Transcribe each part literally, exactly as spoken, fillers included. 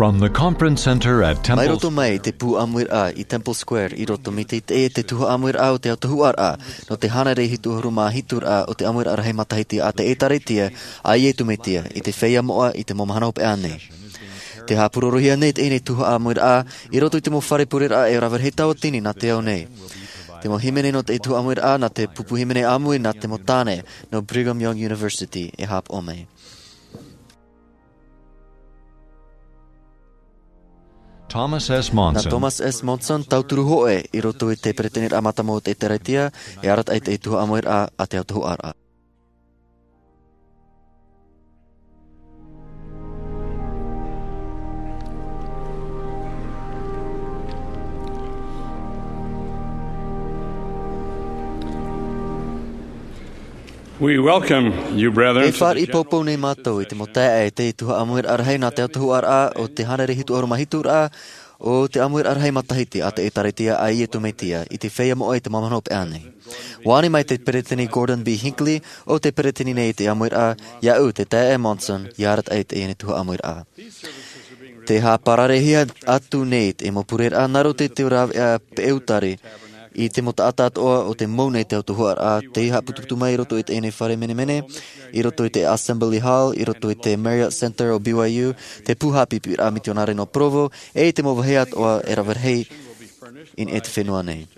From the Conference Center at Mai Temple roto mai i te pū ʻāmuiraʻa i Temple Square, i roto mai te, te, te tuhaʻa ʻāmuiraʻa o te autahuʻaraʻa, nō te hānere hitu ʻahuru mā hitu raʻa o te ʻāmuiraʻa rahi matahiti a te ʻĒtārētia a Iesu Mesia, i te feiā moʻa i te mau mahana hopeʻa nei. Tē haʻapurorohia nei teie tuhaʻa ʻāmuiraʻa, i roto i te mau fare pureraʻa e rave rahi tauatini nā te ao nei. Te mau hīmene nō te tuhaʻa ʻāmuiraʻa, nā te pupu hīmene ʻāmui nā te mau tāne, nō Brigham Young University, e haʻapaʻo mai. Thomas S. Monson. Nā Thomas S. Monson, tauturu hōʻē i roto i te peresideni mātāmua o te ʻĒtārētia, e arataʻi i te tuhaʻa ʻāmuiraʻa a te autahuʻaraʻa. We welcome you, brethren, E fāriʻi poupou nei mātou i te mau taeaʻe i te tuhaʻa ʻāmuiraʻa rahi nā te autahuʻaraʻa o te hānere hitu ʻahuru mā hitu raʻa o te ʻāmuiraʻa rahi matahiti a te ʻĒtārētia a Iesu Mesia, i te feiā moʻa i te mau mahana hopeʻa nei. ʻUa ani mai te peresideni Gordon B. Hinckley, ʻo te peresideni nei i te ʻāmuiraʻa, iāʻu te taeaʻe Monson, ʻia arataʻi i teie tuhaʻa ʻāmuiraʻa. Tē haʻapararehia atu nei te mau pureraʻa nā roto i te rāveʻa peʻautari i te mau taʻata atoʻa o tē mau nei te autahuʻaraʻa, tei haʻaputuputu mai i roto i teie fare menemene, i roto i te Assembly Hall, i roto i te Marriott Center o B Y U, te pū haʻapiʻiraʻa mitionare nō Provo, e i te mau vāhi atoʻa e rave rahi i niʻa i te fenua nei.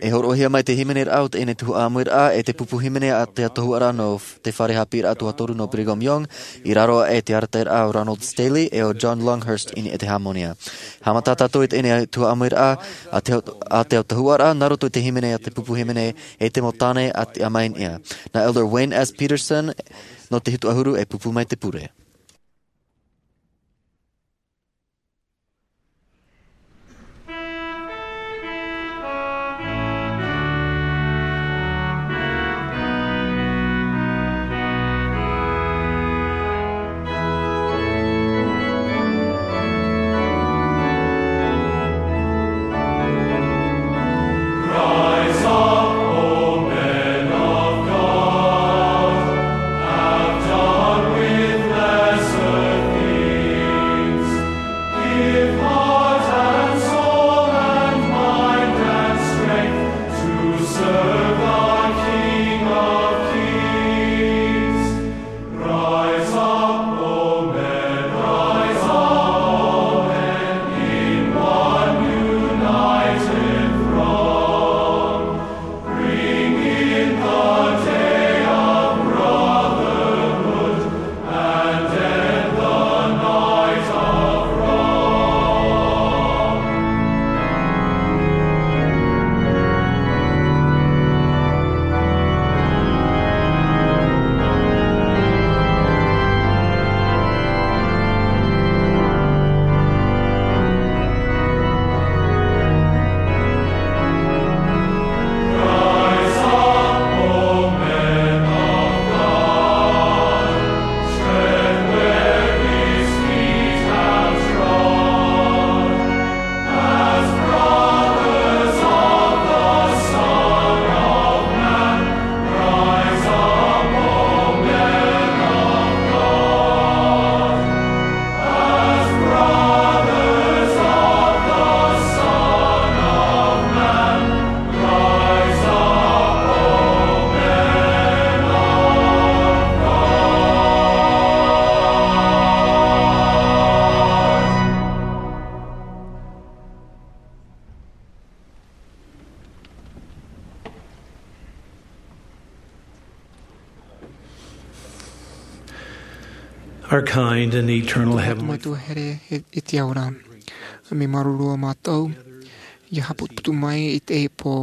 E hōroʻahia mai te hīmeneraʻa o teie tuhaʻa ʻāmuiraʻa e te pupu hīmene a te autahuʻaraʻa nō te fare haʻapiʻiraʻa tuatoru nō Brigham Young, i raro aʻe i te arataʻiraʻa o Ronald Staley e o John Longhurst i niʻa i te hāmani. Haʻamata tātou i teie tuhaʻa ʻāmuiraʻa a te, a te autahuʻaraʻa, nā roto i te hīmene a te pupu hīmene e te mau tāne a te ʻāmui i niʻa. Nā Elder Wayne S. Petersen, nō te hitu ʻahuru e pupu mai te pure. Rise up, O men of God, have done with lesser things. Give heart and soul and mind and strength to serve the King of Kings. Rise up, O men, rise up, O men, in one united throng. Bring in the day of brotherhood and end the night of wrong. Our kind and eternal Heavenly Mātou here i, i te ao ra. Mea māuruuru ā mātou, ʻia haʻaputuputu mai i teie pō.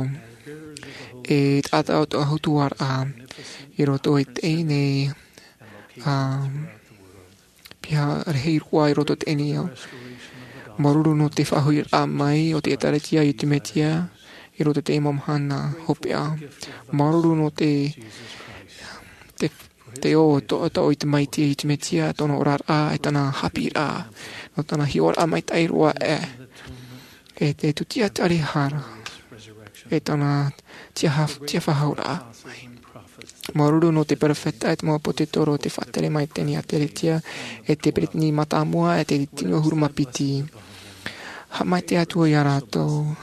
E taʻata o te autahuʻaraʻa, i roto i teie nei, ā, piha rahi roa i roto i teie nei ao. Māuruuru nō te faʻahoʻiraʻa mai o te ʻĒtārētia a Iesu Mesia, i roto i teie mau mahana hopeʻa. Māuruuru nō te, te, te ʻō, tō, tō ʻoe Tamaiti a Iesu Mesia, tōna oraraʻa, e tāna haʻapiʻiraʻa, nō tāna hiʻoraʻa maitaʻi roa ē. E te tūtia tari hara, e tāna tiaha-, tiafaʻahouraʻa mai. Māuruuru nō te perofeta e te mau ʻāpōsetolo, te faʻatere maitaʻi a Teretia, e te peresideni mātāmua, e te tino ʻahuru mā piti. Haʻamaitaʻi atu ā iā rātou.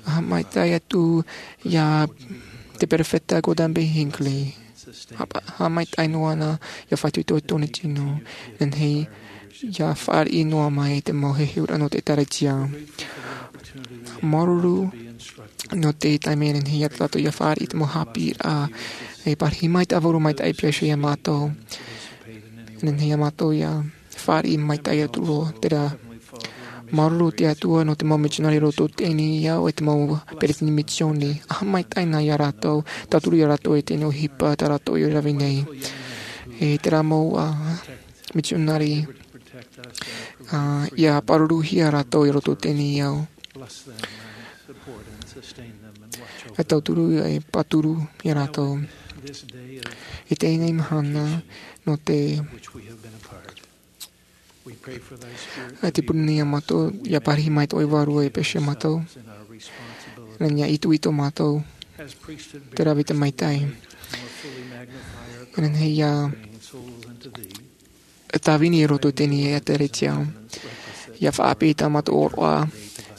Haʻamaitaʻi atu iā te perofeta Gordon B. Hinckley. Haʻa-, haʻamaitaʻi noa āna iā Faʻaitoito Tony Chinn, e nehenehe ʻia fāriʻi noa mai te mau heheuraʻa nō te ʻĒtārētia. Māuruuru nō te taime e nehenehe iā tātou ʻia fāriʻi i te mau haʻapiʻiraʻa, e pārahi mai te ʻāvaru maitaʻi e pihaʻi iho iā mātou. E nehenehe iā mātou ʻia fāriʻi maitaʻi atu roa, terā. Māuruuru te Atua nō te mau mitionare i roto i teie nei ao, e te mau peresideni misiōni. Haʻamaitaʻi na iā rātou, tauturu iā rātou i teie nei ʻohipa tā rātou i rave nei. E terā mau, ā, mitionare, ā, ʻia pāruruhia rātou i roto i teie nei ao. E tauturu, e pāturu iā rātou. I teie nei mahana, nō te, e te pure nei iā mātou, ʻia pārahi mai tō ʻoe Vārua e pihaʻi iho iā mātou. E nehenehe ʻia itoito mātou, te rave i te maitaʻi. E nehenehe ʻia tāvini i roto i teie nei ʻĒtārētia. ʻIa faʻaʻāpī i tā mātou ʻōroʻa,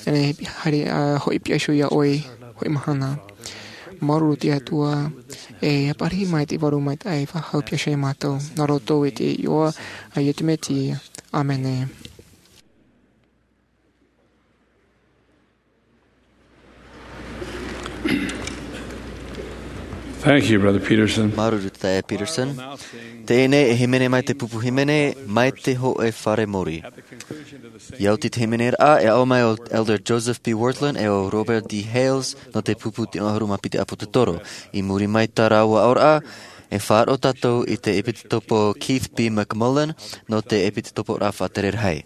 e nehenehe haere, ā, hoʻi pihaʻi iho iā ʻoe, hoʻi mahana. Māuruuru te Atua, e pārahi mai te ʻāvaru maitaʻi e faʻahou pihaʻi iho iā mātou. Nā roto i te iʻoa a Iesu Mesia. ʻĀmene. Thank you, Brother Peterson. Māuruuru, Taeaʻe Peterson. Teie nei e hīmene mai te pupu hīmene, Mai te Hōʻē Fare Mōrī. ʻIa oti te hīmeneraʻa, e aʻo mai ʻo Elder Joseph B. Wirthlin e ʻo Robert D. Hales nō te pupu tino ʻahuru mā piti ʻāpōsetolo. I muri mai i tā rāua aʻoraʻa, e faʻaroʻo tātou i te ʻEpitopo Keith B. McMullen nō te ʻepitoporaʻa faʻatere rahi.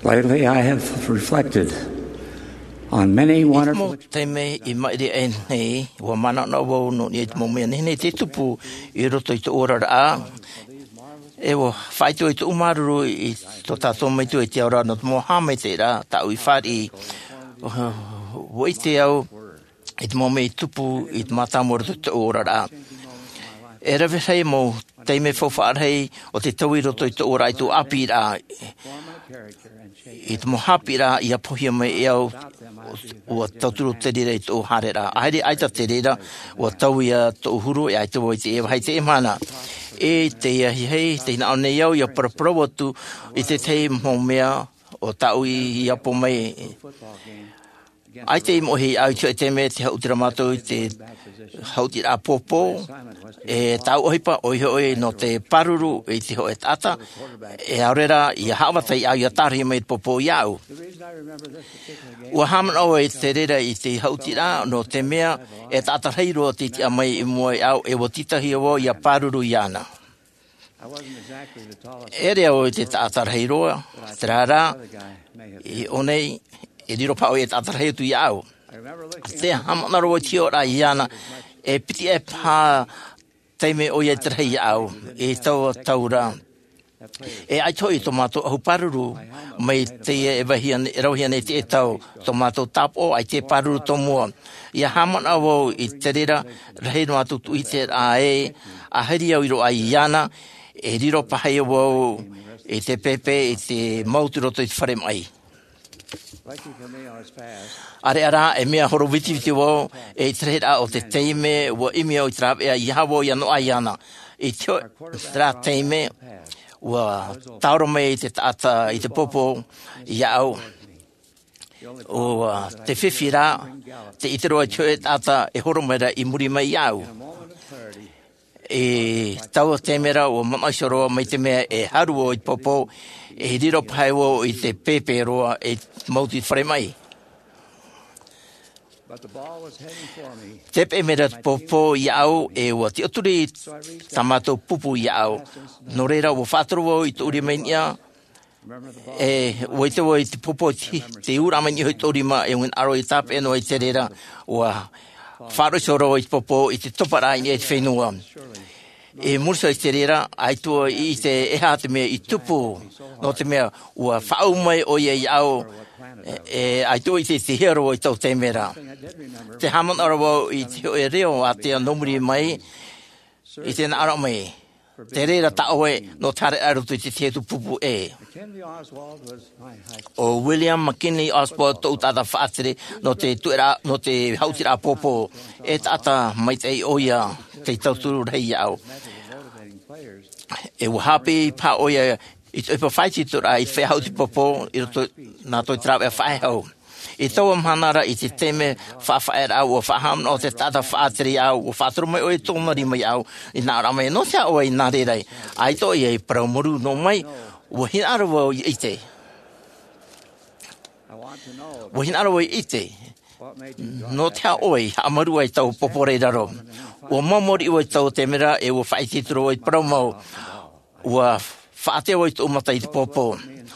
Lately, I have reflected on many wonderful. Mau taime i maʻiri aʻe nei, ua manaʻo vau nō niʻa i te mau mea nehenehe tei tupu i roto i tōʻu oraraʻa. E ua faʻaitoito i tōʻu māuruuru i tō tātou Metua i te ao ra nō te mau haʻamaitaʻiraʻa tāʻu i fāriʻi. Ua ʻite au i te mau mea i tupu i te mātāmua i roto i tōʻu oraraʻa. E rave rahi mau taime faufaʻa rahi o te taui i roto i tōʻu oraraʻa i tōʻu ʻāpīraʻa. I te mau haʻapiʻiraʻa i apohia mai e au, ua tauturu te reira i tōʻu haereraʻa. ʻAita te reira, ua taui ia tōʻu huru, e ʻaita vau i te vāhi i teie mahana. I teie ahiahi, tē hinaʻaro nei au ʻia paraparau atu i te tahi mau mea o tāʻu i apo mai. ʻAita i moʻe iāʻu i te hoʻe taime tē haʻuti ra mātou i te haʻutiraʻa pōpō, e tāʻu ʻohipa, ʻoia hoʻi nō te pāruru i te hoʻe taʻata, e ʻaore rā ʻia haʻavata iāʻu ʻia tārahu mai te pōpō iāʻu. Ua haʻamanaʻo au i te reira i te haʻutiraʻa, nō te mea, e taʻata rahi roa tei tiʻa mai i mua iāʻu, e ua tītauhia vau ʻia pāruru iāna. E ʻere au i te taʻata rahi roa, terā rā, i ʻō nei, e riro paha ʻoia i te taʻata rahi atu iāʻu. Tē haʻamanaʻo ra vau i te hiʻoraʻa iāna, e piti aʻe paha taime ʻoia i te rahi iāʻu, i taua tau ra. E ʻaita hoʻi tō mātou ʻahu pāruru, mai teie e vāhi ana, e rauhia nei i teie tau, tō mātou tāpaʻo, ʻaita e pāruru tōmua. ʻIa haʻamanaʻo vau i te reira, rahi noa atu tūʻite ra ē, ʻa hiri au i roaʻa iāna, e riro paha ia vau i te pēpē, i te mau atu i roto i te fare maʻi. ʻAreʻa rā, e mea horo vitiviti vau, e i te rahiraʻa o te taime, ua ʻimi au i te rāveʻa, ʻeiaha vau ʻia noaʻa iāna. I te hoʻi, terā taime, ua tāora mai te taʻata i te pōpō iāʻu. ʻO, ā, te fifi rā, tē ʻite roa i te hoʻe taʻata e horo mai ra i muri mai iāʻu. I taua taime ra, ua manaʻo iho roa mai te mea e haru vau i te pōpō, e riro paha vau i te pēpē roa e mau atu i te fare maʻi. Tē peʻe mai ra te pōpō iāʻu, e ua tiʻaturi tā mātou pupu iāʻu. Nō reira, ua faʻatoro vau i tōʻu rima i niʻa, e, ua ʻite vau i te pōpō, te, te ūraʻa mai niʻa i tōʻu rima, e ʻua hinaʻaro ʻia tāpeʻa noa i te reira, ua faʻaroʻo iho roa i te pōpō, i te toparaʻa i niʻa i te fenua. I muri iho i te reira, ʻaita vau i ʻite e aha te mea i tupu, nō te mea, ua faʻaau mai ʻoia iāʻu, e, e ʻaita vau i ʻite i te hiero i taua taime ra. Tē haʻamanaʻo ra vau i te hoʻe reo ātea nō muri mai, i te hinaʻaro mai. Te reira tā ʻoe, nō te haere i roto i te tahi atu pupu ʻē. ʻO William McKinley Oswald tōʻu taʻata faʻatere, nō te tueraʻa, nō te haʻutiraʻa pōpō, e taʻata maitaʻi ʻoia, tei tauturu rahi iāʻu. E ua haʻapiʻi paha ʻoia, i te ʻohipa faʻaitoitoraʻa, i te feiā haʻuti pōpō, i roto, nā roto i te rāveʻa faʻehau. I taua mahana ra, i te taime faʻafaʻaeraʻa, ua faʻahaʻamanaʻo te taʻata faʻatere iāʻu, ua faʻatoro mai ʻoia i tōna rima iāʻu, i hinaʻaro mai, nō te aha ʻoe i nā reira ai? ʻAita ʻoia i parau mārū noa mai, ua hinaʻaro vau ʻia ʻite. Ua hinaʻaro vau ʻia ʻite. Nō te aha ʻoe i haʻamāuruuru ai i taua pōpō ra i raro? Ua maumau riʻi vau i taua taime ra, e ua faʻaitoito roa vau i te parau mau. Ua faʻatea vau i tōʻu mata i te pōpō.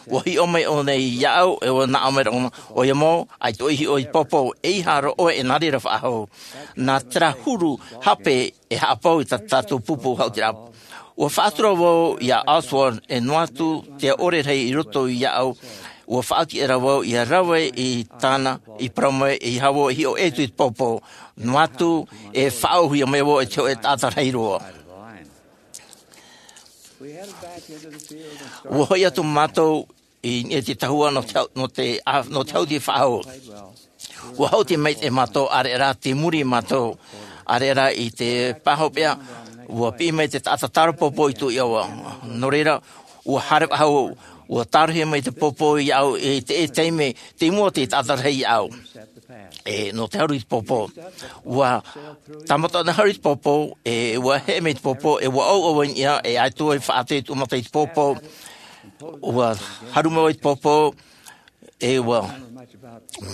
Ua hiʻo mai ʻōna iāʻu, e ua nā ʻō mai ra ʻōna, ʻoia mau, ʻaita ʻoe i hiʻo i te pōpō, ʻeiaha roa ʻoe e nā reira faʻahou. Nā terā huru hape e haʻapau i tā tātou pupu haʻutiraʻa. Ua faʻatura vau iā Oswald, e noa atu te ʻore rahi i roto iāʻu, ua faʻaoti ra vau ʻia rave i tāna i parau mai, ʻeiaha vau e hiʻo ʻē atu i te pōpō. Noa atu, e faʻaauhia mai vau e te hoʻe taʻata rahi roa. Ua hoʻi atu mātou i niʻa i te tahua nō te hau-, nō te, a, nō te haʻuti faʻahou. Ua haʻuti maitaʻi mātou, ʻareʻa rā tei muri mātou, ʻareʻa rā i te pāhopeʻa, ua piʻi mai te taʻata tāra pōpō i tōʻu iʻoa. Nō reira, ua haere faʻahou, ua tārohia mai te pōpō iāʻu i te, i te taime, tei mua te taʻata rahi iāʻu. E, nō te haru i te pōpō. Ua tāmata ʻōna haru i te pōpō, e, ua heʻe mai te pōpō, e ua ʻauʻau i niʻa, e ʻaita vau i faʻatea i tōʻu mata i te pōpō. Ua haru mai vau i te pōpō, e ua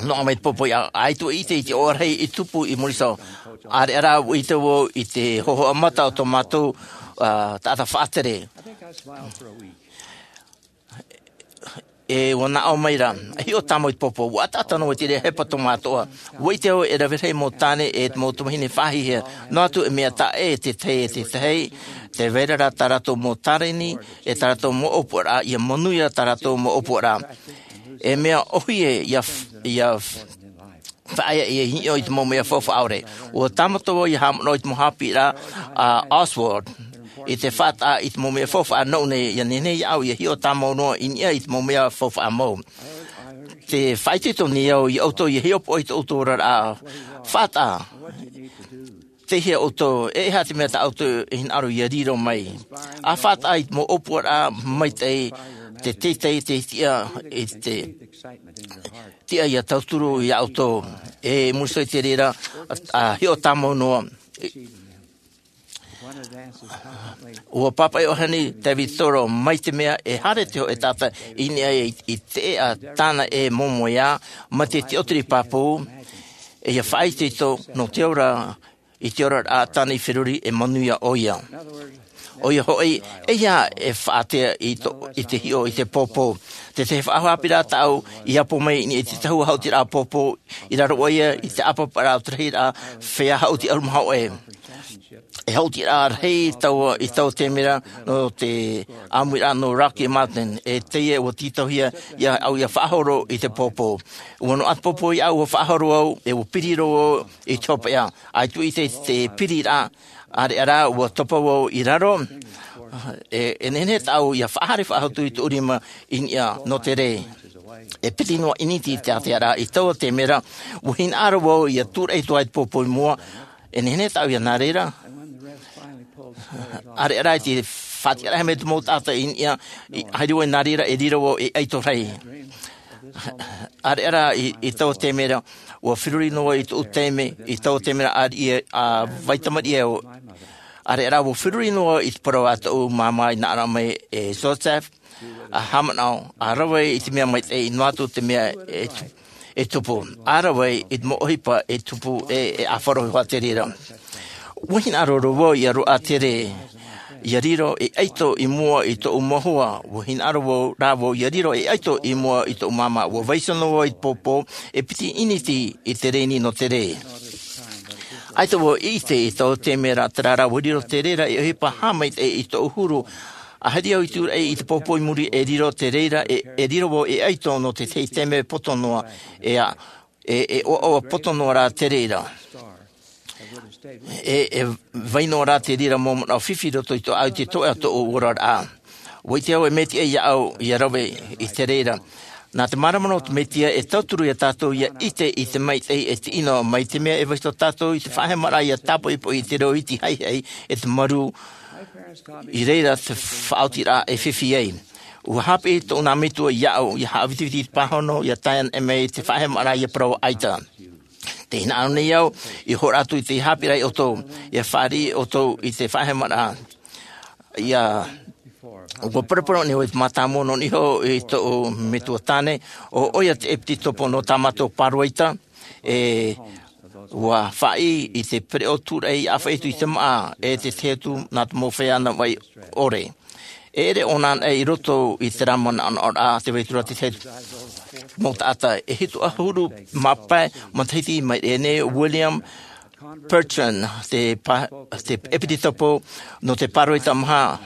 noaʻa mai te pōpō iāʻu, ʻaita vau i ʻite i te ʻoaʻoa rahi i tupu i muri iho. ʻAreʻa rā, ua ʻite vau i te hōhoʻa mata o tō mātou, ā, taʻata faʻatere. E ua naʻo mai ra, e hiʻo tāmau i te pōpō, ua ʻataʻata noa i te reira hepetoma atoʻa. Ua ʻite au e rave rahi mau tāne e te mau tamahine faʻahiahia, noa atu e mea taʻa ʻē te tahi e te tahi, tē vai ra rā tā rātou mau tarini, e tā rātou mau ʻōpuaraʻa, ʻia manuia tā rātou mau ʻōpuaraʻa. E mea ʻōhie, ʻia f-, ʻia f-, faʻaea ʻia hiʻo i te mau mea faufaʻa ʻore. Ua tāmata vau ʻia haʻamanaʻo i te mau haʻapiʻiraʻa a Oswald, i te faʻataʻa i te mau mea faufaʻa nōʻu nei, ʻia nehenehe iāʻu ʻia hiʻo tāmau noa i niʻa i te mau mea faufaʻa mau. Tē faʻaitoito nei au iā ʻoutou ʻia hiʻopoʻa i tō ʻoutou oraraʻa. Faʻataʻa, tei hea ʻoutou, e aha te mea tā ʻoutou e hinaʻaro ʻia riro mai. ʻA faʻataʻa i te mau ʻōpuaraʻa maitaʻi, te teitei, te tiʻa, i te tiʻa ʻia tauturu iā ʻoutou. E muri iho i te reira, ʻa hiʻo tāmau noa. Ua pāpaʻi ʻohani David Thoreau, mai te mea e haere te hōʻē taʻata i niʻa i, i te ʻēʻa tāna e momoe ā, mai te tiʻotiri pāpū, e ʻia faʻaitoito nō te ora, i te oraraʻa tāna i feruri e manuia ʻoia. ʻOia hoʻi, e aha e faʻaātea i tō, i te hiʻo i te pōpō. Te tahi faʻahoʻi haʻapiʻiraʻa tāʻu i ʻapo mai i niʻa i te tahua haʻutiraʻa pōpō, i raro ʻoia i te ʻāpaparaʻa o te rahiraʻa feiā haʻuti ʻahuru mā hōʻē. E haʻutiraʻa rahi taua i taua taime ra nō te ʻāmuiraʻa nō Rocky Mountain, e teie ua tītauhia iāʻu ʻia faʻahoro i te pōpō. Ua noaʻa te pōpō iāʻu, ua faʻahoro au, e ua piri roa au i te hopeʻa. ʻAita vau i ʻite i te piriraʻa, ʻāreʻa rā, ua topa vau i raro, e, e nehenehe tāʻu ʻia faʻahaere faʻahou atu i tōʻu rima i niʻa nō te rē. E piti noa ʻīniti te ātea ra i taua taime ra, ua hinaʻaro vau ʻia tūraʻi atu ai te pōpō i mua, e nehenehe tāʻu ʻia nā reira. ʻĀreʻa rā i te faʻatiʻaraʻa mai te mau taʻata i niʻa, i, haere vau nā reira e riro vau ei ʻaito rahi. ʻĀreʻa rā i, i taua taime ra, ua feruri noa i tōʻu taime, i taua taime ra ʻa, ʻa vai tamariʻi au. ʻĀreʻa rā ua feruri noa i te parau a tōʻu māmā i hinaʻaro mai e Joseph, ʻa haʻamanaʻo, ʻa rave i te mea maitaʻi noa atu te mea e tu-, e tupu. ʻA rave i te mau ʻohipa e tupu e, e ʻāfaro hoʻi te reira. Ua hinaʻaro roa vau ʻia roaʻa te rē, ʻia riro ei ʻaito i mua i tōʻu mau hoa, ua hinaʻaro vau rā vau ʻia riro ei ʻaito i mua i tōʻu māmā, ua vaiiho noa vau i te pōpō, e piti ʻīniti i te rēni nō te rē. ʻAita vau i ʻite i taua taime ra, terā rā ua riro te reira ei ʻohipa haʻamaitaʻi i tōʻu huru, ʻa haere au i tūraʻi i te pōpō i muri e riro te reira, e, e riro vau ei ʻaito nō te tahi taime poto noa, e a, e, e ʻoaʻoa poto noa rā te reira. E, e vai noa rā te reira mau manaʻo fifi i roto i tō, ʻaʻau i te toeʻa o tōʻu oraraʻa. Ua ʻite au e mea tiʻa iāʻu ʻia rave i te reira. Nā te māramarama o te Mesia e tauturu iā tātou ʻia ʻite i te maitaʻi e te ʻino, mai te mea e vaiiho tātou i te faʻahemaraʻa ʻia tāpoʻipoʻi i te reo iti haihai e te marū i reira te faʻaotiraʻa e fifi ai. Ua haʻapiʻi tōʻu nā metua iāʻu ʻia haʻavitiviti i te pāhono, ʻia tae mai te faʻahemaraʻa ʻia parau ʻaita. Tē hinaʻaro nei au, ʻia hōroʻa atu i te haʻapiʻiraʻa iā ʻoutou, ʻia fāriʻi ʻoutou i te faʻahemaraʻa. ʻIa, ua paraparau nei au i te mātāmua nō niʻa iho i tōʻu metua tāne, ʻo, ʻoia te ʻepitetopo nō tā mātou pāroita, e, ua faʻaʻī i te pereʻoʻo tūraʻi ʻāfaʻi atu i te māʻa, e te tahi atu nā te mau feiā navaʻi ʻore. E ʻere ʻōna anaʻe i roto i terā manaʻonaʻoraʻa, tē vai atu ra te tahi mau taʻata, e hitu ʻahuru mā pae matahiti mai ʻēnei, William Bertrand, te pā-, te ʻepitetopo nō te pāroita maha,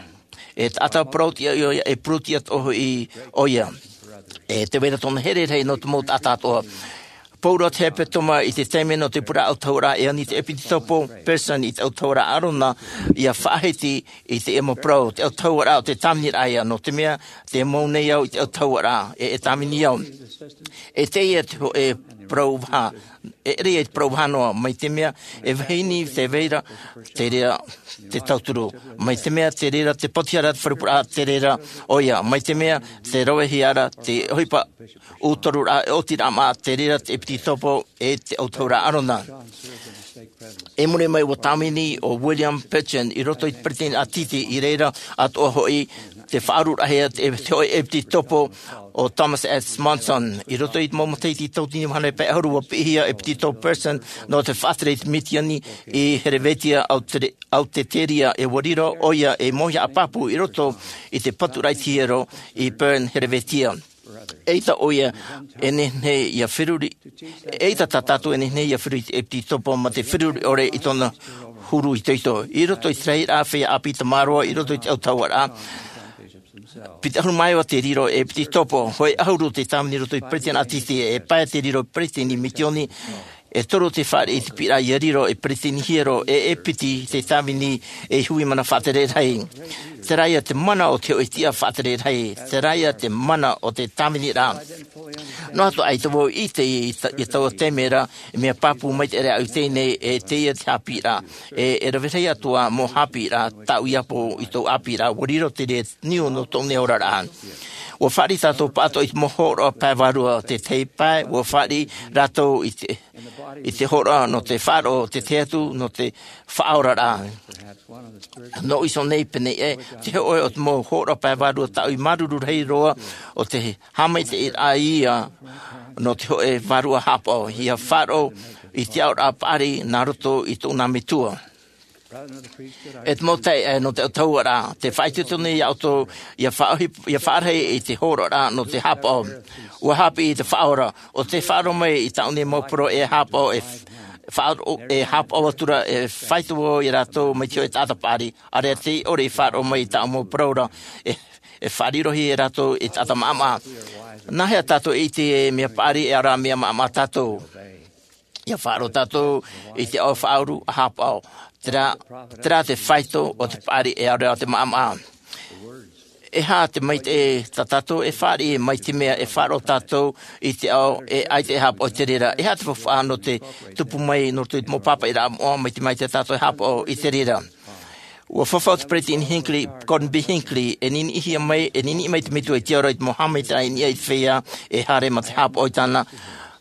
e taʻata parau-tiʻa ʻoia, e pūrū-tiʻa atoʻa hoʻi ʻoia. E tē vai ra tōna here rahi nō te mau taʻata atoʻa. Pauroa te hepetoma i te taime nō te pureraʻa ʻautahuʻaraʻa, e ani te ʻepitetopo Bertrand i te ʻautahuʻaraʻa ʻArona ʻia faʻahiti i teie mau parau, te ʻautahuʻaraʻa o te tāviniraʻa ïa, nō te mea, tē mau nei au i te ʻautahuʻaraʻa, e, e tāvini au. E teie te hōʻē parau vaha, e ʻere ia i te parau vaha noa, mai te mea, e vahine te vai ra, te reira te tauturu. Mai te mea, te reira te pātiʻaraʻa, te fare pureraʻa, te reira ʻoia. Mai te mea, tē ravehia ra te ʻohipa ʻūtoruraʻa, e ʻotiraʻa māʻa, te reira te ʻepitetopo, e te ʻautahuʻaraʻa ʻArona. I muri mai ua tāvini ʻo William Bertrand i roto i te peresideni ʻātiti, i reira atoʻa hoʻi tē faʻaaruraʻahia te, te hōʻē ʻepitetopo ʻo Thomas S. Monson. I roto i te mau matahiti tauatini vaha noa pae ʻahuru, ua piʻihia ʻepitetopo Bertrand nō te faʻatere i te Misioni i Herevetia, Aute-, Autiteria, e ua riro ʻoia ei mauihaʻa pāpū i roto i te paturaʻa i te hiero i Bern, Herevetia. ʻEita ʻoia e nehenehe ia feruri, ʻeita tā tātou e nehenehe ia feruri i te ʻepitopo ma te feruri ʻore i tōna huru itoito. I roto i te rahiraʻa feiā ʻāpī tamaroa i roto i te autahuʻaraʻa, piti ʻahuru mā iva te riro ʻepitopo, hōʻē ʻahuru te tāvini i roto i te peretiteni ʻātiti, e pae te riro peretiteni misioni, e toru te fāriʻi i te piʻiraʻa ia riro e peretiteni hiero, e e piti te tāvini e hui mana faʻatere rahi. Terā ia te mana o te hōʻē tiʻa faʻatere rahi, terā ia te mana o te tāviniraʻa. Noa atu ʻaita vau i ʻite i ta-, i taua taime ra, e mea pāpū maitaʻi ra au i teie nei, e teie te haʻapiʻiraʻa, e, e rave rahi atu ā mau haʻapiʻiraʻa, tāʻu i ʻapo i tōʻu haʻapiʻiraʻa, ʻua riro te reira niu nō tōʻu nei oraraʻa. ʻUa fāriʻi tātou pāʻatoʻa i te mau hōroʻa pae vārua, te tahi pae, ʻua fāriʻi rātou i te, i te hōroʻa nō te faʻaroʻo, te tahi atu nō te faʻaoraraʻa. Nō ʻīsō nei pēnei ē, te hōʻē o te mau hōroʻa pae vārua tāʻu i māuruuru rahi roa, ʻo te haʻamaitaʻiraʻa ia nō te hōʻē vārua haʻapaʻo, ia faʻaroʻo i te aʻoraʻa paʻari nā roto i tōʻu nā metua. E te mau taeaʻe nō te autahuʻaraʻa, tē faʻaitoito nei iā ʻoutou ia faʻaʻohi-, ia faʻarahi i te hōroʻaraʻa nō te haʻapaʻo. ʻUa haʻapiʻi i te Faʻaora, ʻo tē faʻaroʻo mai i tāʻu nei mau parau e haʻapaʻo, e f-, faʻaroʻo, e haʻapaʻo atu ra, e faʻaitoito vau iā rātou mai te hōʻē taʻata paʻari, ʻāreʻa tei ʻore i faʻaroʻo mai i tāʻu mau parau ra, e, e faʻarirohia rātou i te taʻata maʻamaʻa. Nāhea tātou e ʻite e mea paʻari e ʻaore rā mea maʻamaʻa tātou? Ia faʻaroʻo tātou i te ao faʻauru a haʻapaʻo. Terā, terā te faito o te paʻari e ʻaore rā te maʻamaʻa. E aha te maitaʻi tā tātou e fāriʻi mai te mea e faʻaroʻo tātou i te ao e ʻaita e haʻapaʻo i te reira? E aha te faufaʻa nō te tupu mai nō te mau pāpaʻiraʻa moʻa mai te maitaʻi tātou e haʻapaʻo i te reira? ʻUa fafau te peretiteni Hinckley, Gordon B. Hinckley, e niniʻihia mai, e niniʻi mai te metua i te ao ra i te mau haʻamaitaʻiraʻa i niʻa i te feiā e haere mā te haʻapaʻo i tāna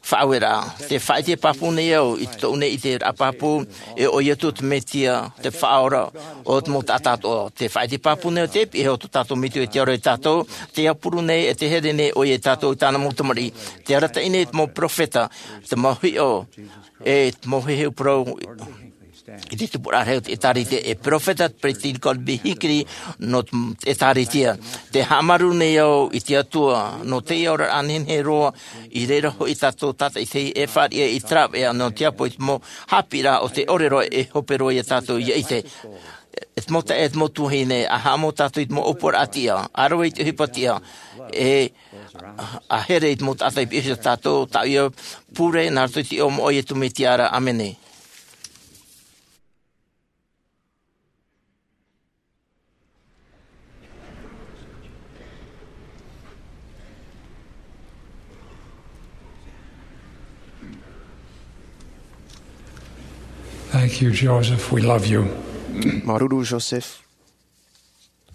faʻaueraʻa. Tē faʻaʻite pāpū nei au i tōʻu nei ʻiteraʻa pāpū, e ʻo Iesu te Mesia, te Faʻaora o te mau taʻata atoʻa. Tē faʻaʻite pāpū nei au te piʻi o tō tātou Metua i te ao ra iā tātou, tē haʻapuru nei, e tē here nei ʻoia iā tātou i tāna mau tamariʻi. Tē arataʻi nei te mau perofeta, te mau hiʻo, e te mau heheu parau i te tupuraʻa rahi o te ʻĒtārētia, e perofeta te peretiteni Gordon B. Hinckley nō te ʻĒtārētia. Tē haʻamāuruuru nei au i te Atua nō teie oraraʻa nehenehe roa, i reira hoʻi tātou tātaʻitahi e fāriʻi i te rāveʻa nō te ʻapo i te mau haʻapiʻiraʻa o te ʻōrero e hope roa iā tātou ia ʻite. E te mau taeaʻe, e te mau tuahine, ʻa haʻamau tātou i te mau ʻōpuaraʻa tiʻa, ʻa rave i te ʻohipa tiʻa, e ʻa here i te mau taʻata i piʻihia tātou, tāʻu ia pure, nā roto i te iʻoa moʻa o Iesu Mesia ra. ʻĀmene. Thank you, Joseph. We love you. Māuruuru, Joseph.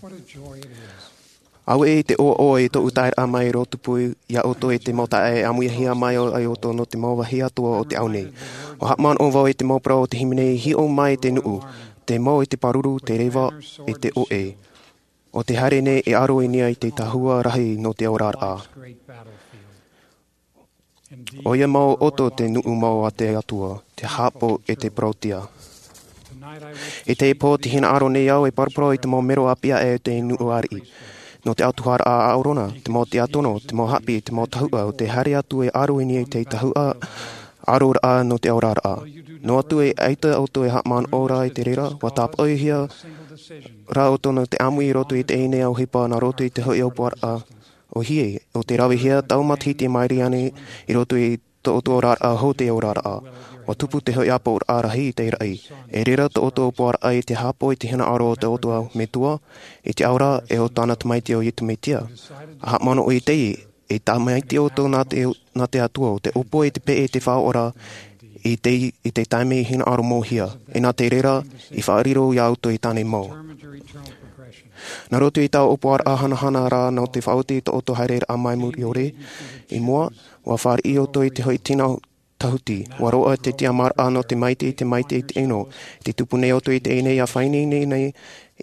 What a joy it is. Auē te ʻoaʻoa i tōʻu taeraʻa mai roa tupu iā ʻoutou e te mau taeaʻe e ʻāmuihia mai ai ʻoutou nō te mau vāhi atoʻa o te ao nei. ʻUa haʻamanaʻo vau i te mau parau o te hīmene, hiʻo mai te nuʻu, te mau i te pāruru, te reva, e te ʻoʻe. ʻO te haere nei e ʻaro i niʻa i te tahua rahi nō te oraraʻa. ʻOia mau ʻoto te nuʻu mau a te Atua, te haʻapaʻo e te parauʻtiʻa. I teie pō, tē hinaʻaro nei au e paraparau i te mau mero ʻāpī aʻe o te nuʻu ariʻi. Nō te autahuʻaraʻa a ʻĀrona, te mau tiakono, te mau haʻapiʻi, te mau tahuʻa, ʻo tē haere atu e ʻaro i niʻa i te tahuʻa, ʻaroraʻa nō te oraraʻa. Noa atu e ʻaita ʻoutou e haʻamanaʻo ra i te reira, ʻua tāpaʻohia rā ʻoutou nō te ʻāmui i roto i teie nei ʻohipa nā roto i te hoʻi ʻōpuaraʻa ʻo Hinckley, ʻo tē ravehia taua matahiti mai ra ānei i roto i tō ʻoutou oraraʻa hou te oraraʻa. ʻUa tupu te hoʻi ʻāpoʻoraʻa rahi i te raʻi. E reira tō ʻoutou ʻōpuaraʻa i te haʻapaʻo i te hinaʻaro o tō ʻoutou Metua, i te ao ra, e ʻo tāna Tamaiti ʻo Iesu Mesia. ʻA haʻamanaʻo i teie, e tamaiti ʻoutou nā te, nā te Atua, ʻo tē ʻōpua i te peʻe i te Faʻaora, i te, i te taime i hinaʻaro mōhia. E nā te reira, i faʻariro iā ʻoutou i tāna mau. Nā roto i taua ʻōpuaraʻa hanahana ra nō te faʻaoti i tō ʻoutou haereraʻa mai muri ʻore, i mua, ʻua fāriʻi ʻoutou i te hoʻi tino tahuti. ʻUa roaʻa te tiʻamāraʻa nō te maitaʻi, te maitaʻi i te ʻino. Tē tupu nei ʻoutou i teie nei ʻia faʻaineine nei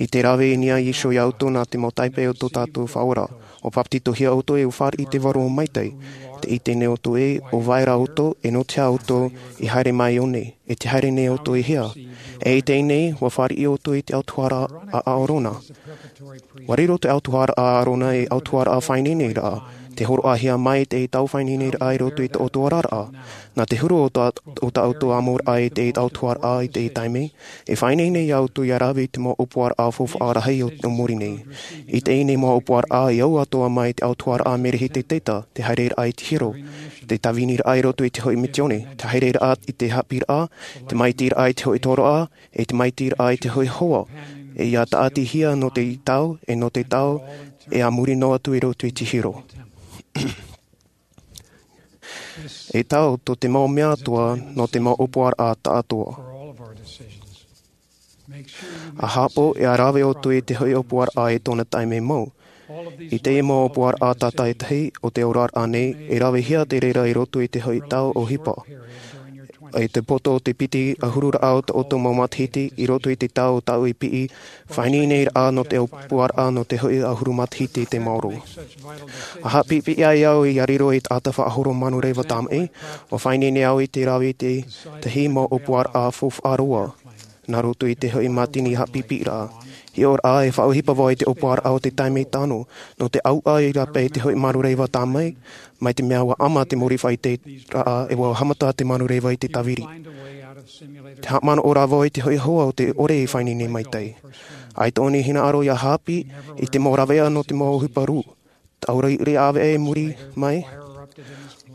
i te rave i niʻa iho iā ʻoutou nā te mau taipe o tō tātou Faʻaora. ʻUa papetitohia ʻoutou e ʻua fāriʻi i te vārua maitaʻi. Tē ʻite nei ʻoutou ē, ʻo vai ra ʻoutou, e nō te aha ʻoutou i haere mai i ʻō nei. E tē haere nei ʻoutou i hea? E i teie nei, ʻua fāriʻi ʻoutou i te autahuʻaraʻa a ʻĀrona. ʻUa riro te autahuʻaraʻa a ʻĀrona ei autahuʻaraʻa faʻaineineraʻa. Te hōroʻahia mai te tau faʻaineineraʻa i roto i tō ʻoutou oraraʻa. Nā te huru o tā, o tā ʻoutou ʻamuraʻa i te tau tuaraʻa i te taime, e faʻaineine ia ʻoutou ia rave i te mau ʻōpuaraʻa faufaʻa rahi o, o muri nei. I teie nei mau ʻōpuaraʻa, e au atoʻa mai te tau tuaraʻa merehiteta, te haereraʻa i te hiero, te tāviniraʻa i roto i te hoʻi misiōni, te haereraʻa i te haʻapiʻiraʻa, te maitiraʻa i te hoʻi tōroʻa, e te maitiraʻa i te hoʻi hoa, e ia tāʻatihia nō te tau, e nō te tau, e a muri noa atu i roto i te hiero. E tau tō te mau mea atoʻa nō te mau ʻōpuaraʻa tāʻatoʻa. ʻA haʻapaʻo e a rave ʻoutou i te hoʻi ʻōpuaraʻa i tōna taime mau. I teie mau ʻōpuaraʻa tātaʻitahi o te oraraʻa nei, e ravehia te reira i roto i te hoʻi tau ʻohipa. I te poto o te piti ʻahururaʻa o tō ʻoutou mau matahiti, i roto i te tau o tāʻu i piʻi, faʻaineineraʻa nō te ʻōpuaraʻa nō te hoʻi ʻahuru matahiti te maoro. ʻA haʻapiʻipiʻi ai au ia riro i te taʻata faʻahoro manureva tamaʻi, ʻua faʻaineine au i te rave i te tahi mau ʻōpuaraʻa faufaʻa roa. Nā roto i te hoʻi mātini haʻapiʻipiʻiraʻa. Hiʻoraʻa e faʻaʻohipa vau i te ʻōpuaraʻa o te taime tano, nō te ʻauʻa i rāpae i te hoʻi manureva tamaʻi, mai te mea ʻua ʻama te mōrī faʻaiteraʻa e ʻua haʻamata te manureva i te tāviri. Te haʻamanaʻo rā vau i te hoʻi hoa o te ʻore i faʻaineine maitaʻi. ʻAita ʻōna i hinaʻaro ia haʻapiʻi i te mau rāveʻa nō te mau ʻohipa rū. Taura i ʻāvaʻe i muri mai,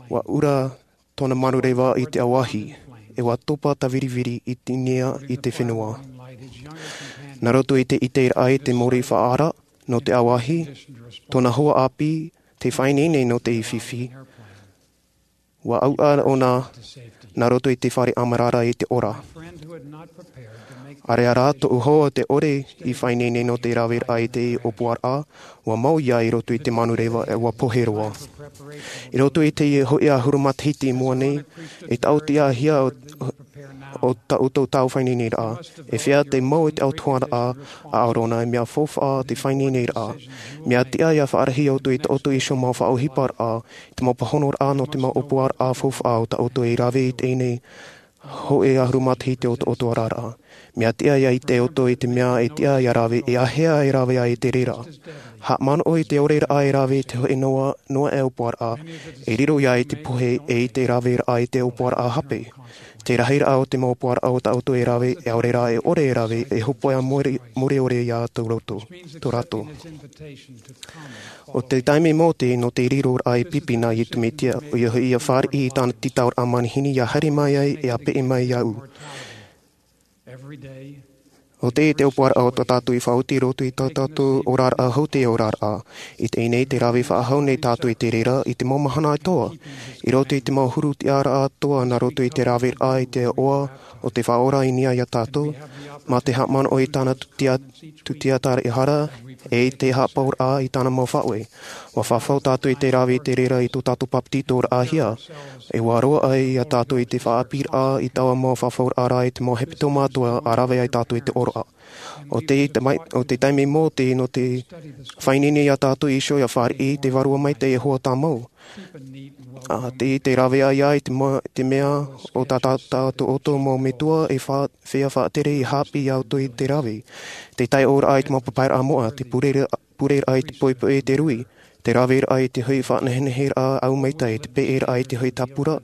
ʻua ʻura tōna manureva i te ʻauahi, e ʻua topa tāviriviri i te nia i te fenua. Nā roto i te ʻiteraʻa i te mōrī faʻaara nō te ʻauahi, tōna hoa ʻāpī, te faʻaineine nō te fifi. ʻUa ʻauʻa ʻōna nā roto i te fare ʻamarara i te ora. ʻAreʻa rā tōʻu hoa te ʻore i faʻaineine nō te raveraʻa i te ʻōpuaraʻa, ʻua mau ia i roto i te manureva e ʻua pohe roa. I roto i te hoʻi ʻahuru matahiti i mua nei, e taʻotiʻahia o, o tā ʻoutou tau faʻaineineraʻa, e fea te mau i te ʻautuaraʻa a ʻArona, e mea faufaʻa te faʻaineineraʻa. Mea tiʻa ia faʻarahi ʻoutou i tō ʻoutou iho mau faʻaʻohiparaʻa, i te mau pāhonoraʻa nō te mau ʻōpuaraʻa faufaʻa o tā ʻoutou e rave i teie nei hoʻi ʻahuru matahiti o tō ʻoutou oraraʻa. Mea tiʻa ia ʻite ʻoutou i te mea e tiʻa ia rave, e āhea e rave ai te reira. Haʻamanaʻo i te ʻoreraʻa e rave i te hoʻi noa, noa e ʻōpuaraʻa, e riro ia i te pohe e i te raveraʻa i te ʻōpuaraʻa hape. Te rahiraʻa o te mau ʻōpuaraʻa o tā ʻoutou e rave, e ʻaore rā e ʻore e rave, e hōpoiʻa mori-, moriori ia tō roto, tō rātou. ʻO te taime Mōte nō te riroraʻa e pipi nā Iesu Mesia, ʻoia hoʻi ia fāriʻi i tāna tītauraʻa manihini ia haere mai ai e a peʻe mai iāʻu. ʻO te, te ʻōpuaraʻa o tā tātou i faʻaoti i roto i tā tātou oraraʻa hou te oraraʻa. I teie nei te rave faʻahou nei tātou i te reira i te mau mahana atoʻa. I roto i te mau huru tiʻaraʻa atoʻa nā roto i te raveraʻa i te iʻoa o te Faʻaora i niʻa ia tātou, mā te haʻamanaʻo i tāna tūtia-, tūtiataraʻehara, e i te haʻapaʻoraʻa i tāna mau faʻaue. ʻUa fafau tātou i te rave i te reira i tō tātou papetitoraʻahia. E ʻua roaʻa ia tātou i te faʻaʻāpīraʻa i taua mau fafauraʻa rā i te mau hepetoma atoʻa ʻa rave ai tātou i te ʻōroʻa. ʻO te, te mai-, ʻo te taime Mōte nō te faʻaineine ia tātou iho ia fāriʻi te Vārua Maitaʻi e hoa tāmau. ʻA te, te rave ai ia i te ma-, te mea ʻo tā, tā, tā tō ʻoutou mau metua e fa-, fea faʻatere i haʻapiʻi ia ʻoutou i te rave. Te taiʻoraʻa i te mau papairaʻa moʻa, te pureraʻa, pureraʻa i te poʻipoʻi e te rui, te raveraʻa i te hoʻi faʻaneheneheraʻa ʻau maitaʻi, te peʻeraʻa i te hoʻi tāpura,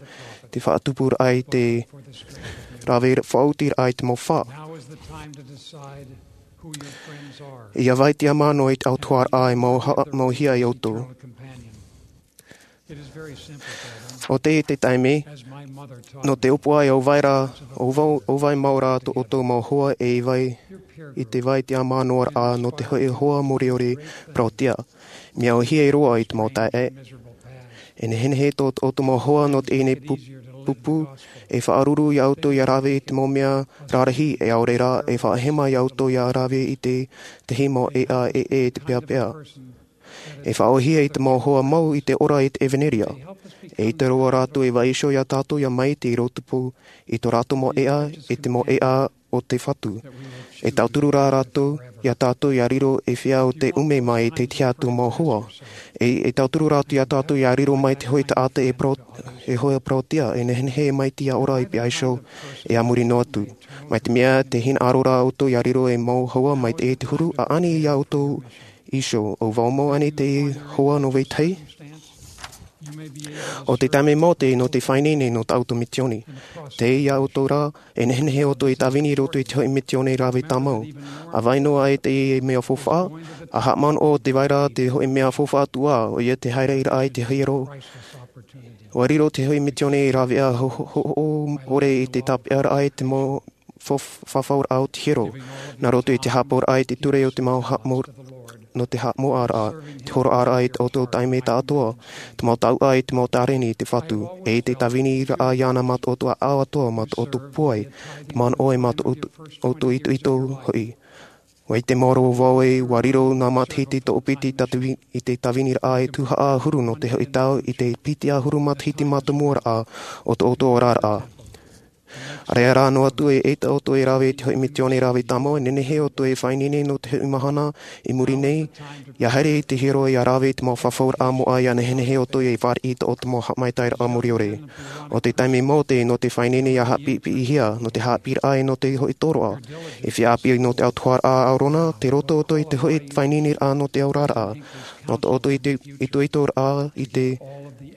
te faʻatupuraʻa i te rave faʻaotiraʻa i te mau fā. ʻIa vai te ʻāmano i te ʻautuaraʻa e mau ha-, mauhia ai ʻoutou. ʻO te, te taime, nō te ʻōpuaraʻa ʻo vai rā, ʻo vau, ʻo vai mau rā tō ʻoutou mau hoa e vai, i te vai te ʻāmanoraʻa nō te hoʻi hoa moriori parauʻtiʻa. Mea ʻōhie roa i te mau taeaʻe. E nehenehe tō, tō ʻoutou mau hoa nō teie nei pu-, pupu, e faʻaruru ia ʻoutou ia rave i te mau mea rarahi, e ʻaore rā, e faʻahema ia ʻoutou ia rave i te, te himo e a e e te peapea. E faʻaʻōhie i te mau hoa mau i te ora i te ʻevanelia. E ʻite roa rātou e vaiiho ia tātou ia maite i rō tupu i tō rātou mau ʻēʻa, i te mau ʻēʻa o te Fatu. E tauturu rā rātou ia tātou ia riro e fea ʻo te ʻume mai i te tiʻa atu mau hoa. E, e tauturu rātou ia tātou ia riro mai te hoʻi taʻata e parau-, e hoʻi parauʻtiʻa, e nehenehe e maite ia ora i pihaʻiho, e a muri noa atu. Mai te mea te hinaʻaro rā ʻoutou ia riro e mau hoa mai te, te huru, ʻaʻani ia ʻoutou iho, ʻo vau mau ānei te hoa nō vetahi? ʻO te taime mau te nō te faʻaineine nō tā ʻoutou mitioni. Tei iā ʻoutou rā, e nehenehe ʻoutou e tāvini i roto i te hoʻi mitioni rave tāmau. ʻA vai noa ai te mea faufaʻa, ʻa haʻamanaʻo te vai ra te hoʻi mea faufaʻa atu ā, ʻoia te haere i raʻa i te hiero. ʻUa riro te hoʻi mitioni e rave ʻa ho-, ho-, ho-, ʻore i te tāpeʻaraʻa i te mau fo-, fafauraʻa o te hiero. Nā roto i te haʻapaʻoraʻa i te ture o te mau haʻamo-, nō te haʻamoʻaraʻa, te horoʻaraʻa i tō ʻoutou taime tāʻātoa, te mau taʻuʻa i te mau tāreni i te Fatu, e i te tāviniraʻa iāna mā tō ʻoutou ʻāʻau atoa, mā tō ʻoutou pūai, te manaʻo e mā tō ʻoutou, ʻoutou itoito hoʻi. ʻUa ʻite maoro vau ē, ʻua riro nā matahiti tō piti tātavi-, i te tāviniraʻa e tuhaʻa ʻahuru nō te hoʻi tau i te piti ʻahuru matahiti mātāmua raʻa o tō ʻoutou oraraʻa. ʻAreʻa rā noa atu e ʻaita ʻoutou e rave i te hoʻi mitioni rave tāmau, e nehenehe ʻoutou e faʻaineine nō te hoʻi mahana i muri nei, ʻia haere i te hiero ʻia rave i te mau fafauraʻa moʻa ʻia nehenehe ʻoutou e fāriʻi i tō ʻoutou mau haʻamaitaʻiraʻa muriʻore. ʻO te taime mau te nō te faʻaineine ʻia haʻapiʻipiʻihia, nō te haʻapiʻiraʻa e nō te hoʻi tōroʻa. E feiā ʻāpī nō te autahuʻaraʻa a ʻĀrona, tei roto ʻoutou i te hoʻi faʻaineineraʻa nō te oraraʻa. Nō tō ʻoutou ito-, itoitoraʻa i te,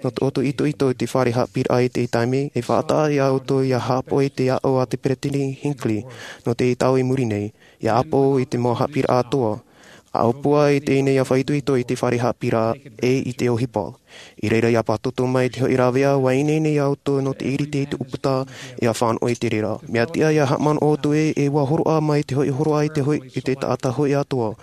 nō tō ʻoutou itoito i te fare haʻapiʻiraʻa i te taime, e faʻataʻa iā ʻoutou ʻia haʻapaʻo i te aʻo a te Peresideni Hinckley, nō te tau i muri nei, ʻia ʻāpō i te mau haʻapiʻiraʻa atoa. ʻA ʻōpua i teie nei ʻia faʻaitoito i te fare haʻapiʻiraʻa e i te ʻohipa. I reira ʻia pātoto mai te hoʻi rāveʻa, ʻua ineine iā ʻoutou nō te ʻiriti i te ʻūputa, ʻia fānaʻo i te reira. Mea tiʻa ʻia haʻamanaʻo ʻoutou ē, e ʻua hōroʻa mai te hoʻi hōroʻa i te hoʻi, i te taʻata hoʻi atoa.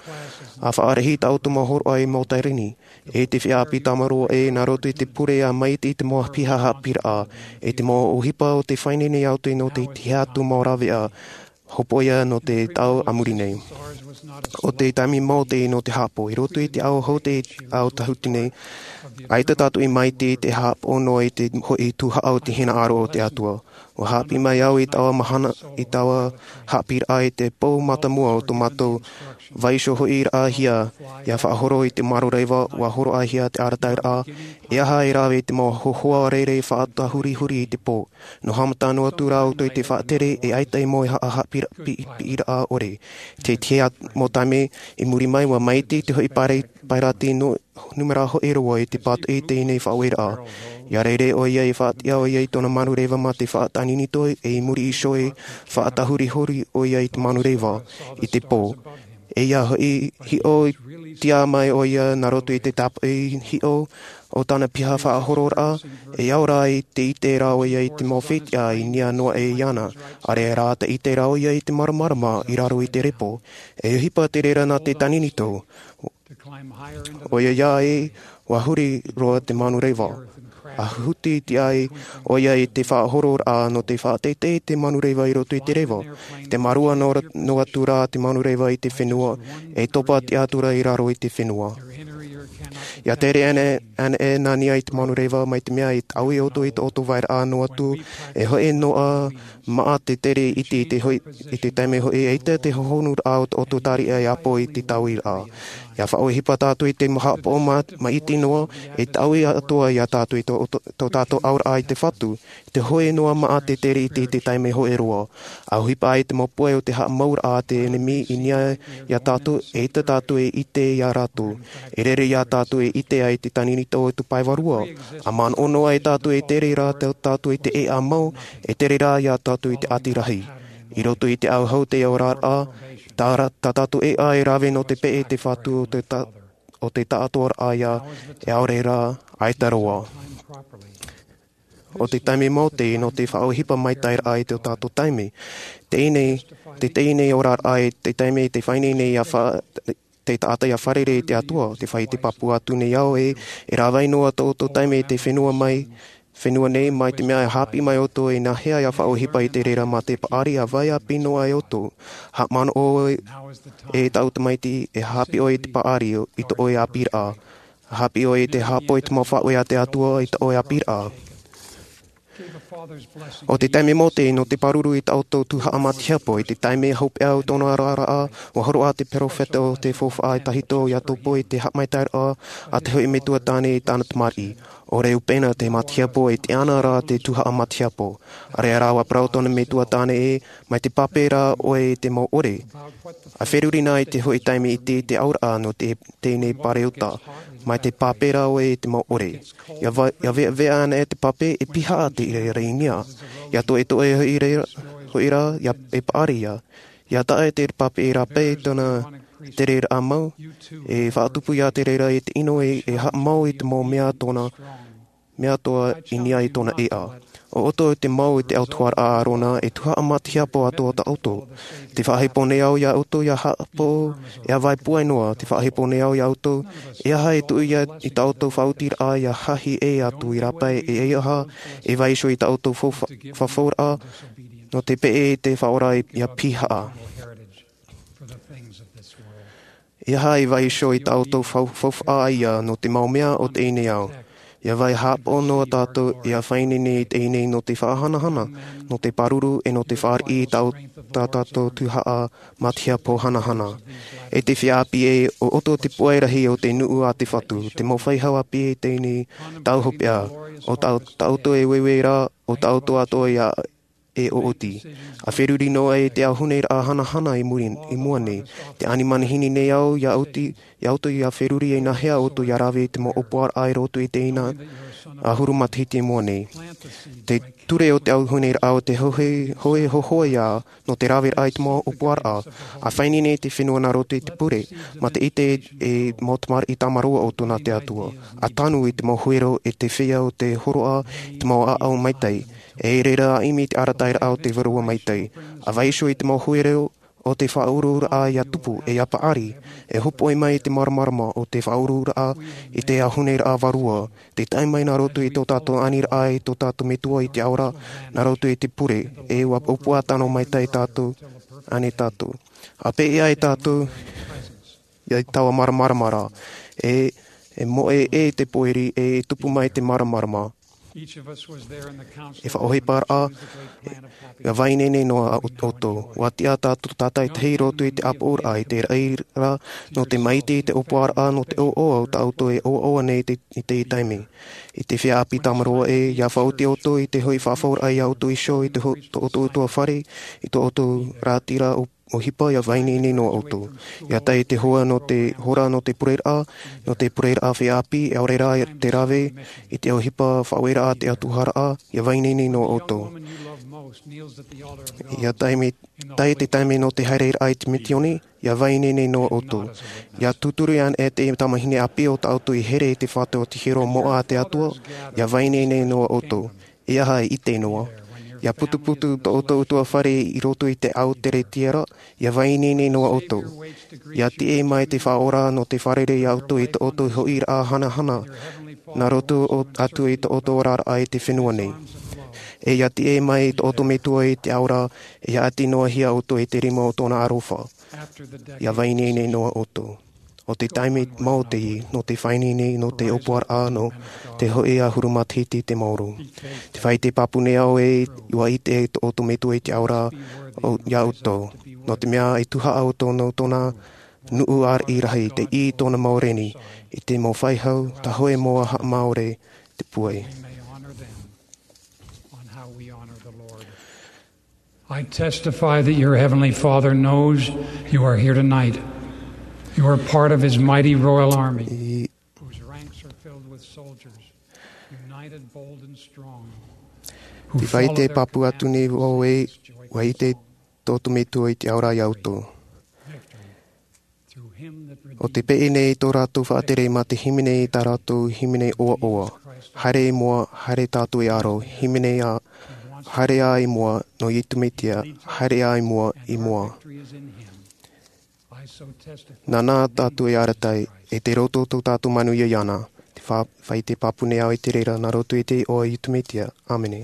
ʻA faʻarahi tā ʻoutou mau hōroʻa i mau tāreni. E te feiā ʻāpī tāmarū ē, nā roto i te pure ʻa maite i te mau piha haʻapiʻiraʻa, e te mau ʻohipa o te faʻaineine iā ʻoutou nō te tihi atu mau rāveʻa, hopoiʻa nō te tau a muri nei. ʻO te taime mau te nō te haʻapaʻo, i roto i te ao hou te ao tāhuti nei, ʻaita tātou i maite i te haʻapaʻo noa i te hoʻi tuhaʻa o te hinaʻaro o te Atua. ʻUa haʻapiʻi mai au i taua mahana, i taua haʻapiʻiraʻa i te pou mātāmua o tō mātou vaiiho hoʻiraʻahia, ʻia faʻahoro i te marureva, ʻua hōroʻahia te arataʻiraʻa, e aha e rave i te mau hōhoʻa rere faʻatahurihuri i te pō. Nō haʻamata noa atu rā ʻoutou i te faʻatere, e ʻaita i mau haʻahaʻapiʻiraʻa ʻore. Te tihi atu mau taime i muri mai, ʻua maite te hoʻi paira-, pairati nō numera hoʻi roa i te pātoʻi i teie faʻaueraʻa. ʻIa rere ʻoia, e faʻatiʻa ʻoia i tōna manureva mā te faʻatāninito, e i muri iho e faʻatahurihuri ʻoia i te manureva, i te pō. E ʻia hoʻi, hiʻo tiʻa mai ʻoia nā roto i te tāpaʻo hiʻo o tāna piha faʻahororaʻa, e ora ai te ʻite rā ʻoia i te mau fetiʻa i niʻa noa aʻe iāna, ʻareʻa rā te ʻite rā ʻoia i te māramarama i raro i te repo. E ʻohipa te reira nā te tāninito. ʻOia ē, ʻua huri roa te manureva. ʻA huti tiʻa ai ʻoia i te faʻahororaʻa nō te faʻateitei i te manureva i roto i te reva. Te mārua noa, noa atu rā te manureva i te fenua, e topa tiʻa atu rā i raro i te fenua. ʻIa tere ana, ana e nā niʻa i te manureva mai te mea e taui ʻoutou i tō ʻoutou vairaʻa noa atu, e hoʻi noa maʻa te tere iti i te hoʻi, i te taime hoʻi e ʻaita te hohonuraʻa o tō ʻoutou tariʻa e ʻāpō i te tauiraʻa. ʻIa faʻaʻohipa tātou i te haʻapaʻo mā-, maʻiti noa, e taui atoʻa iā tātou i tō, tō, tō tātou auraʻa i te Fatu, te hoʻi noa maʻa te tere iti i te taime hoʻi roa. ʻA ʻohipa ai te mau pūai o te haʻamauraʻa a te ʻenemi i niʻa iā tātou, e ʻaita tātou e ʻite iā rātou. E rere iā tātou e ʻite ai te tāninito o te pae vārua. ʻA manaʻo noa ai tātou e tere rā tā tātou i te ʻēʻa mau, e tere rā iā tātou i te ʻati rahi. I roto i te ʻauhau te oraraʻa, tā ra-, tā tātou ʻēʻa e rave nō te peʻe te Fatu o te ta-, o te taʻatoʻaraʻa ia, e ʻaore rā, ʻaita roa. ʻO te taime mau te nō te faʻaʻohipa maitaʻiraʻa i tō tātou taime. Teie nei, te teie nei oraraʻa i te taime te faʻaineine ʻia fa-, te taʻata ʻia fārerei i te Atua, te fai te pāpū atu nei au ē, e rāveʻa noa tō ʻoutou taime i te fenua mai, fenua nei mai te mea e haʻapiʻi mai ʻoutou e nāhea ʻia faʻaʻohipa i te reira mā te paʻari ʻa vai ʻāpī noa ai ʻoutou. Haʻamanaʻo e, e tāʻu tamaiti, e haʻapiʻi ʻoe i te paʻari i tō ʻoe ʻāpīraʻa. Haʻapiʻi ʻoe i te haʻapaʻo i te mau faʻaueraʻa a te Atua i tō ʻoe ʻāpīraʻa. ʻO te taime mau te nō te pāruru i tā ʻoutou tuhaʻa mā te hiapo, i te taime hopeʻa o tōna oraraʻa, ʻua hōroʻa te perofeta o te faufaʻa tahito ʻia topo i te haʻamaitaʻiraʻa a te hoʻi metua tāne i tāna tamariʻi. ʻOre upena te matahiapo e tiʻa ana rā te tuhaʻa matahiapo. ʻAreʻa rā ua parau tōna metua tāne ē, mai te pape rā ʻoe i te mau ʻore. ʻA feruri na i te hoʻi taime i te, te auraʻa nō te, teie nei pareota. Mai te pape rā ʻoe i te mau ʻore. ʻIa va-, ʻia veʻaveʻa ana e te pape e pihaʻa te reira i niʻa. ʻIa toʻetoʻe hoʻi reira, hoʻi rā, ʻia e paʻari ia. ʻIa taʻa e te pape e rāpae tōna te reira mau, e faʻatupu ia te reira i te ʻino e, e haʻamau i te mau mea tōna, mea toa i niʻa i tōna ʻēʻa. ʻO ʻoutou te mau i te autahuʻaraʻa a Arona e tuhaʻa matahiapo atoʻa tā ʻoutou. Te faʻahepo nei au ia ʻoutou ʻia haʻapaʻo, ʻia vai puai noa, te faʻahepo nei au ia ʻoutou, e aha e tuʻu ia i tā ʻoutou faʻautiraʻa ʻia hahi ʻē atu i rāpae e, e aha, e vaiiho i tā ʻoutou fau-, fa-, fafauraʻa, nō te peʻe i te faʻaora ʻia pihaʻa. E aha e vaiiho i tā ʻoutou fau-, faufaʻa ia nō te mau mea o teie nei ao. ʻIa vai haʻapaʻo noa tātou ʻia faʻaineine i teie nei nō te faʻahanahana, nō te pāruru e nō te fāriʻi i tā ʻou-, tā tātou tuhaʻa matahiapo hanahana. E te feiā ʻāpī ē, ʻo ʻoutou te puai rahi o te nuʻu a te Fatu, te mau faʻaau ʻāpī i teie nei tau hopeʻa, ʻo tā, tā ʻoutou e ueue ra, ʻo tā ʻoutou atoʻa ia e ʻoʻoti. ʻA feruri noa i te ʻauhune ra hanahana i muri, i mua nei. Te ani manihini nei au ia ʻoutou, ia ʻoutou ʻia feruri e nāhea ʻoutou ʻia rave i te mau ʻōpuaraʻa i roto i teie ʻahuru matahiti i mua nei. Te ture o te ʻauhune ra o te hoʻē, hoʻē hōhoʻa ia nō te raveraʻa i te mau ʻōpuaraʻa. ʻA faʻaineine i te fenua nā roto i te pure, mā te ʻite e mau tamariʻi tāmarua o tōna te Atua. ʻA tanu i te mau huero e te feiā o te hōroʻa i te mau ʻāʻau maitaʻi. E reira ʻimi te arataʻiraʻa o te Vārua Maitaʻi. ʻA vaiiho i te mau huero o te faʻauruuraʻa ʻia tupu e ʻia paʻari, e hōpoi mai i te māramarama o te faʻauruuraʻa i te ʻauhune ra vārua, te tae mai nā roto i tō tātou aniraʻa i tō tātou Metua i te ao ra, nā roto i te pure, e ʻua ʻōpua tano maitaʻi tātou, ānei tātou. ʻA peʻe ai tātou, ʻia taua māramarama ra, e, e moʻe e te pōiri, e, e tupu mai te māramarama. E faʻaʻohiparaʻa, ʻia vaiineine noa ʻo-, ʻoutou. ʻUa tiʻa tātou tātaʻitahi i roto i te ʻāpoʻoraʻa, i te raʻi ra, nō te maitaʻi i te ʻōpuaraʻa, nō te ʻoaʻoa o tā ʻoutou e ʻoaʻoa nei te, i teie taime. E te feiā ʻāpī tāmarua ē, ʻia faʻaoti ʻoutou i te hoʻi faʻafauraʻa ia ʻoutou iho, i te ho-, tō ʻoutou ʻutuāfare, i tō ʻoutou rātira ʻo ʻohipa ʻia vaiineine noa ʻoutou. ʻIa tae i te hora nō te, hora nō te pureraʻa, nō te pureraʻa feiā ʻāpī, e ʻaore rā te rave, i te ʻohipa faʻaueraʻa a te autahuʻaraʻa, ʻia vaiineine noa ʻoutou. ʻIa tae mai, tae te taime nō te haereraʻa i te misiōni, ʻia vaiineine noa ʻoutou. ʻIa tūturi ana e te tamahine ʻāpī o tā ʻoutou i here i te fatu o te hiero moʻa a te Atua, ʻia vaiineine noa ʻoutou. E aha e ʻite noa. ʻIa putuputu tō ʻoutou ʻutuāfare i roto i te ao tere tiʻa ra, ʻia vaiineine noa ʻoutou. ʻIa tiʻa mai te Faʻaora nō te fārerei ia ʻoutou i tō ʻoutou hoʻiraʻa hanahana, nā roto o-, atu i tō ʻoutou oraraʻa i te fenua nei. E ʻia tiʻa mai tō ʻoutou Metua i te ao ra, e ʻia ʻati noa hia ʻoutou i te rima o tōna aroha. ʻIa vaiineine noa ʻoutou. ʻO te taime mau teie, nō te faʻaineine, nō te ʻōpuaraʻa, nō te hoʻi ʻahuru matahiti te maoro. Te faʻaʻite pāpū nei au ē, ʻua ʻite tō ʻoutou Metua i te ao ra, ʻo, ia ʻoutou. Nō te mea e tuhaʻa ʻoutou nō tōna nuʻu ariʻi rahi, tei tōna mau reni, i te mau faʻehau, tā hōʻē mau haʻamāuruuru te puai. I testify that your heavenly Father knows you are here tonight. You are part of his mighty royal army, I whose ranks are filled with soldiers, united, bold, and strong, who Te faʻaʻite pāpū atu nei au ē, ʻua ʻite tō ʻoutou Metua i te ao ra ia ʻoutou. ʻO te peʻe nei tō rātou faʻatere mā te hīmene i tā rātou hīmene ʻoaʻoa. Haere i mua, haere tātou e aro, hīmene ā, haere ā i mua, nō Iesu Mesia, haere ā i mua, i mua. Nāna tātou e arataʻi, e te roto tō tātou manuia iāna, te fa-, faʻaʻite pāpū nei au i te reira, nā roto i te iʻoa o Iesu Mesia. ʻĀmene.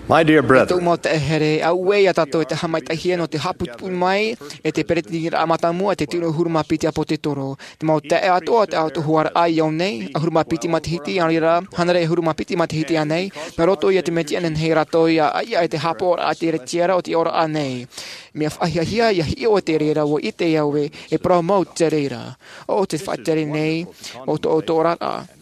My dear brethren, tōʻu mau taeaʻe here, auē ia tātou e te haʻamaitaʻihia nō te haʻaputuputū mai e te peretiteniraʻa mātāmua, te tino ʻahuru mā piti ʻāpōsetolo. Te mau taeaʻe atoʻa o te autahuʻaraʻa i ʻō nei, ʻahuru mā piti matahiti, ʻaore rā, hānere ʻahuru mā piti matahiti ānei, nā roto ia te Mesia, e nehenehe ia rātou ia ʻāfaʻi i te haʻapaʻoraʻa a te Mesia o te ora ānei. Mea faʻahiahia ia hiʻo te reira, ʻua ʻite au ē, e parau mau te reira. ʻO te faʻatere nei o tō ʻoutou oraraʻa.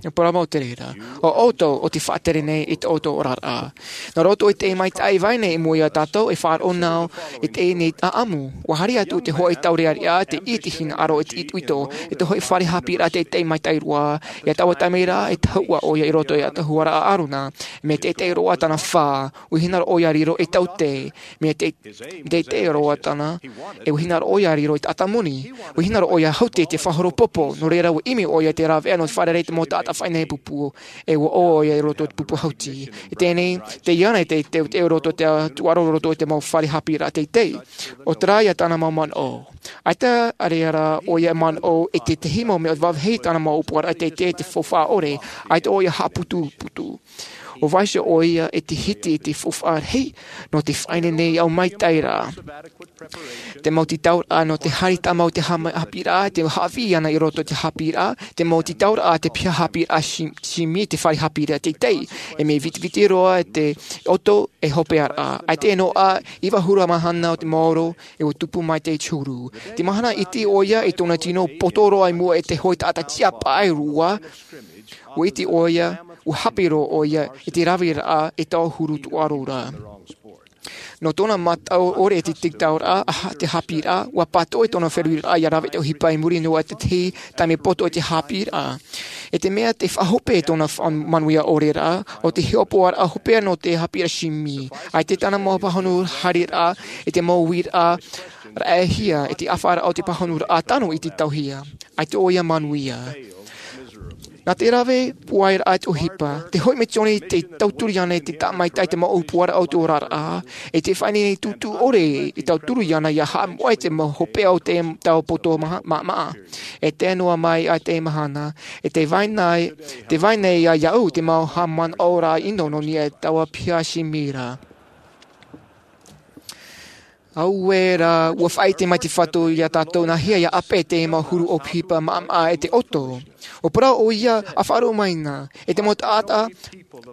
E parau mau te reira. ʻO ʻoutou ʻo te faʻatere nei i tō ʻoutou oraraʻa. Nā roto i te maitaʻi vai nei i mua ia tātou, e faʻaroʻo nā ʻō i teie nei ʻāʻamu. ʻUa haere atu te hōʻē taureʻareʻa, te ʻī i te hinaʻaro, e te itoito, e te hōʻē fare haʻapiʻiraʻa teitei maitaʻi roa. I taua taime ra, e tahuʻa ʻoia i roto i te autahuʻaraʻa a ʻĀrona. Mea teitei roa tāna fā, ʻua hinaʻaro ʻoia i riro ei taute. Mea te, teitei roa tāna, e ʻua hinaʻaro ʻoia i riro ei taʻata moni. ʻUa hinaʻaro ʻoia i haute i te faʻahoro pōpō, nō reira ʻua ʻimi ʻoia i te rāveʻa nō te fārerei i te mau taʻata faʻaineine pupu, e ʻua ʻō ʻoia i roto i te pupu hauti. I teie nei, tē ʻite ana te, te, te roto i te tūʻaro roto i te mau fare haʻapiʻiraʻa teitei. ʻO terā ia tāna mau manaʻo. ʻAita ʻareʻa rā ʻoia e manaʻo i te tahi mau mea vāvāhi tāna mau ʻōpuaraʻa teitei te faufaʻa ʻore, ʻaita ʻoia haʻaputuputū. ʻUa vaiiho ʻoia i te hiti i te faufaʻa rahi nō te faʻaineine ʻaumaitai ra. Te mau tītauraʻa nō te haere tāmau i te haʻapiʻiraʻa, te haʻavī ana i roto i te haʻapiʻiraʻa, te mau tītauraʻa te piha haʻapiʻiraʻa Jim-, Jimmy, te fare haʻapiʻiraʻa teitei. E mea vitiviti roa te ʻoto e hopeʻaraʻa. ʻAita noa ā, iva ʻahuru mahana o te maoro, e ʻua tupu mai te huru. Te mahana iti ʻoia i tōna tino poto roa i mua i te hōʻē taʻata tiʻa paʻi roa, ʻua ʻite ʻoia, ʻua haʻapaʻo ʻoia i te raveraʻa i taua huru tūʻaro ra. Nō tōna mataʻu ʻore i te tītauraʻa a te haʻapiʻiraʻa, ʻua pātoʻi tōna feruriraʻa ia rave i te ʻohipa i muri noa i te tahi taime poto i te haʻapiʻiraʻa. E te mea tē faʻahope i tōna fa-, manuia ʻore ra, ʻo te hiʻopoʻaraʻa hopeʻa nō te haʻapiʻiraʻa Jimmy. ʻAita tāna mau pāhono haereraʻa, i te mau uiraʻa raʻehia, i te ʻāfaʻaraʻa o te pāhonoraʻa tano i te tauhia. ʻAita ʻoia manuia. Nā te rave pūai ra i te ʻohipa, te hōʻē misiōni tē tauturu ana i te tāʻamaitaʻi i te mau ʻōpuaraʻa o te oraraʻa, e te faʻaineine tūtū ʻore e tauturu ana ia haʻamoʻe i te mau hopeʻa o te tau poto maha-, ma-, maʻamaʻa. E tae noa mai i te mahana, e tē vai nei, tē vai nei ia iāʻu te mau haʻamanaʻoraʻa ʻino nō niʻa i taua piha Jimmy ra. Auē rā, ʻua faʻaʻite mai te Fatu ia tātou nāhea ia ʻāpeʻe te mau huru ʻohipa maʻamaʻa e te ʻoto. ʻUa parau ʻoia, ʻa faʻaroʻo mai na, e te mau taʻata,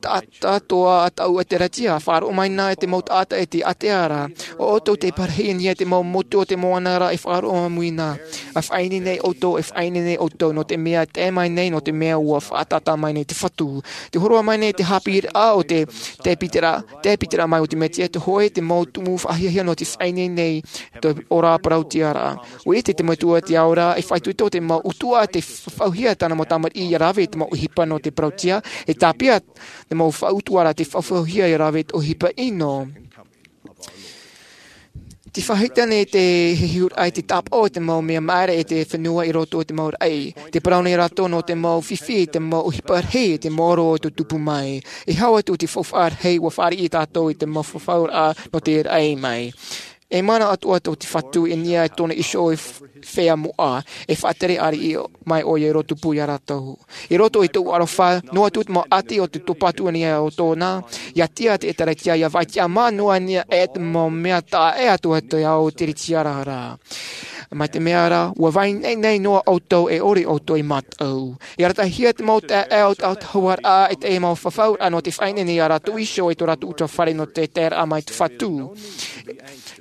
taʻata toa a taʻu ʻēkālesia, ʻa faʻaroʻo mai na e te mau taʻata e te ʻātea ra, ʻo ʻoutou tē parahi i niʻa i te mau motu o te moana ra, e faʻaroʻo mai na. ʻA faʻaineine ʻoutou, e faʻaineine ʻoutou, nō te mea e tae mai nei, nō te mea ʻua faʻataʻa mai nei te Fatu. Tē hōroʻa mai nei te haʻapiʻiraʻa o te, te pītera, te pītera mai o te Mesia, te hōʻē te mau tumu faʻahiahia nō te faʻaineine i te ora parauʻtiʻaraʻa. ʻUa ʻite te Metua i te ao ra, e faʻaitoito te mau ʻutuʻa tē faʻaʻohipahia tāna mau tamariʻi ia rave i te mau ʻohipa nō te parauʻtiʻa, e tāpeʻa te mau faʻautuʻaraʻa tē faʻaʻohipahia ia rave i te ʻohipa ʻino. Tē faʻaʻite nei te hiʻoraʻa i te tāpaʻo i te mau mea māere i te fenua i roto i te mau raʻi. Tē parau nei rātou nō te mau fifi, te mau ʻohipa rahi, te maoro o te tupu mai. E hau atu te faufaʻa rahi, ʻua fāriʻi tātou i te mau fafauraʻa nō te raʻi mai. E mana atoʻa tō te Fatu i niʻa i tōna iho e f-, feiā moʻa, e faʻatere ariʻi mai ʻoia i roto pū ia rātou. I roto i tōʻu aroha, noa atu te mau ʻati o te topatu i niʻa i tōna, ia tiʻa te ʻēkālesia, ia vai tiʻamā noa i niʻa i te mau mea taʻa ʻē atu i te ao o te ʻēkālesia ra. Mai te mea ra, ʻua vai nei, nei noa ʻoutou e ʻore ʻoutou e mataʻu. E aratahia te mau taeaʻe o te autahuʻaraʻa, e te mau fafauraʻa nō te faʻaineine ia rātou iho i tō rātou ʻutuāfare nō te taeraʻa mai te Fatu.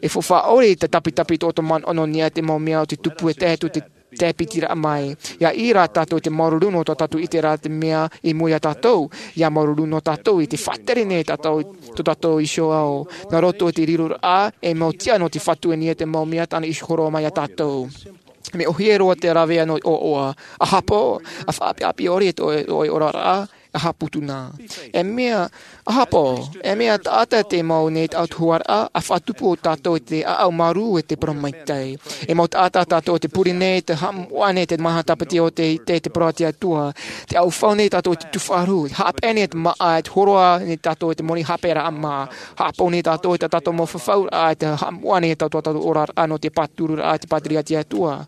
E faufaʻa ʻore i te tapitapi tō te manaʻo nō niʻa i te mau mea o te tupu e tae atu te, te pīteraʻa mai. Ia ʻī rā tātou i te māuruuru nō tō tātou ʻiteraʻa te mea i mua ia tātou. Ia māuruuru nō tātou i te faʻatere nei tātou, tō tātou iho ao. Nā roto i te riroraʻa, e mau tiʻa nō te Fatu i niʻa i te mau mea tāna i hōroʻa mai ia tātou. Mea ʻōhie roa te rāveʻa nō ʻoaʻoa. ʻA haʻapaʻo, ʻa faʻaʻapiʻapi ʻore i tō, tō ʻoe oraraʻa, ʻa haʻaputuputū na. E mea, ʻa haʻapaʻo, e mea taʻata te mau nei te autahuʻaraʻa, ʻa faʻatupu tātou i te ʻāʻau marū e te parau maitaʻi. E mau taʻata tātou tē pure nei, tē haʻamoʻa nei te maha tāpati o te, te, te parau a te Atua. Tē ʻaufau nei tātou i te tūfaʻaroʻo, haʻapaʻo nei te māʻa, tē hōroʻa nei tātou i te moni haʻapaʻoraʻa mā. Haʻapaʻo nei tātou i tā tātou mau fafauraʻa, tē haʻamoʻa nei tātou, tātou oraraʻa nō te pātururaʻa, te pātireia a te Atua.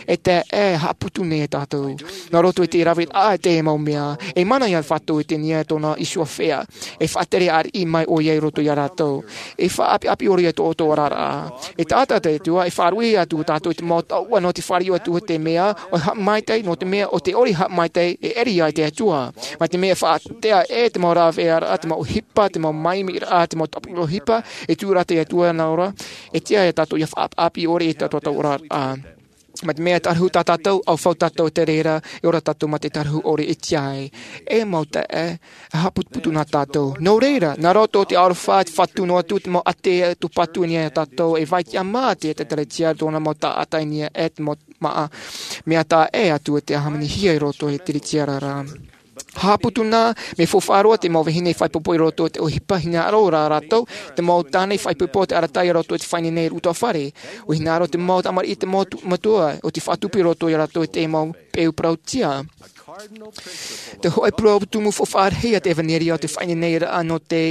E te, e haʻaputuputū nei tātou. Nā roto i te raveraʻa i te mau mea, e mana ia ʻato i te niʻa tōna iho fea. E faʻatere ariʻi mai ʻoia i roto iā rātou. E faʻaʻapiʻapi ʻore ia tō ʻoutou oraraʻa. E taʻata te Atua, e faʻaruʻe atu tātou i te mau taoʻa nō te fāriu atu i te mea ʻo haʻamaitaʻi, nō te mea ʻo te ʻori haʻamaitaʻi e ʻere ai te Atua. Mai te mea e faʻatea e te mau rāveʻa, te mau ʻohipa, te mau māʻimiraʻa, te mau tāpura ʻohipa, e tū rā te Atua nā ʻō ra, e tiʻa ia tātou ia faʻaʻapiʻapi ʻore i tā tātou oraraʻa. Mai te mea e tārahu tā tātou, ʻaufau tātou te reira, e ora tātou mā te tārahu ʻore e tiʻa ai. E mau taeaʻe, e haʻaputuputu na tātou. Nō reira, nā roto i te aroha, te fatu noa atu, te mau ʻātea tōpatu i niʻa iā tātou, e vai tiʻa mā te Ekalesia, tōna mau taʻata i niʻa e te mau māʻa, mea taeaʻe atu e te hāmanihia i roto i te Ekalesia ra. Haʻaputu na, mea faufaʻa roa te mau vahine fai ʻohipa i roto i te ʻohipa hinaʻaro rā rātou, te mau tāne fai ʻohipa i te arataʻi i roto i te faʻaineine i te ʻutuāfare. ʻUa hinaʻaro te mau tamariʻi, te mau tu-, matua, ʻo tē faʻatupu i roto iā rātou i te mau peu parauʻtiʻa. Te hōʻē parau tumu faufaʻa rahi a te ʻevanelia ʻo te faʻaineineraʻa nō te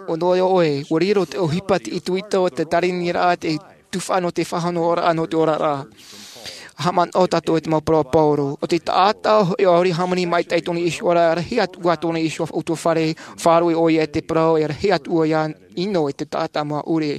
ʻoe, ʻoe, ʻua riro te ʻohipa, te itoito, te tāviniraʻa, te tuhaʻa nō te faʻanahoraʻa nō te oraraʻa. Haʻamanaʻo tātou i te mau parau a Pauro. ʻO te taʻata hoʻi ʻaore hāmani maitaʻi tōna iho ra, rahi atu ā tōna iho ʻutuāfare, faʻaruʻe ʻoia i te parau, e rahi atu ʻoia ʻino i te taʻata maʻa ʻore.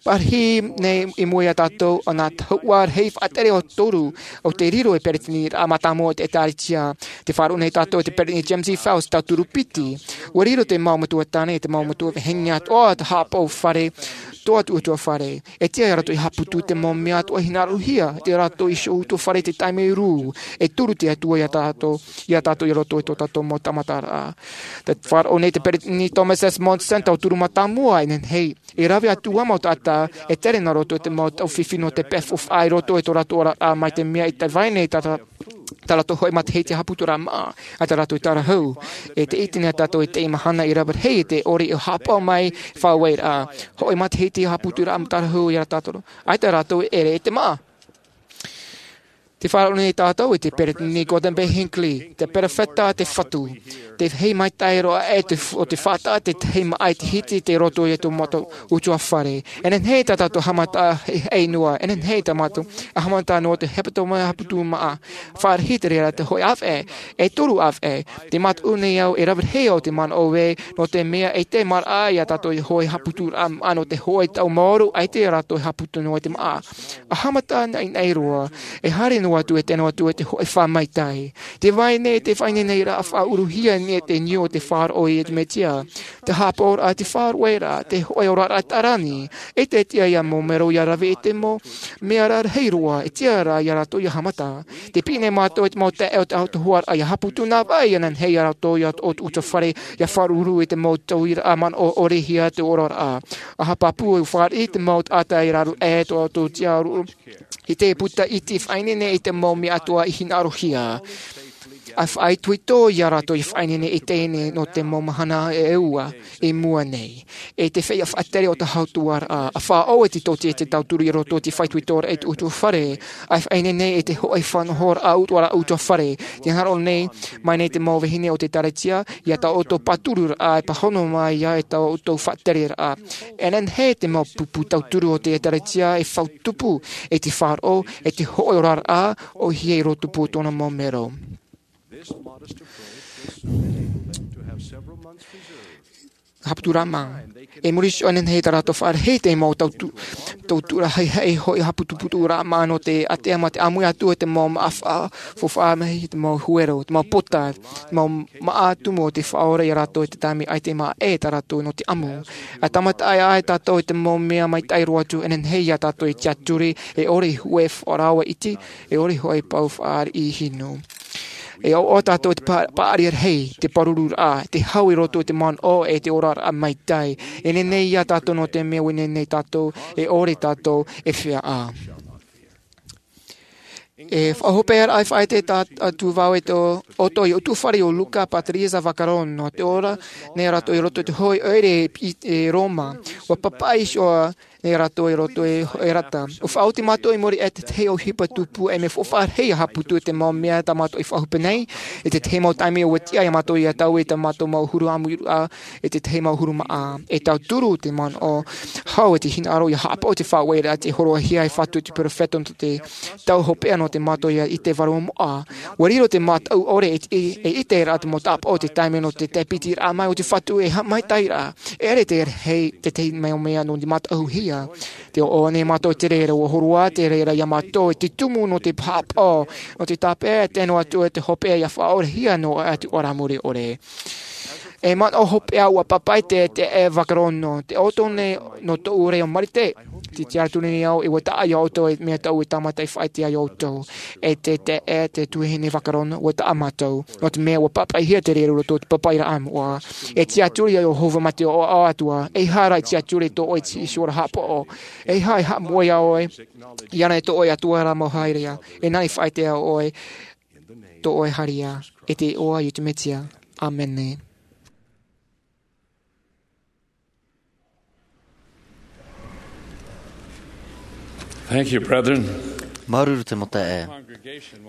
Parahi nei i mua iā tātou, ʻo nā tahuʻa rahi faʻatere ʻo toru, ʻo tei riro ei peresideniraʻa mātāmua o te Ekalesia. Tē faʻaroʻo nei tātou i te peresideni James E. Faust, tauturu piti. ʻUa riro te mau metua tāne, te mau metua vahine atoʻa, te haʻapaʻo fare, tō ʻoutou ʻutuāfare. E tiʻa ia rātou ia haʻaputu i te mau mea atoʻa e hinaʻarohia, tō rātou iho ʻutuāfare i te taime rū, e turu te Atua iā tātou, iā tātou i roto i tō tātou mau tāmataraʻa. Tē faʻaroʻo nei te peresideni Thomas S. Monson, tauturu mātāmua, e nehenehe, e rave atu ā mau taʻata, e tere nā roto i te mau taufifi nō te peʻe faufaʻa i roto i tō rātou oraraʻa mai te mea e vai nei tā, tā rātou hoʻi matahiti haʻaputuraʻa maʻa, ʻaita rātou e tārahu. E te ʻite nei tātou i teie mahana e rave rahi te ʻore e haʻapaʻo mai, faʻaueraʻa. Hoʻi matahiti haʻaputuraʻa tārahu iā tātou. ʻAita rātou e ʻere i te maʻa. Tē faʻaroʻo nei tātou i te peresideni Gordon B. Hinckley, te perofeta a te Fatu. Te feiā maitaʻi roa e te f-, ʻo te faʻataʻa te tahi maʻa i te hiti i roto i tō mātou ʻutuāfare. E nehenehe tā tātou haʻamata e, e noa, e nehenehe tā mātou haʻamata nō te hepetoma haʻaputu maʻa. Fāriʻi te reira te hōʻē ʻāvaʻe, e toru ʻāvaʻe, tē mātau nei au e rave rahi au te manaʻo ē, nō te mea e te maraʻa iā tātou e hōʻē haʻaputuraʻa maʻa nō te hōʻē tau maoro, ʻaita rātou e haʻaputu noa i te maʻa. ʻA haʻamata naʻinaʻi roa, e haere noa atu e tano atu e te hōʻē faʻamaitaʻi. Tē vai nei te faʻaineineraʻa faʻauruhia nei te niu o te faʻaroʻo i te Mesia. Te haʻapaʻoraʻa, te faʻaruʻeraʻa, te hōʻē oraraʻa taʻa rā nei. E te tiʻa ia mau mero ia rave i te mau mea rarahi roa, e tiʻa rā ia rātou ia haʻamata. Tē piʻi nei mātou i te mau taeaʻe o te autahuʻaraʻa ia haʻaputu nā vai ia nehenehe ia rātou ia tō ʻoutou ʻutuāfare, ia faʻaruru i te mau tauiraʻa manaʻo ʻorehia te oraraʻa. ʻA haʻapāpū e fāriʻi te mau taʻata i raro aʻe tō ʻoutou tiʻaruʻe. I te puta iti faʻaineine i te mau mea atoʻa i hinaʻarohia. ʻA faʻaitoito ia rātou i faʻaineine i teie nei nō te mau mahana e ua i mua nei. E te feiā faʻatere o te autahuʻaraʻa, ʻa faʻaʻore te tōti e te tauturu i roto i te faʻaitoitoraʻa i te ʻutuāfare. ʻA faʻaineine i te hōʻē faʻanahoraʻa ʻutuāfare. Tē hinaʻaro nei, mai nei te mau vahine o te Ekalesia, ia tā ʻoutou pātururaʻa e pāhono mai ia e tā ʻoutou faʻatereraʻa. E nehenehe te mau pupu tauturu o te Ekalesia e fautupu, e te faʻaroʻo, e te hōʻē oraraʻa, ʻohie i roto pū tōna mau mero. Haʻaputu rā maʻa. E muri iho e nehenehe tā rātou faʻarahi te mau tautu-, tauturu haʻihaʻi hōʻē haʻaputuputuraʻa maʻa nō te ʻātea mā te ʻāmui atu i te mau maʻa faʻa-, faufaʻa mai, te mau huero, te mau pota, te mau maʻa tumu o te Faʻaora ia rātou i te taime ʻaita e maʻa e tā rātou nō te ʻamu. ʻA tāmata aʻe tātou i te mau mea maitaʻi roa atu, e nehenehe ia tātou e tiʻaturi, e ʻore hōʻē faʻarava iti, e ʻore hōʻē pau faʻariʻi hinu. E ʻoaʻoa tātou i te pa-, paʻari rahi, te pārururaʻa, te hau i roto i te manaʻo e te oraraʻa maitaʻi. E nehenehe ia tātou nō te mea ʻua nehenehe tātou, e ʻore tātou e feiā. E faʻahopeʻaraʻa e faʻaʻite atu vau e tō ʻoutou i te ʻutuāfare o Luca Patriza Vaccarone, nō te ora nei rātou i roto i te hōʻē ʻoire i, i Roma. ʻUa papaʻi iho e rātou i roto i te rata. ʻUa faʻaoti mātou i muri aʻe i te tahi ʻohipa tupu, e mea faʻaroʻo rahi ʻia haʻaputu i te mau mea tā mātou i faʻahope nei, i te tahi mau taime ʻua tiʻa iā mātou ʻia taui i tā mātou mau huru ʻāmuiraʻa, i te tahi mau huru māʻa. E tauturu te manaʻo hau i te hinaʻaro ʻia haʻapaʻo i te faʻaueraʻa tei hōroʻahia e te Fatu i te perofeta nō te tau hopeʻa nō te mātou ʻia ʻite vārua moʻa. ʻUa riro te mataʻu ʻore e, e, e ʻiteraʻa te mau tāpaʻo o te taime nō te tāpitiraʻa mai o te Fatu e haʻamaitaʻiraʻa. E ʻere te rahi, te tahi mau mea nō te mataʻuhia. Tē ʻoaʻoa nei mātou i te reira, ʻua hōroʻa te reira iā mātou i te tumu nō te haʻapaʻo, nō te tāpeʻa, tē nō atu te hopeʻa ʻia faʻaorahia noa atu ʻo rā mure ʻore. E manaʻo hopeʻa ʻua pāpaʻi te, te, e Vakarono, tē ʻoaʻoa nei nō tōʻu reo Marite, tē tiʻaturi nei au, e ʻua taʻa iā ʻoutou e mea tāʻu e tāmata e faʻaʻite ai iā ʻoutou. E te, te, e te tuahine Vakarono, ʻua taʻa mātou. Nō te mea ʻua pāpaʻihia te reira i roto i te pāpaʻiraʻa moʻa. E tiʻaturi iā Iehova mā te ʻoaʻoa atoʻa, ʻeiaha rā e tiʻaturi tō ʻoe i te hora haʻapaʻo. ʻEiaha e haʻamoʻe iā ʻoe, ʻia ʻite tō ʻoe Atua rā mau haereʻa. E nāna e faʻaʻite iā ʻoe, tō ʻoe haereʻa. I te iʻoa o Iesu Mesia. ʻĀmene. Thank you, brethren. Māuruuru te mau taeaʻe.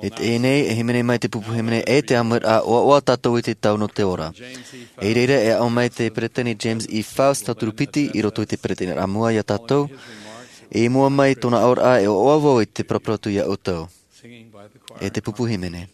E teie nei, e hīmene mai te pupu hīmene e te ʻāmuiraʻa ʻoaʻoa tātou i te tau nō te ora. I reira e aʻo mai te peresideni James E. Faust, tauturu piti, i roto i te peresideniraʻa mua iā tātou. I mua mai tōna aʻoraʻa e ʻoaʻoa vau i te paraparau atu iā ʻoutou. E te pupu hīmene.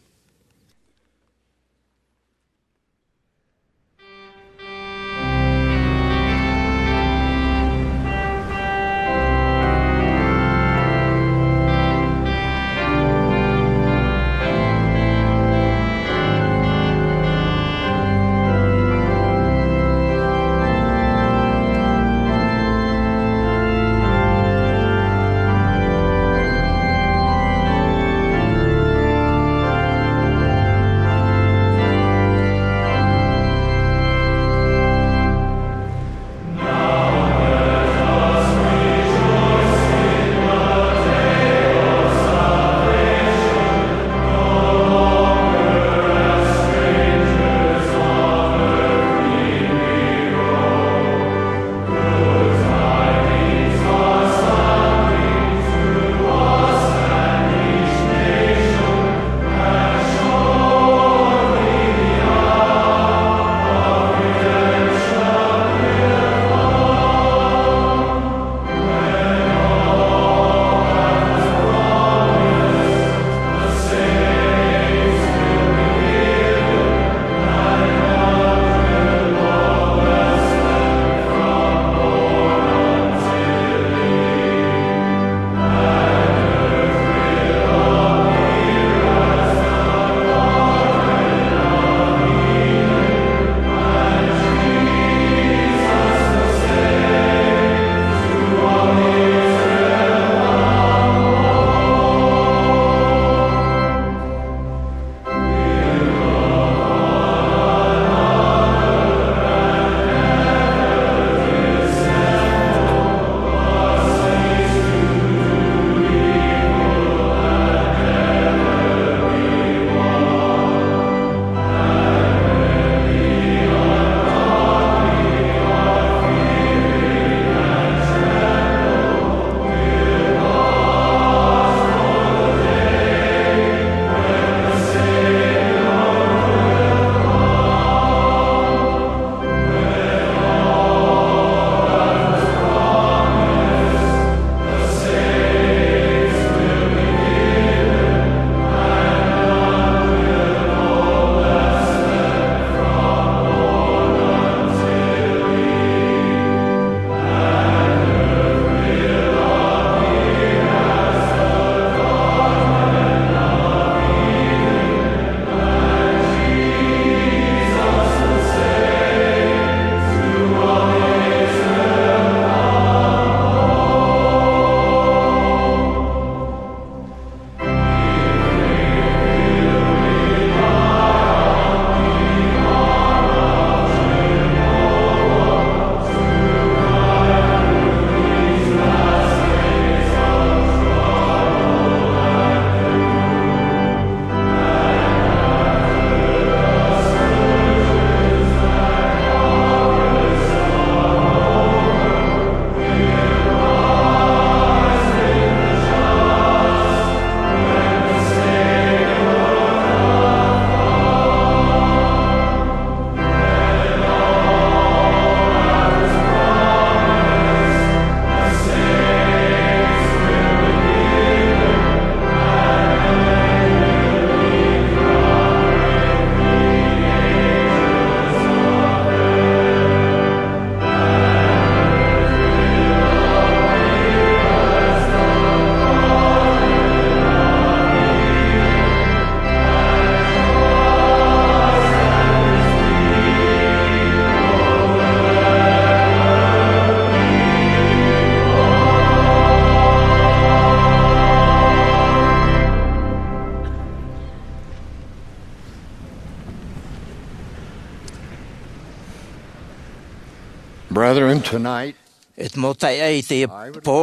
Brethren, tonight, e te mau taeaʻe, i teie pō,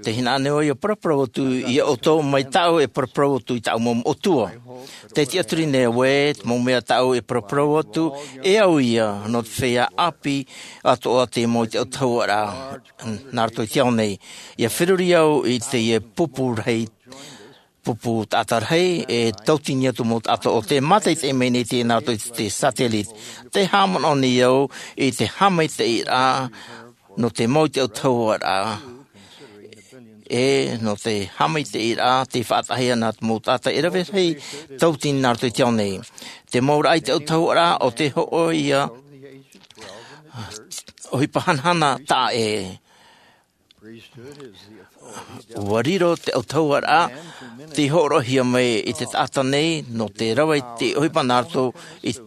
te hinaʻaro nei au ia paraparau atu ia ʻoutou mai tāʻu e paraparau atu i tāʻu mau moʻotua. Te tiʻaturi nei au ē, te mau mea tāʻu e paraparau atu, e au ia, nō te feiā ʻāpī atoʻa te mau i te autahuʻaraʻa nā roto i te ao nei. Ia feruri au i teie pupu rahi, pupu taʻata rahi, e tautini atu mau taʻata o te mātaʻitaʻi mai nei te nā roto i te satellite. Te haʻamanaʻo nei au i te haʻamaitaʻiraʻa nō te mau i te autahuʻaraʻa, e nō te haʻamaitaʻiraʻa te faʻataʻahia nā te mau taʻata e rave rahi tautini nā roto i te ao nei. Te mau raʻa i te autahuʻaraʻa o te hoʻo ia ʻohipa hanahana taʻa ʻē. Ua riro te autahuʻaraʻa tei hōroʻahia mai i te taʻata nei nō te rave i te ʻohipa nā roto i te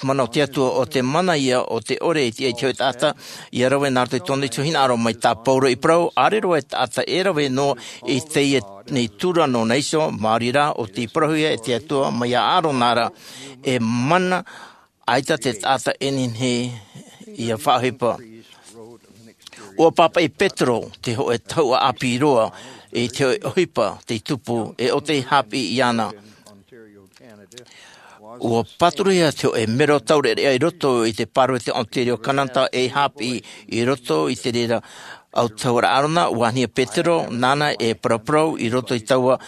mana o te Atua, ʻo te mana ia o te ʻore i te, i te hōʻē taʻata ia rave nā roto i tōna iho hinaʻaro. Mai tā Pauro i parau, ʻaore roa e taʻata e rave noa i teie nei tura nōna iho, maori rā ʻo tei parauhia e te Atua mai iā ʻĀrona ra, e mana ʻaita te taʻata e nehenehe ia faʻaʻohipa. Ua pāpaʻi Petero, te hōʻē tahuʻa ʻāpī roa, i te hōʻē ʻohipa tei tupu, e ʻo tei haʻapiʻi iāna. Ua pāturuhia te hōʻē mero taureʻareʻa i roto i te Pāroita Ontario, Kanata, e haʻapiʻi i roto i te reira autahuʻaraʻa ʻĀrona. Ua ani ia Petero, nāna e paraparau i roto i taua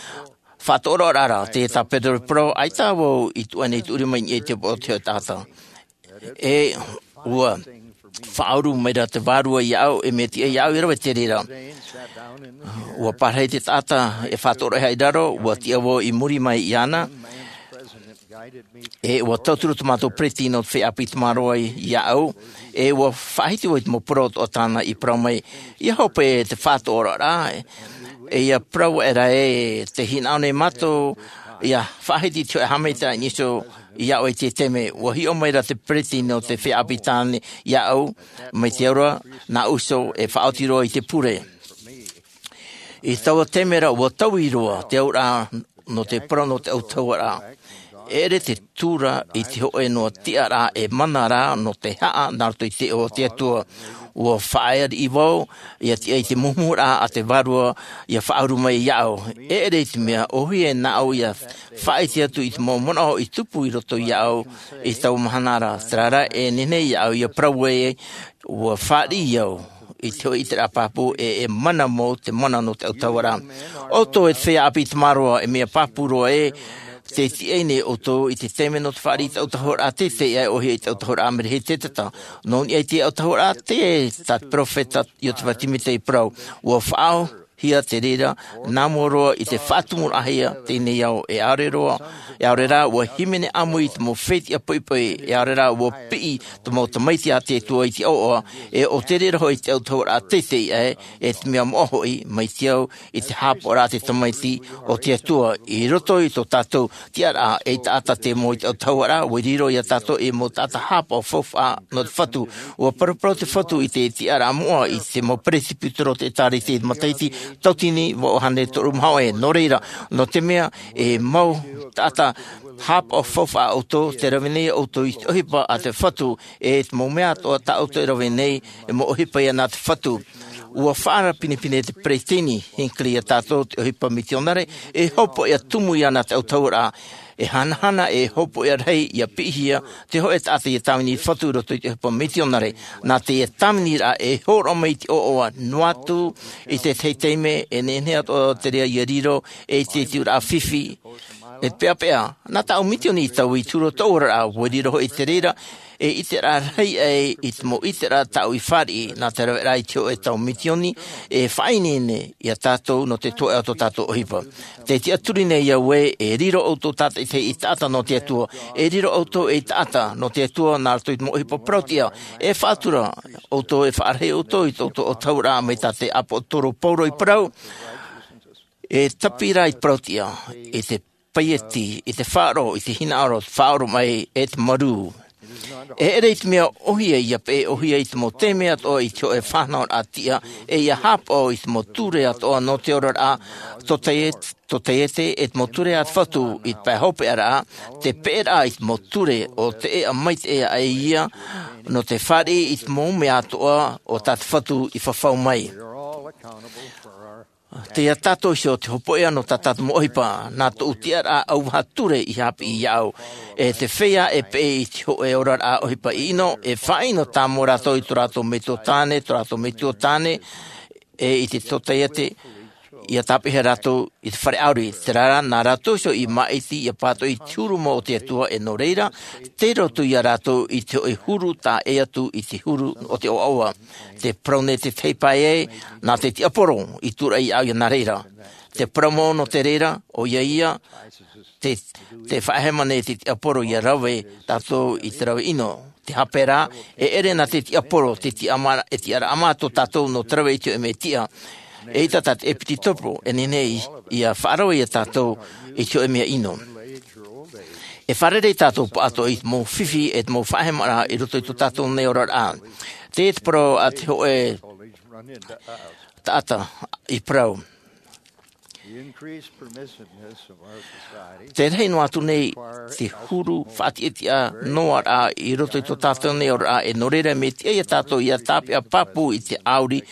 faʻatoʻoraʻa ra, teie tā Petero i parau, ʻaita vau i tuʻu nei i te ʻūrima i niʻa i te upoʻo o te hōʻē taʻata. E ua faʻauru maira te Vārua iāʻu, e mea tiʻa iāʻu ia rave i te reira. Ua pārahi te taʻata e faʻatoʻoraʻa i raro, ua tiʻa vau i muri mai iāna. E ua tauturu tō mātou peresideni nō te feiā ʻāpī tamaroa iāʻu, e ua faʻahiti vau i te mau parau atoʻa tāna i parau mai. Ia hope te faʻatoʻoraʻa, e ia parau aʻera ē, tē hinaʻaro nei mātou ia faʻahiti i te hōʻē haʻamaitaʻi nō iāʻu i te taime. Ua hiʻo maira te peresideni nō te feiā ʻāpī tāna iāʻu, mai te aura nāʻu iho e faʻaoti roa i te pure. I taua taime ra ua taui roa te auraʻa nō te parau nō te autahuʻaraʻa. E ʻere te tura i te hōʻē noa tiʻaraʻa e mana rā nō te haʻa nā roto i te iʻoa o te Atua. Ua faʻaea riʻi vau ia tiʻa i te muhumuhuraʻa a te Vārua ia faʻauru mai iāʻu. E ʻere i te mea ʻōhie nāʻu ia faʻaʻite atu i te mau manaʻo i tupu i roto iāʻu i taua mahana ra. Terā rā, e nehenehe iāʻu ia parau ē, ua fāriʻi au i te hōʻē ʻiteraʻa pāpū, e e mana mau te mana nō te autahuʻaraʻa. ʻOutou e te feiā ʻāpī tamaroa, e mea pāpū roa ē, tē tiʻa nei ʻoutou i te taime nō te fāriʻi i te autahuʻaraʻa teitei aʻe, ʻōhie i te autahuʻaraʻa merehiteta. Nō niʻa i te autahuʻaraʻa, tē, tā te peropheta Iosepha Sāmiuela i parau, ua faʻaʻohipahia te reira nā mua roa i te faʻatumuraʻahia teie nei ao, e ʻaore roa, e ʻaore rā, ua hīmene ʻāmui i te mau fetiʻa poʻipoʻi, e ʻaore rā, ua piʻi te mau tamaiti a te Atua i te ʻoaʻoa, e ʻo te reira hoʻi te autahuʻaraʻa teitei aʻe, e te mea moʻa hoʻi, mai te au i te haʻapaʻoraʻa a te tamaiti o te Atua. I roto i tō tātou tiʻaraʻa ei taʻata te mau i te autahuʻaraʻa, ua riro ia tātou ei mau taʻata haʻapaʻo faufaʻa nō te Fatu. Ua paraparau te Fatu i te tiʻaraʻa moʻa i te mau peresibutero o te ʻĒtārētia i te matahiti tautini vaʻu hānere toru maha ʻē. Nō reira, nō te mea e mau taʻata haʻapaʻo faufaʻa ʻoutou, tē rave nei ʻoutou i te ʻohipa a te Fatu, e te mau mea atoʻa tā ʻoutou e rave nei, e mau ʻohipa ia nā te Fatu. Ua faʻaara pinepine te peresideni Hinckley ia tātou te ʻohipa mitionare, e hopoiʻa tumu ia nā te autahuʻaraʻa, e hanahana e hopoiʻa rahi ia piʻihia te hōʻē taʻata ia tāvini i te Fatu i roto i te ʻohipa mitionare. Nā teie tāviniraʻa e hōroʻa mai i te ʻoaʻoa noa atu i te tahi taime, e nehenehe atoʻa te reira ia riro ei tiʻaturaʻa fifi, e peʻapeʻa. Nā tāʻu mitioni i taui i te huru o tōʻu oraraʻa, ua riro hoʻi te reira ei ʻiteraʻa rahi aʻe i te mau ʻiteraʻa tāʻu i fāriʻi. Nā te raveraʻa i te hōʻē tau mitioni, e faʻaineine ia tātou nō te toeʻa o tō tātou ʻohipa. Tē tiʻaturi nei au ē, e riro ʻoutou tātaʻitahi ei taʻata nō te Atua, e riro ʻoutou ei taʻata nō te Atua nā roto i te mau ʻohipa parauʻtiʻa, e faʻatura ʻoutou, e faʻarahi ʻoutou i tō ʻoutou autahuʻaraʻa, mai tā te ʻāpōsetolo Paulo i parau, e tāpiri rā i te parauʻtiʻa, i te paieti, i te faʻaroʻo, i te hinaʻaro, te faʻaoromaʻi, e te marū. E ʻere i te mea ʻōhie ia peʻe ʻōhie i te mau taime atoʻa i te hōʻē fānauraʻa tiʻa, e ia haʻapaʻo i te mau ture atoʻa nō te oraraʻa, tō taiete, tō taiete, e te mau ture a te Fatu i te pae hopeʻaraʻa, te peʻeraʻa i te mau ture o te ʻēʻa maitaʻi aʻe ia, nō te fāriʻi i te mau mea atoʻa o tā te Fatu i fafau mai. Tei ia tātou iho te hopoiʻa nō tā tātou mau ʻohipa, nā tōʻu tiʻaraʻa ʻauvaha ture i haʻapiʻi iāʻu. E te feiā e peʻe i te hōʻē oraraʻa ʻohipa ʻino, e faʻaʻino tāmau rātou i tō rātou metua tāne, tō rātou metua tāne, e i te tōtaiete, ia tāpeʻahia rātou i te fare ʻauri. Terā rā, nā rātou iho i māʻiti ia pātoʻi i te huru mau o te Atua, e nō reira, tei roto ia rātou i te hōʻē huru taʻa ʻē atu i te huru o te ʻoaʻoa. Te parau nei te tei pae ai, nā te tiaporo i tūraʻi iāʻu ia nā reira. Te parau mau nō te reira, ʻoia ia, te, te faʻahema nei te tiaporo ia rave tātou i te rave ʻino. Te hape rā, e ʻere nā te tiaporo, te tiʻama, e tiʻaraʻa mā tō tātou nō te rave i te hōʻē mea tiʻa. Eʻita tā te ʻepitopo, e nehenehe ia faʻarave ia tātou i te hōʻē mea ʻino. E fārerei tātou pāʻatoʻa i te mau fifi e te mau faʻahemaraʻa i roto i tō tātou nei oraraʻa. Tē te parau a te hōʻē taʻata i parau. Te rahi noa atu nei te huru faʻatiʻatiʻa noa rā i roto i tō tātou nei oraraʻa, e nō reira mea tiʻa ia tātou ia tāpeʻa pāpū i te ʻauri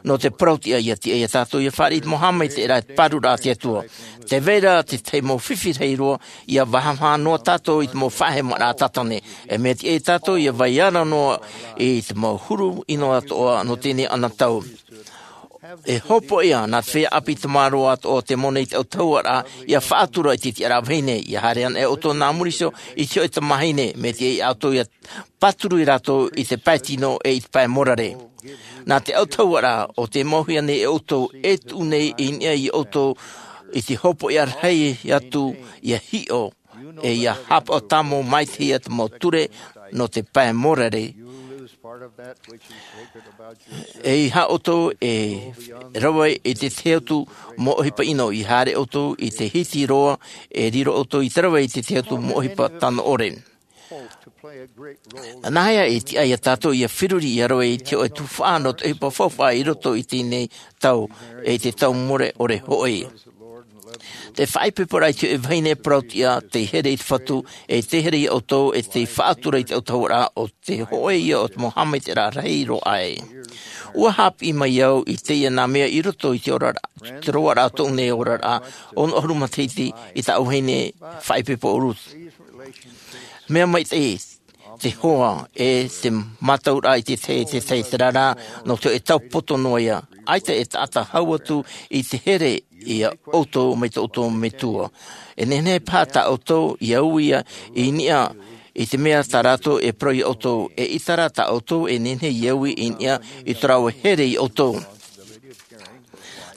nō te parau tiʻa, ia tiʻa ia tātou ia fāriʻi i te mau haʻamaitaʻiraʻa e te pāruraʻa a te Atua. Tē vai ra te tahi mau fifi rahi roa, ia vāvāhi noa tātou i te mau faʻahemaraʻa tātane. E mea tiʻa ia tātou ia vai ara noa i te mau huru ʻino atoʻa nō teie nei anotau. E hopoiʻa nā te feiā ʻāpī tamāroa atoʻa o te moni i te autahuʻaraʻa, ia faʻatura i te tiʻaraʻa vahine, ia haere ana ʻoutou nā muri iho i te hōʻē tamāhine, mea tiʻa ia ʻoutou ia pāturu ia rātou i te pae tino e i te pae morare. Nā te autahuʻaraʻa o tē mauhia nei e ʻoutou, e tuʻu nei i niʻa ia ʻoutou i te hopoiʻa rahi atu ia hiʻo, e ia haʻapaʻo tāmau mai te hia te mau ture nō te pae morare. E ia ʻoutou e rave i te tahi atu mau ʻohipa ʻino, ia haere ʻoutou i te hiti roa, e riro ʻoutou i te rave i te tahi atu mau ʻohipa tano ʻore. Nāhea e tiʻa ia tātou ia feruri ia rave i te hōʻē tuhaʻa nō te ʻohipa faufaʻa i roto i teie nei tau, e te tau mure ʻore hoʻi? Te faʻaipoiporaʻa i te hōʻē vahine parau tiʻa, tei here i te Fatu, e tei here ia ʻoutou, e tei faʻatura i te autahuʻaraʻa, ʻo te hōʻē ia o te mau haʻamaitaʻiraʻa rahi roa aʻe. ʻUa haʻapiʻi mai au i teie nā mea i roto i te oraraʻa, te roaraʻa o tōʻu nei oraraʻa, ono ʻahuru matahiti i tāʻu vahine faʻaipoipo ʻo Ruth. Mea maitaʻi te hoa e te mātauraʻa i te tahi, te tahi, terā rā, nō te hōʻē tau poto noa ia. ʻAita e taʻata hau atu i te here ia ʻoutou mai tō ʻoutou metua. E nehenehe paha tā ʻoutou ia ui ia i niʻa i te mea tā rātou e parau ia ʻoutou, eʻita rā tā ʻoutou e nehenehe ia ui i niʻa i tō rāua here ia ʻoutou.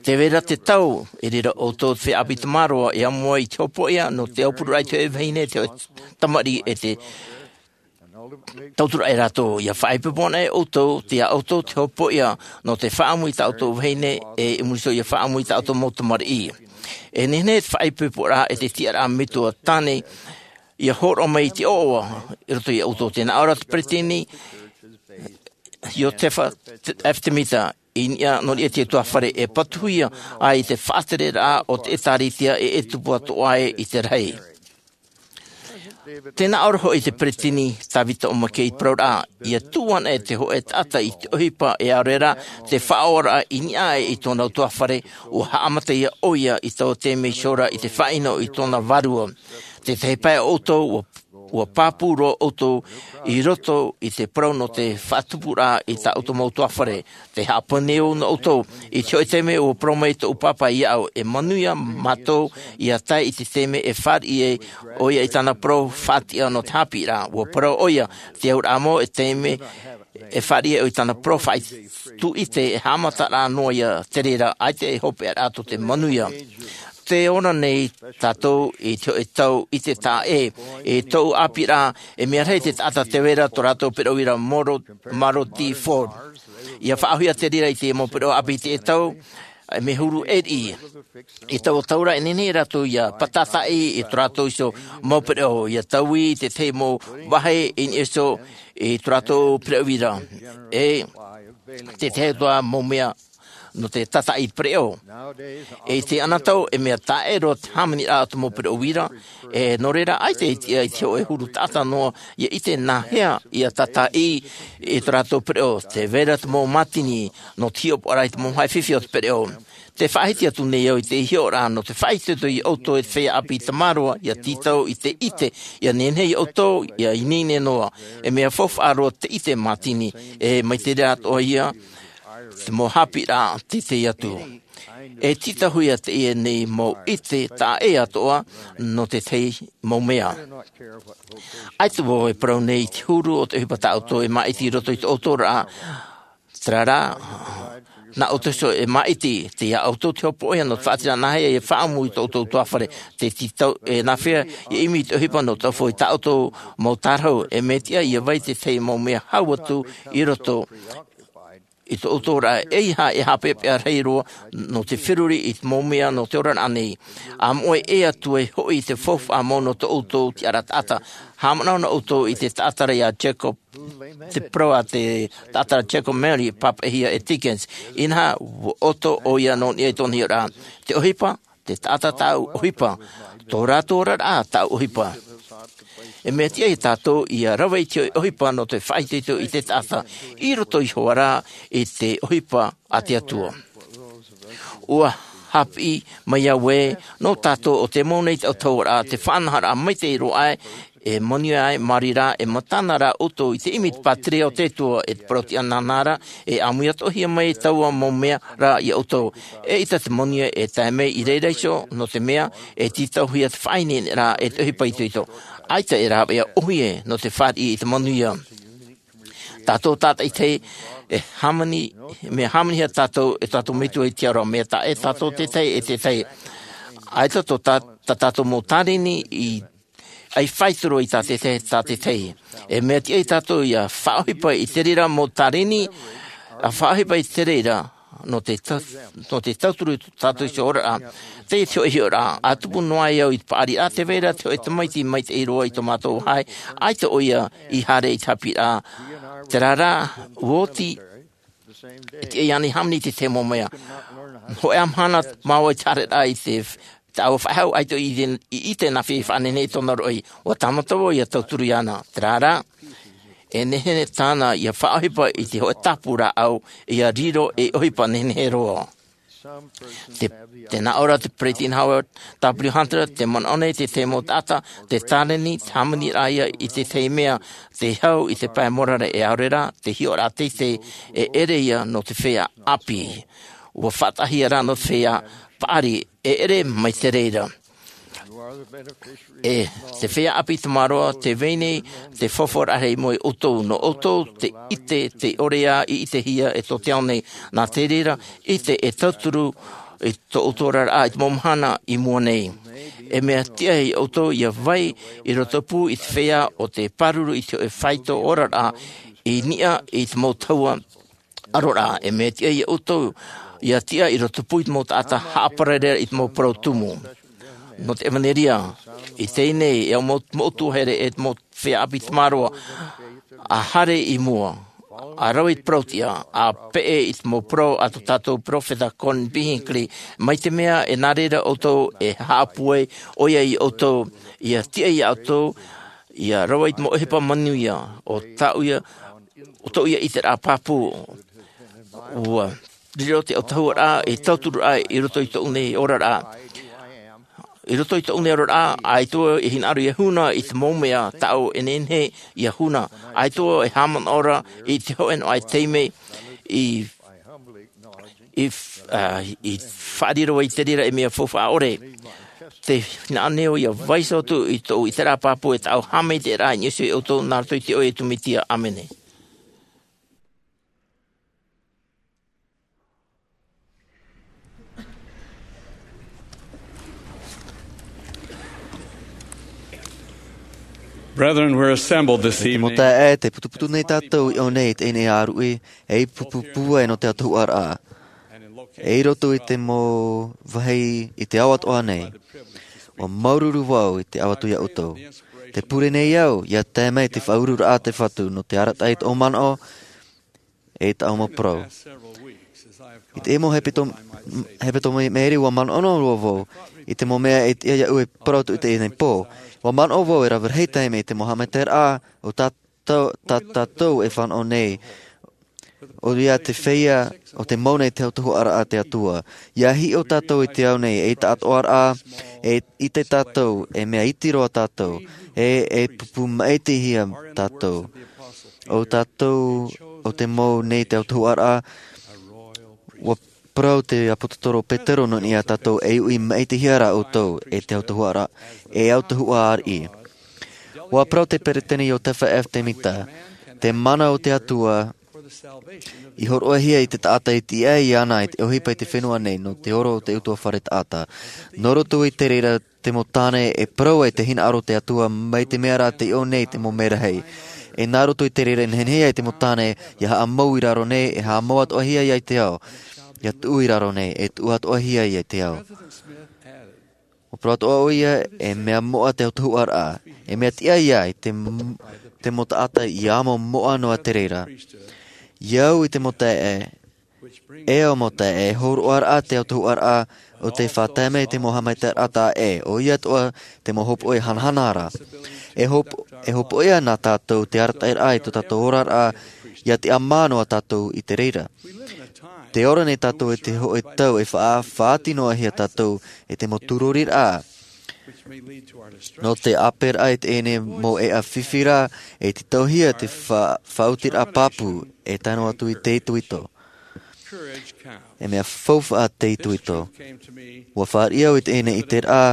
Tē vai ra te tau, i reira ʻoutou te feiā ʻāpī tamāroa e amo ai i te hopoiʻa nō te aupururaʻa i te hōʻē vahine, te hōʻē tamariʻi e te tauturu ai rātou. Ia faʻaipoipo ana ʻoutou, tei ia ʻoutou te hopoiʻa nō te faʻaʻamu i tā ʻoutou vahine, e i muri iho ia faʻaʻamu i tā ʻoutou mau tamariʻi. E nehenehe te faʻaipoiporaʻa e te tiʻaraʻa metua tāne ia hōroʻa mai i te ʻoaʻoa i roto ia ʻoutou. Tē nā ʻō ra te peretiteni Iosefa F. Semita, i niʻa nō niʻa i te ʻutuāfare, e patuhia ai te faʻatereraʻa o te ʻĒtārētia e, e tupu atoʻa ai i te rahi. Tē nā ʻō ra hoʻi te peretiteni Tavita O. MaKei i te parauraʻa, ia tuʻu ana e te hōʻē taʻata i te ʻohipa e ʻaore rā te faʻaoraraʻa i niʻa aʻe i tōna ʻutuāfare, ʻua haʻamata ia ʻoia i taua taime iho ra i te faʻaʻino i tōna vārua. Te tahi pae o ʻoutou, ʻua, ʻua pāpū roa ʻoutou i roto i te parau nō te faʻatupuraʻa i tā ʻoutou mau ʻutuāfare. Tē haʻapāpū nei au nō ʻoutou, i te hōʻē taime ʻua parau mai tōʻu pāpā iāʻu, e manuia mātou ia tae i te taime e fāriʻi ai ʻoia i tāna parau faʻatiʻa nō te haʻapiʻiraʻa. ʻUa parau ʻoia, te auraʻa mau e taime e fāriʻi ai ʻoia i tāna parau faʻaʻite, e haʻamataraʻa noa ia te reira, ʻaita e hopeʻaraʻa tō te manuia. Tē ora nei tātou i te hōʻē tau ʻite taʻa ʻē, i tōʻu ʻāpīraʻa, e mea rahi te taʻata tē vai ra tō rātou pereʻoʻo ʻia Maro-, Maroti Ford. ʻIa faʻaʻohipahia te reira i te mau pereʻoʻo ʻāpī i teie tau, e mea huru ʻē riʻi. I taua tau ra e nehenehe rātou ʻia pātataʻi i tō rātou iho mau pereʻoʻo, ʻia taui i te tahi mau vāhi i niʻa iho i tō rātou pereʻoʻo ra. E te tahi atoʻa mau mea nō te tātaʻi pereʻoʻo. E i te anotau e mea taʻero te hāmaniraʻa o te mau pereʻoʻo uira, e nō reira ʻaita e tiʻa i te hoʻe huru taʻata noa ia ʻite nāhea ia tātaʻi i tō rātou pereʻoʻo. Te vai ra te mau mātini nō te hiʻopoʻaraʻa i te mau haʻefifi o te pereʻoʻo. Te faʻahiti atu nei au i te hiʻoraʻa nō te faʻaitoito ia ʻoutou e te feiā ʻāpī tamaroa ia tītau i te ʻite, ia nehenehe ia ʻoutou ia ineine noa. E mea faufaʻa roa te ʻite mātini, e mai te reira atoʻa ia te mau haʻapiʻiraʻa teitei atu. E tītauhia teie nei mau ʻite taʻa ʻē atoʻa nō te tahi mau mea. ʻAita vau e parau nei i te huru o te ʻohipa tā ʻoutou e māʻiti i roto i tō ʻoutou oraraʻa. Terā rā, nā ʻoutou iho e māʻiti, tei iā ʻoutou te hopoiʻa nō te faʻaʻiteraʻa nāhea ia faʻaʻamu i tō ʻoutou ʻutuāfare. Te tītau e nāhea ia ʻimi i te ʻohipa nō te taʻu hōʻē i tā ʻoutou mau tārahu, e mea tiʻa ia vai te tahi mau mea hau atu i roto i tō ʻoutou oraraʻa, ʻeiaha e haʻapeʻapeʻa rahi roa nō te feruri i te mau mea nō te oraraʻa nei. ʻA moʻe ʻē atu e hoʻi i te faufaʻa mau nō tō ʻoutou tiʻaraʻa taʻata. Haʻamanaʻo na ʻoutou i te taʻata ra iā Jacob, te parau a te taʻata ra Jacob Mary, pāpaʻihia e Dickens. Inaha, ʻua ʻoto ʻoia nō niʻa i tōna hiʻoraʻa. Te ʻohipa, te taʻata tāʻu ʻohipa, tō rātou oraraʻa tāʻu ʻohipa. E mea tiʻa ia tātou ia rave i te hoʻe ʻohipa nō te faʻaitoito i te taʻata, i roto iho ā rā i te ʻohipa a te Atua. ʻUa haʻapiʻi mai au ē, nō tātou ʻo tē mau nei te autahuʻaraʻa, te faʻanahoraʻa maitaʻi roa aʻe, e manuia aʻe, mā reira e matana rā ʻoutou i te ʻimi i te pātireia o te Atua, e te parau-tiʻa nāna ra, e ʻāmui atoʻahia mai taua mau mea ra iā ʻoutou. ʻEita te manuia e tae mai i reira iho, nō te mea, e tītauhia te faʻaineineraʻa e te ʻohipa itoito. ʻAita e rāveʻa ʻōhie nō te fāriʻi i te manuia. Tātou tātaʻitahi, e hāmani, mea hāmanihia tātou e tō tātou Metua i te ao ra, mea taʻa ʻē tātou te tahi e te tahi. ʻAita tō tā, tā tātou mau tārini i, ʻia faʻaitoito i tā te tahi, tā te tahi. E mea tiʻa ia tātou ia faʻaʻohipa i te reira mau tārini, ʻa faʻaʻohipa i te reira, nō te ta-, nō te tauturu i tō tātou iho oraraʻa. Teie te hoʻe hiʻoraʻa, ʻa tupu noa ai au i te paʻari, ʻa tē vai ra te hoʻe tamaiti maitaʻi roa i tō mātou vāhi, ʻaita ʻoia i haere i te haʻapiʻiraʻa. Terā rā, ʻua oti, e tiʻa iāna e hāmani i te tahi mau mea. Hōʻē ā mahana māua i te haereraʻa i te, te ʻāua faʻehau, ʻaita i te, i, i te nāfea i faʻanehenehe i tōna roʻi. ʻUa tāmata vau ia tauturu iāna. Terā rā, e nehenehe tāna ia faʻaʻohipa i te hoʻe tāpū rāʻau, ia riro ei ʻohipa nehenehe roa. Te, tē nā ʻō ra te Peresideni Howard W. Hunter, tē manaʻo nei te tahi mau taʻata, te tārini, te hāmaniraʻa ia i te tahi mea, te hau i te pae morare e ʻaore rā, te hiʻoraʻa teitei, e ʻere ia nō te feiā ʻāpī. ʻUa faʻataʻahia rā nō te feiā paʻari, e ʻere mai te reira. E te feiā ʻāpī tamaroa, tē vai nei te faufaʻa rahi i mua ia ʻoutou, nō ʻoutou te ʻite, tē ʻore ā i ʻitehia e tō te ao nei. Nā te reira, ʻite e tauturu i tō ʻoutou oraraʻa i te mau mahana i mua nei. E mea tiʻa ia ʻoutou ia vai i roto pū i te feiā ʻo tē pāruru i te hoʻe faito oraraʻa i niʻa i te mau tahua aroraʻa, e mea tiʻa ia ʻoutou ia tiʻa i roto pū i te mau taʻata haʻaparare i te mau parau tumu. Nō te ʻevanelia, i teie nei, e au mau, mau tuahere e te mau feiā ʻāpī tamaroa, ʻa haere i mua, ʻa rave i te parau-tiʻa, ʻa peʻe i te mau parau a tō tātou peropheta Gordon B. Hinckley, mai te mea e nā reira ʻoutou e haʻapūai, ʻoia ia ʻoutou, ia tiʻa ia ʻoutou, ia rave i te mau ʻohipa manuia, ʻo tāʻu ia, ʻo tōʻu ia ʻiteraʻa pāpū. ʻUa riro te autahuʻaraʻa, e tauturu aʻe i roto i tōʻu nei oraraʻa. I roto i tōʻu nei oraraʻa, ʻaita vau e hinaʻaro ia huna i te mau mea tāʻu e nehenehe ia huna. ʻAita vau e haʻamanaʻo ra i te hōʻē noa aʻe taime i, i, ā, i faʻariro ai i te reira ei mea faufaʻa ʻore. Tē hinaʻaro nei au ia vaiiho atu i tōʻu ʻiteraʻa pāpū e tāʻu haʻamaitaʻiraʻa i niʻa iho ia ʻoutou nā roto i te iʻoa o Iesu Mesia. ʻĀmene. Brethren, we're assembled this evening. Mau taeaʻe, tē putuputu nei tātou i ʻō nei i teie nei ʻāruʻi, ei pupu pūai nō te autahuʻaraʻa. E i roto i te mau vāhi i te ao atoʻa nei, ʻua māuruuru vau i te ʻave atu ia ʻoutou. Tē pure nei au, ia tae mai te faʻaururaʻa a te Fatu nō te arataʻi i tōʻu manaʻo, e tāʻu mau parau. I te mau hepetoma i maʻiri ua manaʻo roa vau i te mau mea e tiʻa iaʻu e parau atu i teie nei pō. Ua manaʻo vau e rave rahi taime i te mau haʻamaitaʻiraʻa o tā tātou e fānaʻo nei. ʻO ia te feiā o te mau nei te autahuʻaraʻa a te atua ia hiʻo tātou i te ao nei e i taʻatoʻaraʻa e ʻite tātou e mea iti roa tātou e e pupu maʻitihia tātou. ʻO tātou o te mau nei te autahuʻaraʻa ua parau te ʻāpōsetolo petero nō niʻa tātou e uʻi maʻitihia rā ʻoutou e te autahuʻaraʻa e autahuʻa ariʻi. Ua parau te peresideni iosefa f temita, te mana o te atua i horoʻahia i te taʻata i tiʻa iāna i te ʻohipa i te fenua nei nō te oro o te utuafare taʻata. Nō roto i te reira te mau tāne e parau ai te hinaʻaro o te atua mai te mea rā te iʻo nei te mau merahi. E nā roto i te reira e nehenehe ai te mau tāne ia haʻamau i raro nei e haʻamau atoʻahia ia i te ao ia tuʻu i raro nei e tuʻu atoʻahia ia i te ao. Ua parau atoʻa ʻo ia e mea moʻa te autahuʻaraʻa e mea tiʻa ia i te mau taʻata ia amo moʻa noa te reira. Ia au i te mau taeaʻe e au mau taeaʻe e horoʻaraʻa te autahuʻaraʻa o te faʻatae mai i te mau haʻamaitaʻiraʻa taʻa ʻē ʻo ia atoʻa te mau hopoʻi hanahana ra. E hopoʻi ana tātou te arataʻiraʻa i tō tātou oraraʻa ia tiʻamā noa tātou i te reira. Te ora nei tātou i te hoʻi tau e faʻaʻāfati noa hia tātou i te mau tūroriraʻa nō te ʻāperaʻa i teie nei mau ʻeʻa fifi ra e te tauhia te faʻaʻotiraʻa pāpū e tae noa atu i te itoito. E mea faufaʻa te itoito. Ua fāriʻi au i teie nei ʻiteraʻa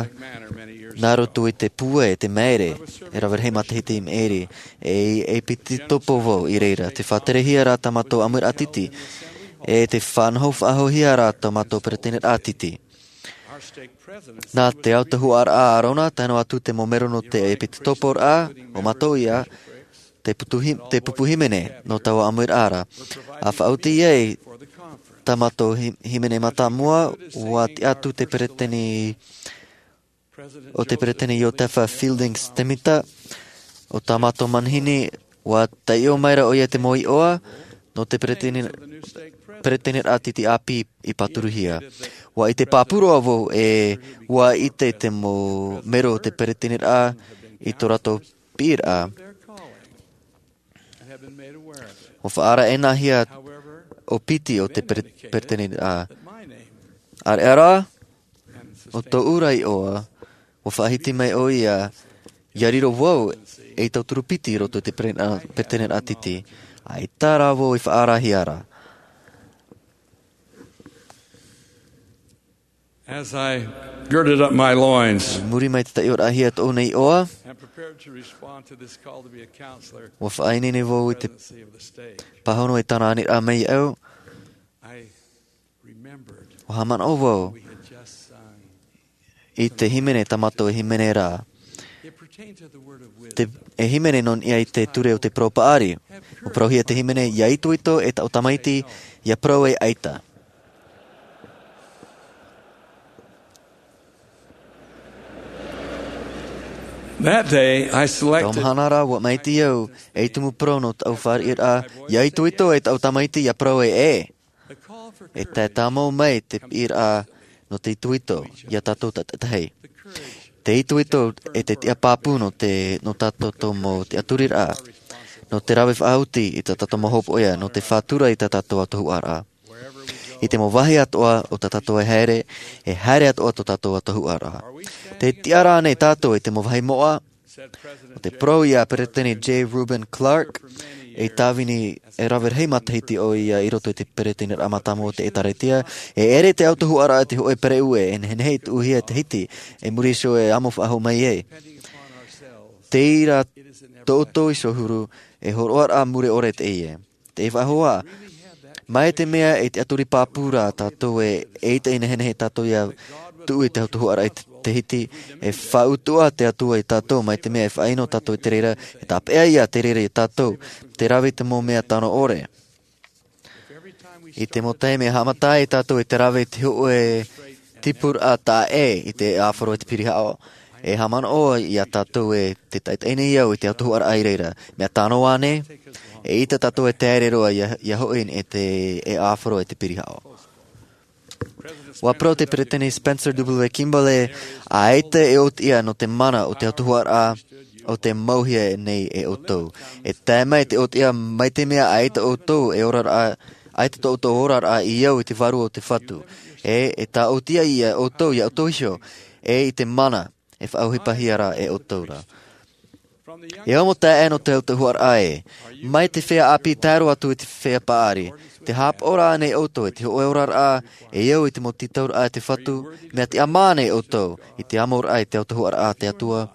nā roto i te pūai e te maere e rave rahi matahiti i maʻiri. E ʻepisekopo vau i reira te faʻaterehia rā tā mātou ʻāmuiraʻa titi e te faʻanaho faʻahouhia rā tā mātou peresideni titi. Nā te autahuʻaraʻa arona tae noa atu te mau mero nō te ʻepisekoporaʻa o mātou ia te pupu hīmene nō taua ʻāmuiraʻa ra. A faʻaoti ai tā mātou hīmene mātāmua ua tiʻa atu te peresideni o te peresideni iosefa fielding temita. O tā mātou manihini ua taiʻo mai ra ʻo ia te mau iʻoa nō te peresideni titi ʻāpī i pāturuhia. Ua ʻite pāpū roa vau e ua ʻite te mau mero o te peresideni i tō rātou piʻiraʻa. Ua faʻaʻite ʻenahia ʻo piti o te peresideni. ʻAreʻa rā ʻo tōʻu ra iʻoa ua faʻahiti mai ʻo ia ia riro vau ei tauturu piti i roto i te peresideni titi. ʻAita rā vau i faʻaʻitehia ra. As I girded up my loins muri mai te taiʻoraʻahia tōʻu nei iʻoa, and prepared to respond to this call to be a counselor ua faʻaineine vau i te pāhono e tāna aniraʻa mai iāʻu. I remembered ua haʻamanaʻo vau we had just sung i te hīmene tā mātou e hīmene ra. It pertained to the word of wisdom. Te e hīmene nō niʻa i te ture o te parau paʻari. Ua parauhia te hīmene ia itoito e taʻu tamaiti ia parau e ʻaita. That day I selected tau mahana rā ua maʻiti au ei tumu parau nō taʻu fāriʻiraʻa ia itoito e taʻu tamaiti ia parau e ʻē. E tae tāmau mai te piʻiraʻa nō te itoito ia tātou taʻetahi. Te itoito e te tiʻa pāpū nō te nō tātou mau tiʻaturiraʻa nō te rave faʻaoti i tā tātou mau hopoʻia nō te faʻatura i tā tātou autahuʻaraʻa. I te mau vāhi atoʻa o tā tātou e haere e haere atoʻa tō tātou autahuʻaraʻa. Te tiʻa rā nei tātou i te mau vāhi moʻa? O te parau ia peresideni j reuben clark, ei tāvini e rave rahi matahiti ʻo ia i roto i te peresideni mātāmua o te ʻēkālesia. E ʻere te autahuʻaraʻa te hoʻe pereʻu e nehenehe i tuʻuhia e te hiti e muri iho e amo faʻahou mai ai. Teie rā tō ʻoutou iho huru e horoʻaraʻa mure ʻore teie. Te faʻahoʻi mai te mea e tiʻaturi pāpū rā tātou e ʻeita i nehenehe tātou ia tuʻu i te autahuʻaraʻa i te hiti. E faʻautuʻa te atua i tātou mai te mea e faʻaino tātou i te reira e tāpeʻa ia te reira i tātou te rave i te mau mea tano ʻore. I te mau taime e haʻamata ai tātou i te rave i te hoʻe tipuraʻa taʻa ʻē i te ʻāfaro e te pirihaʻo e haʻamanaʻo ia tātou e te taʻetaʻe nei au i te autahuʻaraʻa i reira mea tano ānei? E ʻita tātou e taere roa ia hoʻi e te ʻāfaro e te pirihaʻo. Ua parau te peresideni Spencer W Kimball ē, ʻaita e ʻōtiʻa nō te mana o te autahuʻaraʻa o tē mauhia nei e ʻoutou. E tae mai te ʻōtiʻa mai te mea ʻaita ʻoutou e oraraʻa, ʻaita tō ʻoutou oraraʻa i au i te vārua o te Fatu. E, e tāʻōtiʻa ia ʻoutou, ia ʻoutou iho, e i te mana e faʻaʻohipahia ra e ʻoutou ra. E amo taeaʻe nō te autahuʻaraʻa ē, mai te feiā ʻāpī tae roa atu i te feiā paʻari, tē haʻapaʻo ra ānei ʻoutou i te hōʻē oraraʻa e au i te mau tītauraʻa a te Fatu, mea tiʻamā ānei ʻoutou i te amoraʻa i te autahuʻaraʻa a te Atua?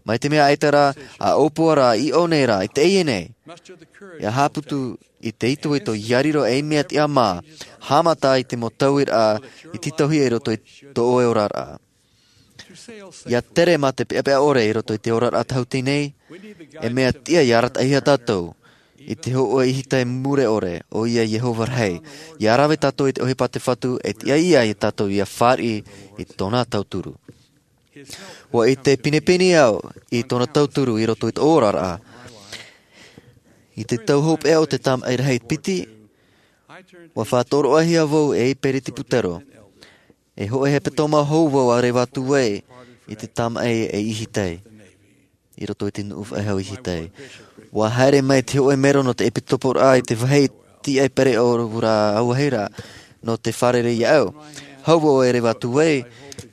Mai te mea ʻaita rā, ʻa ʻōpua rā, i ʻō nei rā, i teie nei. ʻIa haʻaputu i te itoito, ʻia riro ei mea tiʻamā, haʻamata i te mau tauiraʻa i tītauhia i roto i tō ʻoe oraraʻa. ʻIa tere mā te peʻapeʻa ʻore i roto i te oraraʻa tāhuti nei, e mea tiʻa ʻia arataʻihia tātou i te hōʻē ʻīhitai mure ʻore, ʻoia Iehova rahi. ʻIa rave tātou i te ʻohipa a te Fatu, e tiʻa ia tātou ʻia fāriʻi i tōna tauturu. ʻUa ʻite pinepine au i tōna tauturu i roto i tōʻu oraraʻa. I te tau hopeʻa o te tamaʻi rahi piti, ʻua faʻatoroʻahia vau ei peretiputero. E hōʻē hepetoma hou vau a reva atu ai i te tamaʻi e ʻīhitai, i roto i te nuʻu faʻehau ʻīhitai. ʻUa haere mai te hōʻē mero nō te ʻepisekoporaʻa i te vāhi tiʻa pereʻoʻo ra, auahi ra, nō te fārerei iāʻu. Hou vau e reva atu ai,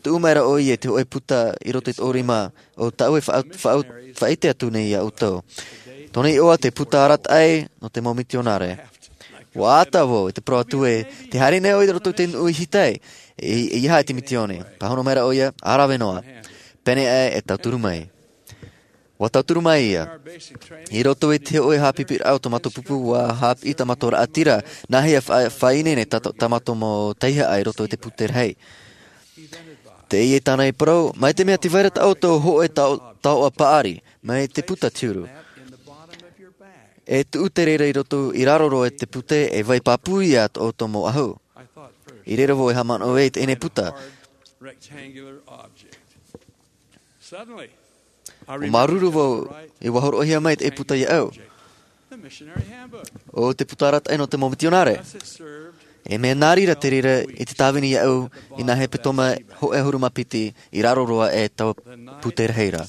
tuʻu mai ra ʻoia i te hōʻē puta i roto i tōʻu rima, ʻo tāʻu e faʻa-, faʻa-, faʻaʻite atu nei iā ʻoutou. Tōna iʻoa te puta arataʻi nō te mau mitionare. ʻUa ʻata vau i te parau atu ē, tē haere nei ʻoe i roto i te nuʻu ʻīhitai, e, e ʻeiaha te misiōni. Pāhono mai ra ʻoia, ʻa rave noa. Pēnei aʻe e tauturu mai. ʻUa tauturu mai ia. I roto i te hōʻē haʻapiʻiraʻa o tō mātou pupu, ʻua haʻapiʻi tā mātou raʻatira, nāhea e fa-, faʻaineine tā, tā mātou mau tauihaʻa i roto i te pute rahi. Teie tāna i parau, mai te mea tē vai ra tā ʻoutou hōʻē tao-, taoʻa paʻari, mai te puta te huru. E tuʻu te reira i roto, i raro roa i te pute, e vai pāpū ia tō ʻoutou mau ʻahu. I reira vau e haʻamanaʻo ai i teie puta. ʻUa māuruuru vau, ʻua hōroʻahia mai te puta iāʻu. ʻO te puta arataʻi nō te mau mitionare. E mea nā reira te reira i te tāvini iāʻu i nā hepetoma hōʻē ʻahuru mā piti i raro roa i taua pute rahi ra.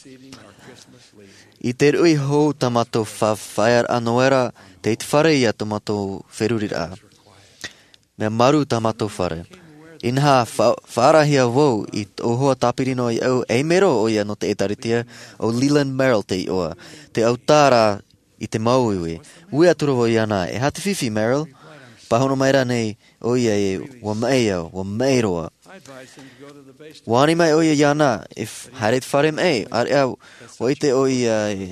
I te ruʻi hou tā mātou fa-, fāʻaʻa noa ra, tei te fare ia tō mātou feruriraʻa. Mea marū tā mātou fare. Inaha, fa-, faʻaarahia vau i tō hoa tāpiri noa iāʻu, ei mero ʻoia nō te ʻĒtārētia, ʻo Leland Merrill te iʻoa. Tē ʻautā ra i te māuiui. Ui atu ra vau iāna, e aha te fifi, Merrill? Pāhono mai ra ānei ʻoia ē, ʻua maʻi au, ʻua maʻi roa. ʻUa ani mai ʻoia iāna, e f-, haere i te fare maʻi, ʻāreʻa, ʻua ʻite ʻoia ē,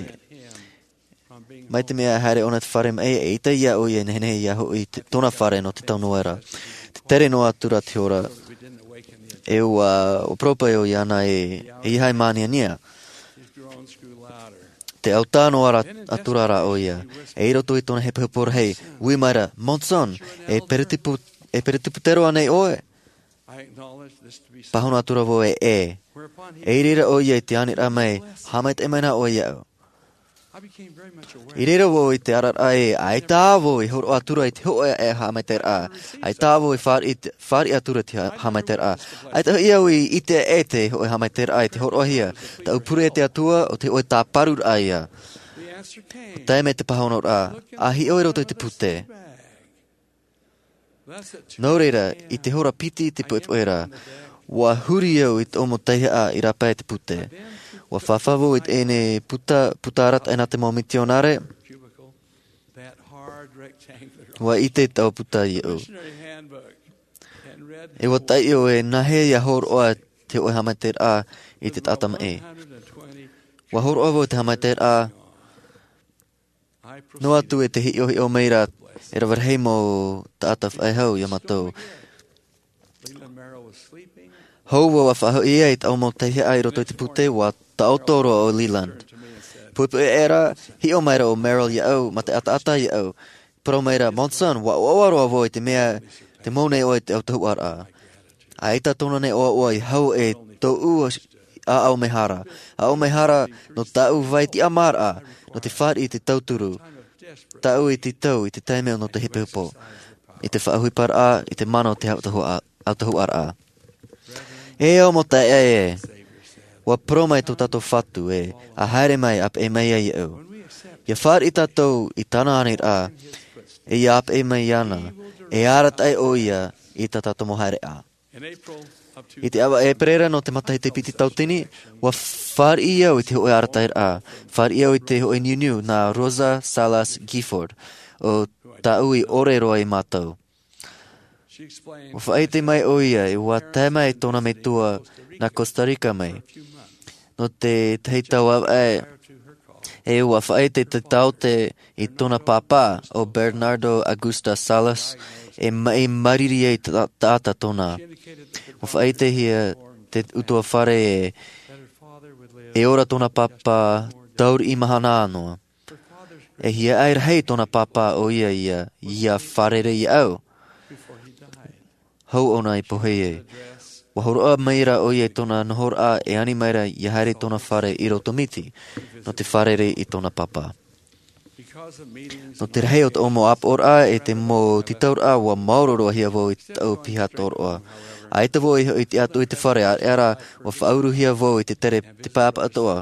mai te mea haere ʻōna i te fare maʻi, eʻita ia ʻoia e nehenehe ia hoʻi i te, tōna fare nō te tau noa ra. Tē tere noa atu ra te hora, e ʻua, ʻua parau paʻi ʻoia iāna ē, e ʻeiaha e māniania. Tē ʻautā noa ra, atu ra ʻoia. E i roto i tōna hepohepo rahi, ui mai ra, Monson, e peretipu-, e peretiputero ānei ʻoe? Pāhono atu ra vau ē, ʻe. I reira ʻoia i te aniraʻa mai, haʻamaitaʻi mai na ʻoe iāʻu. I reira vau i te arataʻi, ʻaita vau i hōroʻa atu ra i te hōʻē haʻamaitaʻiraʻa. ʻAita vau i fāriʻi, fāriʻi atu ra i te ha-, haʻamaitaʻiraʻa. ʻAita hoʻi au i ʻite e te hōʻē haʻamaitaʻiraʻa i te hōroʻahia. Tāʻu pure e te Atua, ʻo te hōʻē tāparuraʻa ia. ʻUa tae mai te pāhonoraʻa, ʻa hiʻo i roto i te pute. Nō reira, i te hora piti i te poʻipoʻi ra, ʻua huri au i tōʻu mau tauihaʻa i rāpae i te pute. ʻUa fāfā vau i teie puta, puta arataʻi nā te mau mitionare. ʻUa ʻite taua puta iāʻu. E ʻua taiʻo e nāhea ia hōroʻa te hōʻē haʻamaitaʻiraʻa i te taʻata maʻi. ʻUa hōroʻa vau i te haʻamaitaʻiraʻa, noa atu e te hiʻohiʻo mai ra e rave rahi mau taʻata faʻehau iā mātou. Hou vau ʻa faʻahoʻi ai i tāʻu mau tauihaʻa i roto i te pute, ʻua taʻoto roa ʻo Leland. Poʻipoʻi aʻera, hiʻo mai ra ʻo Merrill iāʻu, mā te ʻataʻata iāʻu. Parau mai ra, Monson, ʻua ʻoaʻoa roa vau i te mea, tē mau nei ʻoe i te autahuʻaraʻa. ʻAita tōna nei ʻoaʻoa i hau e tōʻu ʻāʻau mehara. ʻĀʻau mehara nō tāʻu vai tiʻamāraʻa, nō te fāriʻi i te tauturu. Tāʻu i te tau, i te taime nō te hepohepo. I te faʻaʻohiparaʻa, i te mana o te autahuʻa-, ʻautahuʻaraʻa. E au mau taeaʻe, ua parau mai tō tātou Fatu ē, ʻa haere mai, ʻa peʻe mai ia iāʻu. ʻIa fāriʻi tātou i tāna aniraʻa, e ʻia peʻe mai iāna, e arataʻi ʻoia i tā tātou mau haereʻa. I te ʻāvaʻe ʻēperēra nō te matahiti piti tauatini, ua fāriʻi au i te hōʻē arataʻiraʻa, fāriʻi au i te hōʻē niuniu nā Rosa Salas Gifford, ʻo tāʻu i ʻore roa iā mātou. Ua faʻaʻite mai ʻoia, ē, ua tae mai tōna metua nā Costa Rica mai. Nō te tahi tau ʻāvaʻe, ē, ua faʻaʻite te taote i tōna pāpā, ʻo Bernardo Augusta Salas, e maʻi māriri ai ta-, taʻata tōna. Ua faʻaʻitehia te ʻutuāfare ē, e ora tōna pāpā tauriʻi mahana noa. E hiaʻai rahi tōna pāpā ʻoia ʻia, ʻia fārerei iāʻu. Hou ʻōna i pohe ai. Ua hōroʻa mai ra ʻoia i tōna nohoraʻa e ani mai ra ʻia haere i tōna fare i Rotomiti, nō te fārerei i tōna pāpā. Nō te rahi o tōʻu mau ʻāpoʻoraʻa e te mau tītauraʻa, ua maoro roa hia vau i tāʻu piha tōroʻa. ʻAita vau i hoʻi i te ʻato i te fare, ʻaore rā, ua faʻauruhia vau i te tere te pae ʻapatoʻa,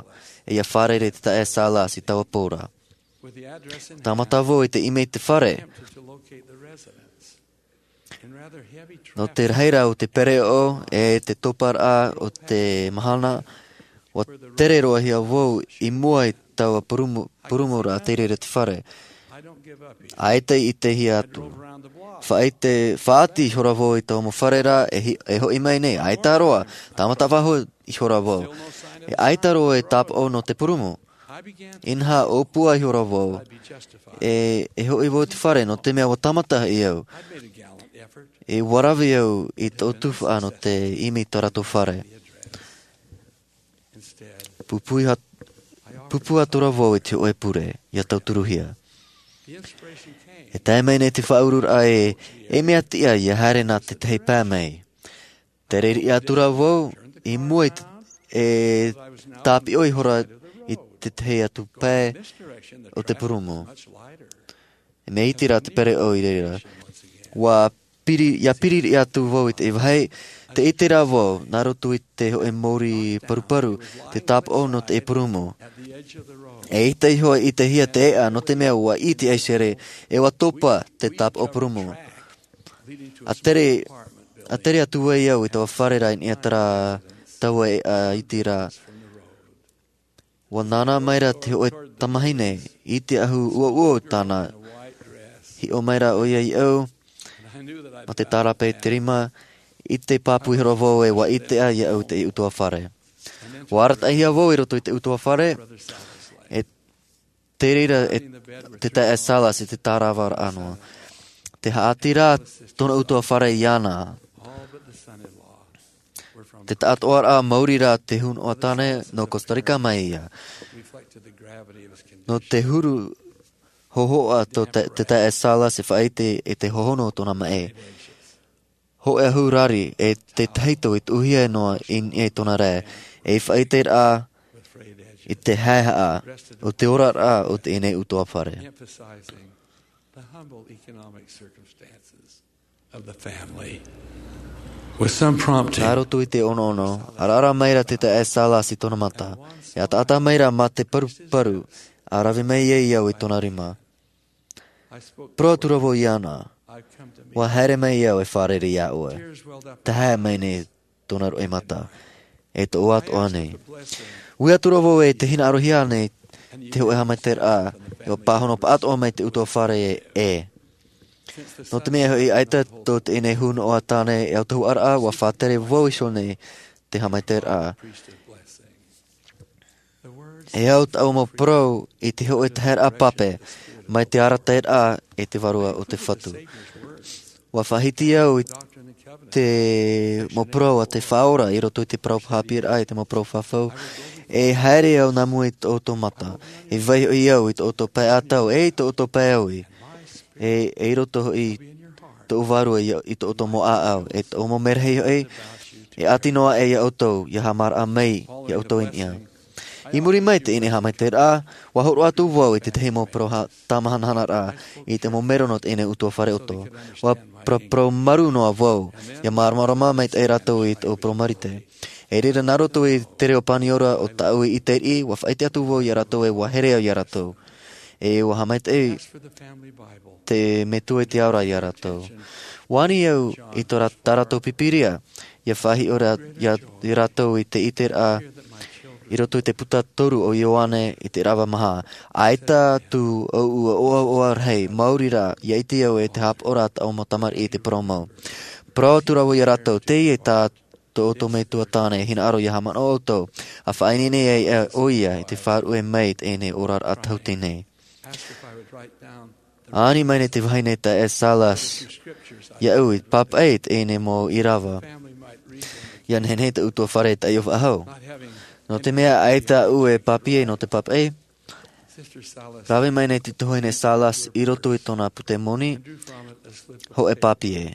e ʻia fārerei i te taeaʻe Salas i taua pō ra. Tāmata vau i te ʻimi i te fare. Nō te rahi ra o te pereʻoʻo e te toparaʻa o te mahana, ua tere roa hia vau i mua i taua purumu, purumu ra te reira te fare. ʻAita i ʻitehia atu. Faʻaʻite, faʻaʻati ihora vau i taua mau fare ra, e hi-, e hoʻi mai nei, ʻaita roa, tāmata faʻahou ihora vau. E ʻaita roa e tāpaʻo nō te purumu. Inaha, ʻōpua ihora vau, e, e hoʻi vau i te fare, nō te mea ua tāmata hoʻi au. E ua rave au i tōʻu tuhaʻa nō te ʻimi i tā rātou fare. Pūpū atu, pūpū atu ra vau i te hōʻē pure, ʻia tauturuhia. E tae mai nei te faʻaururaʻa ē, e mea tiʻa ʻia haere nā te tahi pae mai. Tere riʻi atu ra vau, i mua i te, e tāpiʻo ihora i te tahi atu pae o te purumu. E mea iti rā te pereʻoʻo i reira. Ua piri, ʻia piri riʻi atu vau i te vāhi, tē ʻite ra vau, nā roto i te hōʻē mōrī paruparu, te tāpaʻo nō te purumu. E ʻaita iho e ʻitehia te ʻēʻa, nō te mea ua ʻī te aisere, e ua topa te tāpaʻo purumu. ʻA tere, ʻa tere atu ai au i taua fare ra i niʻa i terā taua ʻēʻa iti ra. Ua nānā mai ra te hōʻē tamahine i te ʻahu ʻuoʻuo tāna. Hiʻo mai ra ʻoia iāʻu, mā te tārape i te rima, ʻite pāpū ihora vau ē ua ʻite ā iāʻu te ʻutuāfare. Ua arataʻihia vau i roto i te ʻutuāfare, e te reira e te taeaʻe Salas i te tāravaraʻa noa. Tē haʻati ra tōna ʻutuāfare iāna. Te taʻatoʻaraʻa maori rā te huru noa tāne nō Costa Rica mai ïa. Nō te huru hōhoʻa tō te, te taeaʻe Salas e faʻaʻite i te hohonu o tōna maʻi. Hōʻē ʻahu rari e te tahito i tuʻuhia noa i niʻa i tōna rae, e faʻaʻite ra i te haehaʻa o te oraraʻa o teie nei ʻutuāfare. Emphasizing the humble economic circumstances of the family. With some prompting, nā roto i te ʻonoʻono, ʻaraʻara mai ra te taeaʻe Salas i tōna mata, e ataata mai ra mā te paruparu, ʻa rave mai ai au i tōna rima. Parau atu ra vau iāna, ʻua haere mai au e fārerei iā ʻoe. Tē haere mai nei tōna roimata, e tōʻu atoʻa nei. Ui atu ra vau ē tē hinaʻarohia nei te hōʻē haʻamaitaʻiraʻa, ʻua pāhono pāʻatoʻa mai te ʻutuāfare ē. Nō te mea hoʻi ʻaita tō teie nei huru noa tāne e ʻautahuʻaraʻa, ʻua faʻatere vau iho nei te haʻamaitaʻiraʻa. E au tāʻu mau parau i te hōʻē taheraʻa pape, mai te arataʻiraʻa e te Vārua o te Fatu. ʻUa faʻahiti au i te mau parau a te Faʻaora i roto i te parau haʻapiʻiraʻa i te mau parau fafau. E haere au nā mua i tō ʻoutou mata. E vaiiho au i tō ʻoutou pae ʻātau, e i tō ʻoutou pae ʻāui. E, e i roto hoʻi tōʻu Vārua i, i tō ʻoutou mau ʻāʻau, e tōʻu mau merahi hoʻi, e ʻati noa aʻe iā ʻoutou, ʻia haʻamāraʻa mai iā ʻoutou i niʻa. I muri mai i teie nei haʻamaitaʻiraʻa, ʻua hōroʻa atu vau i te tahi mau parau tāmahanahana i te mau mero nō teie nei ʻutuāfare ʻoto. ʻUa parauparau marū noa vau, ʻia māramarama maitaʻi rātou i tōʻu parau marite. I reira nā roto i te reo paniora o tāʻu ʻite riʻi, ʻua faʻaʻite atu vau ia rātou ē ʻua here au ia rātou. E ʻua haʻamaitaʻi te metua i te ao ra ia rātou. ʻUa ani au i tō rā-, tā rātou pīpīria, ʻia faʻahiʻo ra-, ia, ia rātou i te ʻiteraʻa i roto i te puta toru o Ioane i te ʻīrava maha. ʻAita atu ʻoʻu ʻoaʻoa rahi, maori rā, ʻia ʻite au ē te haʻapaʻo ra tāʻu mau tamariʻi i te parau mau. Parau atu ra vau ia rātou, teie tā tō ʻoutou metua tāne, hinaʻaro ʻia haʻamanaʻo ʻoutou, ʻa faʻaineine ai ʻoia i te faʻaruʻe mai i teie nei oraraʻa tauatini. ʻA ani mai nei te vahine taeaʻe Salas iāʻu i pāpaʻi i teie nei mau ʻīrava, ʻia nehenehe te ʻutuāfare e taiʻo faʻahou. Nō te mea ʻaita aʻu e pāpī nō te pāpaʻi, rave mai nei te tuahine Salas i roto i tōna pute moni, hōʻē pāpī.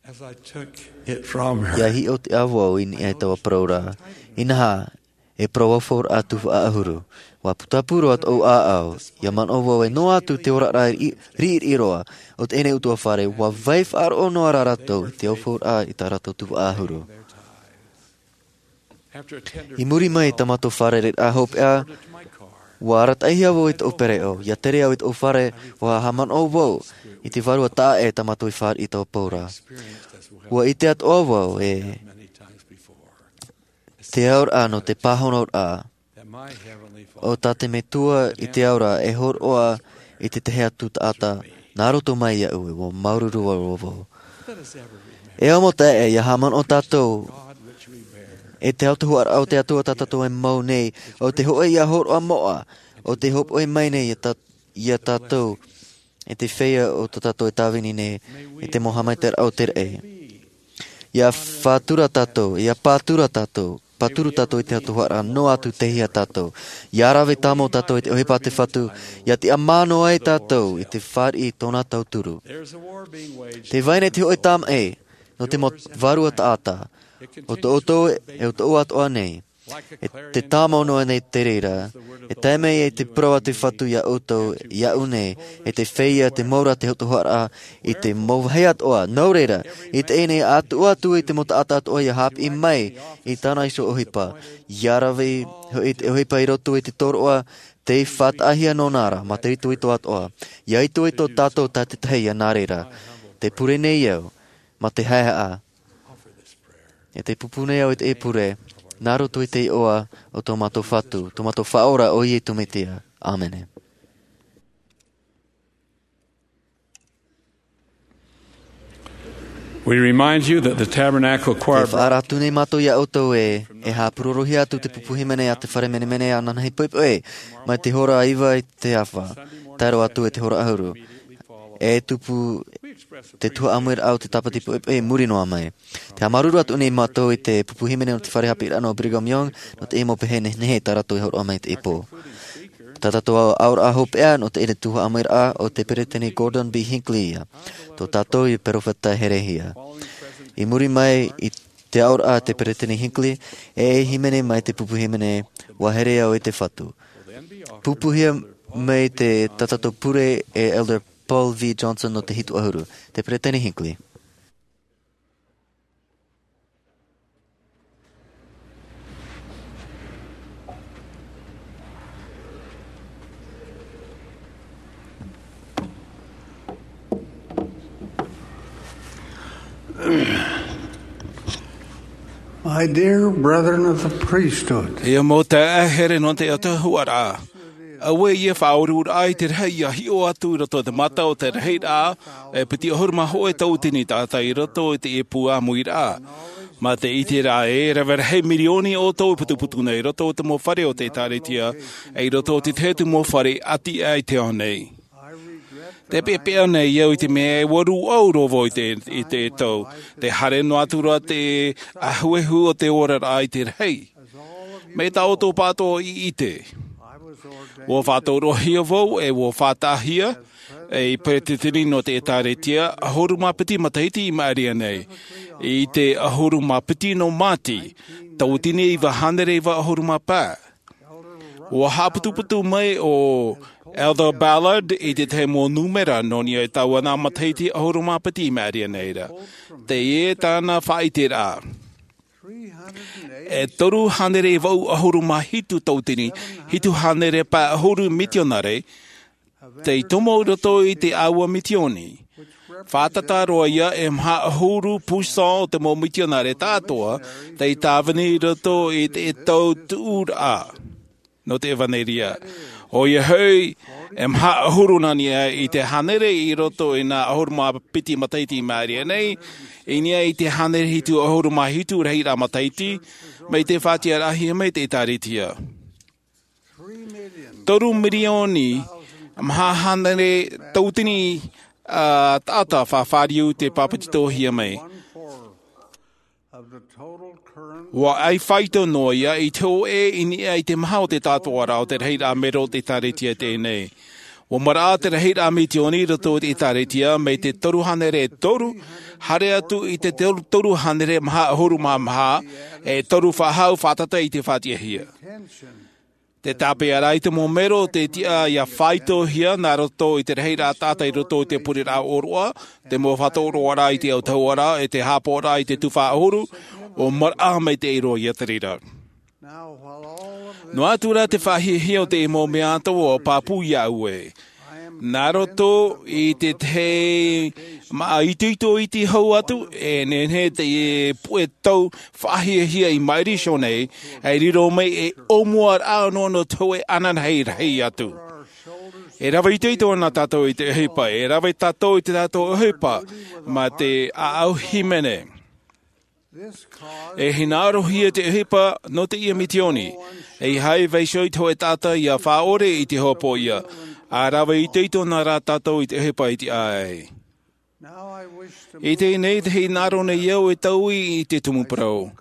As I took it from her, ʻIa hiʻo atu vau i niʻa i taua parau ra. Inaha, e parau aufauraʻa tuhaʻa ʻahuru. ʻUa putapū roa tōʻu ʻāʻau, ʻia manaʻo vau ē noa atu te oraraʻa riʻi-, riʻiriʻi roa o teie nei ʻutuāfare, ʻua vai faʻaroʻo noa rā rātou i te aufauraʻa i tā rātou tuhaʻa ʻahuru. I muri mai i tā mātou fārereiraʻa hopeʻa, ʻua arataʻihia vau i tōʻu pereʻoʻo. ʻIa tere au i tōʻu fare, ʻua haʻamanaʻo vau i te vārua taʻa ʻē tā mātou i fāriʻi i taua pō ra. ʻUa ʻite atoʻa vau ē te aoraʻa nō te pāhonoraʻa o tā te Metua i te ao ra e hōroʻa i te tahi atu taʻata nā roto mai iāʻu, e ʻua māuruuru roa vau. E ʻo mau taeaʻe, ʻia haʻamanaʻo tātou e te autahuʻaraʻa o te Atua tā tātou e mau nei, ʻo te hōʻē ʻia hōroʻa moʻa, ʻo te hōpoʻi mai nei ia tā-, ia tātou, e te feiā o tā tātou e tāvini nei, e te mau haʻamaitaʻiraʻa o te raʻi. ʻIa faʻatura tātou, ʻia pātura tātou, pāturu tātou i te autahuʻaraʻa noa atu tei hea tātou. ʻIa rave tāmau tātou i te ʻohipa a te Fatu, ʻia tiʻamā noa ai tātou i te fāriʻi i tōna tauturu. Tē vai nei te hōʻē tāmaʻi nō te mau vārua taʻata, ʻo tō ʻoutou, e ʻo tōʻu atoʻa nei. E te tāmau noa nei te reira, e tae mai ai te parau a te Fatu iā ʻoutou, iāʻu nei, e te feiā, te mau ra, te autahuʻaraʻa, i te mau vāhi atoʻa. Nō reira, i teie nei, ʻa tuʻu atu i te mau taʻata atoʻa ʻia haʻapiʻi mai i tāna iho ʻohipa. ʻIa rave hoʻi te ʻohipa i roto i te tōroʻa, tei faʻataʻahia nōna ra, mā te itoito atoʻa. ʻIa itoito tātou tātaʻitahi ʻia nā reira. Tē pure nei au, mā te haʻehaʻa. E tē pūpū nei au i teie pure, nā roto i te iʻoa o tō mātou Fatu, tō mātou Faʻaora ʻo Iesu Mesia. ʻĀmene. We remind you that the Tabernacle Choir Tē faʻaara atu nei mātou iā ʻoutou ē, e haʻapūrorohia atu te pupu hīmene a te fare menemene ananahi poʻipoʻi, mai te hora iva i te ʻāfa, tae roa atu i te hora ʻahuru. E tupu te tuhaʻa ʻāmuiraʻa o te tāpati poʻipoʻi i muri noa mai. Tē haʻamāuruuru atu nei mātou i te pupu hīmene o te fare haʻapiʻiraʻa nō Brigham Young, nō te mau pehe nehenehe tā rātou i hōroʻa mai i teie pō. Tā tātou aoraʻa hopeʻa nō teie tuhaʻa ʻāmuiraʻa ʻo te Peresideni Gordon B. Hinckley ïa. Tō tātou ïa perofeta herehia. I muri mai i te aoraʻa a te Peresideni Hinckley, e hīmene mai te pupu hīmene, ʻUa here au i te Fatu. Pūpūhia mai te tā tātou pure e Elder Paul V. Johnson nō te hitu ʻahuru. Te Peresideni Hinckley. My dear brethren of the priesthood, E ʻo mau taeaʻe here nō te autahuʻaraʻa. Auē ïa faʻaururaʻa i te rahi ʻia hiʻo atu i roto i te mata o te rahiraʻa, e piti ʻahuru mā hōʻē tauatini taʻata i roto i te ʻēpū ʻāmuiraʻa. Mā te ʻiteraʻa e rave rahi mirioni ʻoutou e putuputu nei i roto i te mau fare o te ʻĒtārētia, e i roto i te tahi atu mau fare ʻati aʻe i te ao nei. Tē peʻapeʻa nei au i te mea e ʻua rūʻau roa vau i te, i te tau, tē haere noa atu ra te ʻahuehu o te oraraʻa i te rahi. Mai tā ʻoutou pāʻatoʻa i ʻite, ʻua faʻatauroʻohia vau e ʻua faʻataʻahia, ei peretiteni nō te ʻĒtārētia, ʻahuru mā piti matahiti i maʻiri aʻe nei. I te ʻahuru mā piti nō Māti, tauatini iva hānere iva ʻahuru mā pae. ʻUa haʻaputuputu mai ʻo Elder Ballard i te tahi mau nūmera nō niʻa i taua nā matahiti ʻahuru mā piti i maʻiri aʻe nei ra. Teie tāna faʻaʻiteraʻa. E toru hānere vaʻu ʻahuru mā hitu tauatini, hitu hānere pae ʻahuru mitionare, tei tomo i roto i te ʻāua mitioni. Fātata roa ia e maha ʻahuru pūsā o te mau mitionare tāʻatoʻa, tei tāvini i roto i te tau tuʻuraʻa nō te ʻevanelia. ʻOia hoʻi, e maha ʻahuru nā niʻa i te hānere i roto i nā ʻahuru mā piti matahiti i maʻiri aʻe nei, i niʻa i te hānere hitu ʻahuru mā hitu rahiraʻa matahiti, mai te faʻatiʻaraʻahia mai te ʻĒtārētia. Toru mirioni maha hānere tauatini, ā, taʻata faʻafāriu tei pāpetitohia mai. ʻUa ʻai faito noa ia i te hōʻē i niʻa i te maha o te tātōʻaraʻa o te rahiraʻa mero o te ʻĒtārētia teie nei. ʻUa maraʻa te rahiraʻa mitioni i roto i te ʻĒtārētia mai te toru hānere e toru, haere atu i te toru, toru hānere maha ʻahuru mā maha, e toru faʻahou fātata i te faʻatiʻahia. Te tāpeʻaraʻa i te mau mero tei tiʻa ʻia faitohia nā roto i te rahiraʻa taʻata i roto i te pureraʻa ʻōroʻa, te mau faʻatōroaraʻa i te autahuʻaraʻa, e te haʻapaʻoraʻa i te tuhaʻa ʻahuru, ʻua maraʻa maitaʻi roa ia te reira. Noa atu rā te faʻahiahia o te mau mea atoʻa ʻua pāpū iāʻu ē. Nā roto i te tahi māʻa itoito iti hau atu, e nehenehe te puʻe tau faʻahiahia i maʻiri iho nei, e riro mai e ʻōmuaraʻa noa nō te hōʻē ananahi rahi atu. E rave itoito ana tātou i te ʻohipa, e rave tātou i te tātou ʻohipa, mā te ʻāʻau hīmene. E hinaʻarohia te ʻohipa nō teie mitioni, ʻeiaha e vaiiho i te hōʻē taʻata ʻia faʻaʻore i te hopoiʻa, ʻa rave itoito ana rā tātou i te ʻohipa i te ʻāʻai. I teie nei, tē hinaʻaro nei au e taui i te tumu parau.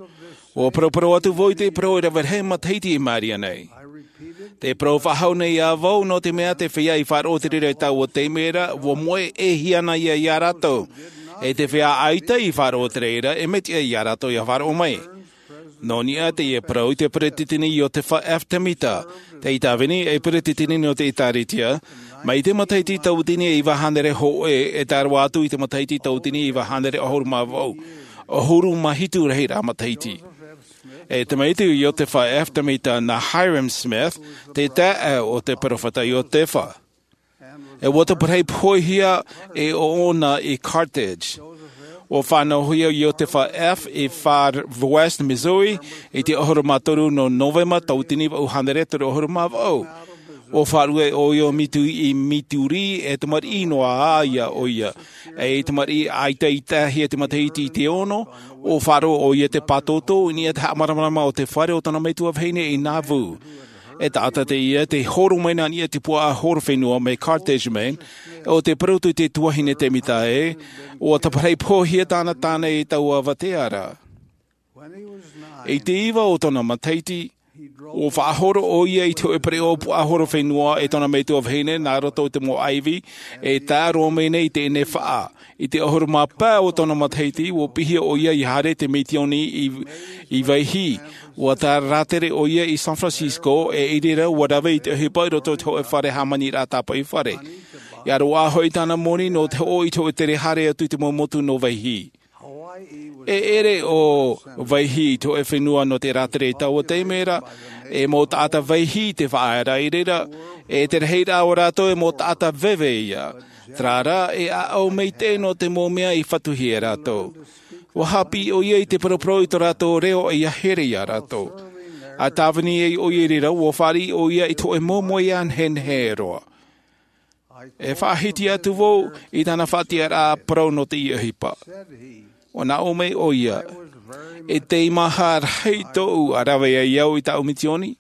ʻUa paraparau atu vau i te parau e rave rahi matahiti i maʻiri aʻe nei. Tē parau faʻahou nei ā vau nō te mea tē feiā i faʻaroʻo te reira i taua taime ra, ʻua moʻe e hia ana ia iā rātou. E tē feiā ʻaita i faʻaroʻo te reira, e mea tiʻa iā rātou ʻia faʻaroʻo mai. Nō niʻa teie parau i te peretiteni Iosepha F. Temita, tei tāvini ei peretiteni nō te ʻĒtārētia, mai te matahiti tauatini e iva hānere hōʻē, e tae roa atu i te matahiti tauatini e iva hānere ʻahuru mā vaʻu, ʻahuru mā hitu rahiraʻa matahiti. E tamaiti o Iosepha F. Temita nā Hyrum Smith, te taeaʻe o te peropheta Iosepha. E ʻua taparahi poʻihia e ʻoʻona i Carthage. ʻUa fānauhia Iosepha F. i Far West, Missouri, i te ʻahuru mā toru nō Novema tauatini vaʻu hānere toru ʻahuru mā vaʻu. ʻUa faʻaruʻe ʻoia i Mitu-, i Missouri, e tamariʻi noa ā ʻoia. E tamariʻi ʻaita i tae hia te matahiti i te ono, ʻua faʻaroʻo ʻoia i te pātōtō i niʻa i te haʻamāramarama o te fare o tōna metua vahine i Nauvoo. E taʻata teie tei horo mai nā niʻa i te puaʻahorofenua mai Carthage, Maine, ʻo tē parau atu te tuahine Temita ē, ʻua taparahi poʻihia tāna tāne i taua avatea ra. I te iva o tōna matahiti, ʻua faʻahoro ʻoia i te hōʻē pereʻoʻo puaʻahorofenua e tōna metua vahine nā roto i te mau ʻaivi, e tae roa mai nei i teie faʻa. I te ʻahuru mā pae o tōna matahiti, ʻua piʻihia ʻoia ʻia haere i te mitioni i, i Vaihī. ʻUa tāratere ʻoia i San Francisco, e i reira ʻua rave i te ʻohipa i roto i te hōʻē fare hāmaniraʻa tāpaʻi fare. ʻIa roaʻa hoʻi tāna moni nō te hoʻo i te hōʻē tere haere atu i te mau motu nō Vaihī. E ʻere ʻo Vaihī i te hōʻē fenua nō te rātere i taua taime ra, e mau taʻata Vaihī te faʻaea i reira, e te rahiraʻa o rātou e mau taʻata veve ïa. Terā rā, e ʻāʻau maitaʻi nō te mau mea i fatuhia e rātou. ʻUa haʻapiʻi ʻoia i te paraparau i tō rātou reo ʻia here iā rātou. ʻA tāvini ai ʻoia i reira, ʻua fāriʻi ʻoia i te hōʻē moemoeā nehenehe roa. E faʻahiti atu vau i tāna faʻatiʻaraʻa parau nō teie ʻohipa. ʻUa nā ʻō mai ʻoia, e teimaha rahi tōʻu ʻa rave ai au i tāʻu mitioni.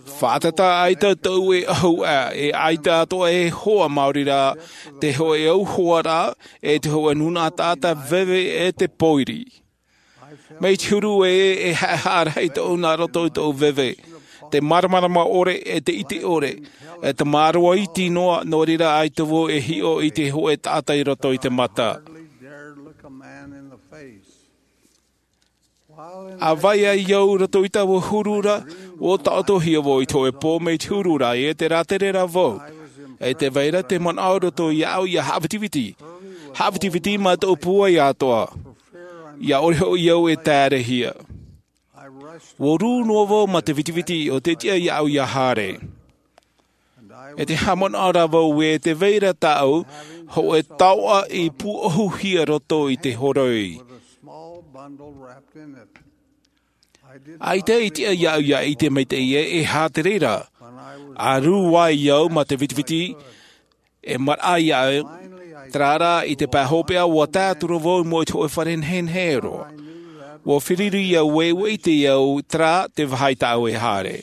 Fātata ʻaita tōʻu e ʻahu ʻā, e ʻaita atoʻa e hoa maori rā, te hōʻē ʻauhoaraʻa, e te hōʻē nūnaʻa taʻata veve e te pōiri. Mai te huru ē, e haʻehaʻa rahi tōʻu nā roto i tōʻu veve. te māramarama ʻore e te ʻite ʻore, e te māroa iti noa, nō reira ʻaita vau e hiʻo i te hōʻē taʻata i roto i te mata. ʻA vai ai au i roto i taua huru ra, ʻua taʻotohia vau i te hōʻē pō mai te huru ra, e te rātere ra vau. E tē vai ra te manaʻo i roto iāʻu ʻia haʻavitiviti. Haʻavitiviti mā tōʻu pūai atoʻa. ʻIa ʻore hoʻi au e taerehia. ʻUa rū noa vau mā te vitiviti ʻo te tiʻa iāʻu ʻia haere. E te haʻamanaʻo ra vau ē tē vai ra tāʻu hōʻē taoʻa i pūʻohuhia i roto i te horoi. ʻAita i tiʻa iāʻu ʻia ʻite maitaʻi ē, e aha te reira. ʻA rū ai au mā te vitiviti, e maraʻa iāʻu, terā rā i te pae hopeʻa ʻua tae atu ra vau i mua i te hōʻē fare nehenehe roa. ʻUa feruri au ē, ʻua ʻite au terā te vāhi tāʻu e haere.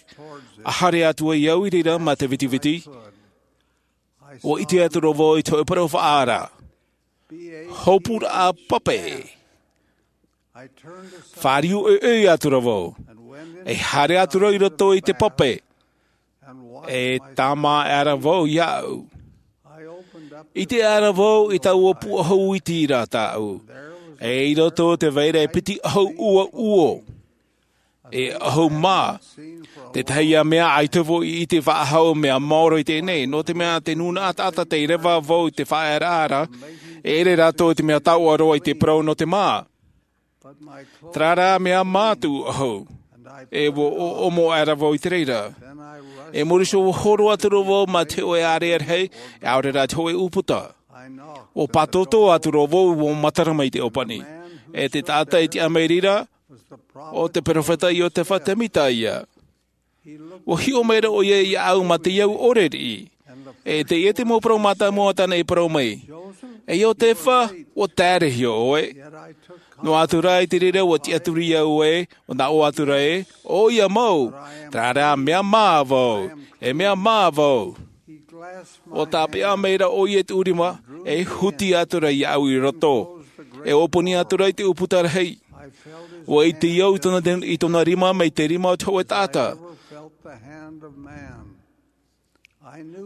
ʻA haere atu ai au i reira mā te vitiviti, ʻua ʻite atu ra vau i te hōʻē parau faʻaara. Hōpuraʻa pape. Fāriu ʻoiʻoi atu ra vau. E haere atu ra i roto i te pape. E tāmā aʻe ra vau iāʻu. ʻIte aʻe ra vau i taua pūʻohu iti ra tāʻu. E i roto tē vai ra e piti ʻahu ʻuoʻuo. E ʻahu mā. Te tahi ā mea ʻaita vau i ʻite faʻahou mea maoro i teie nei, nō te mea te nūnaʻa taʻata tei reva vau i te faʻaearaʻa ra, e ʻere rātou i te mea taoʻa roa i te parau nō te mā. Terā rā mea mā tōʻu ʻahu. E ʻua ʻoʻomo aʻe ra vau i te reira. E muri iho ʻua horo atu ra vau mā te hōʻē ārea rahi, e ʻaore rā te hōʻē ʻūputa. ʻUa pātōtō atu ra vau, ʻua matara mai te ʻōpani. E te taʻata i tiʻa mai i reira, ʻo te peropheta Iotefa Temita ïa. ʻUa hiʻo maira ʻoia iāʻu mā te au ʻore riʻi. E teie te mau parau mātāmua tāna i parau mai. E Iotefa, ʻua taerehia ʻoe. Noa atu rā i te reira ʻua tiʻaturi au ē, ʻua nā ʻō atu ra ē, ʻoia mau, terā rā mea mā vau, e mea mā vau. ʻUa tāpeʻa maira ʻoia i tōʻu rima, e huti atu ra iāʻu i roto. E ʻōpani atu ra i te ʻūputa rahi. ʻUa ʻite au i tōna, i tōna rima mai te rima o te hōʻē taʻata.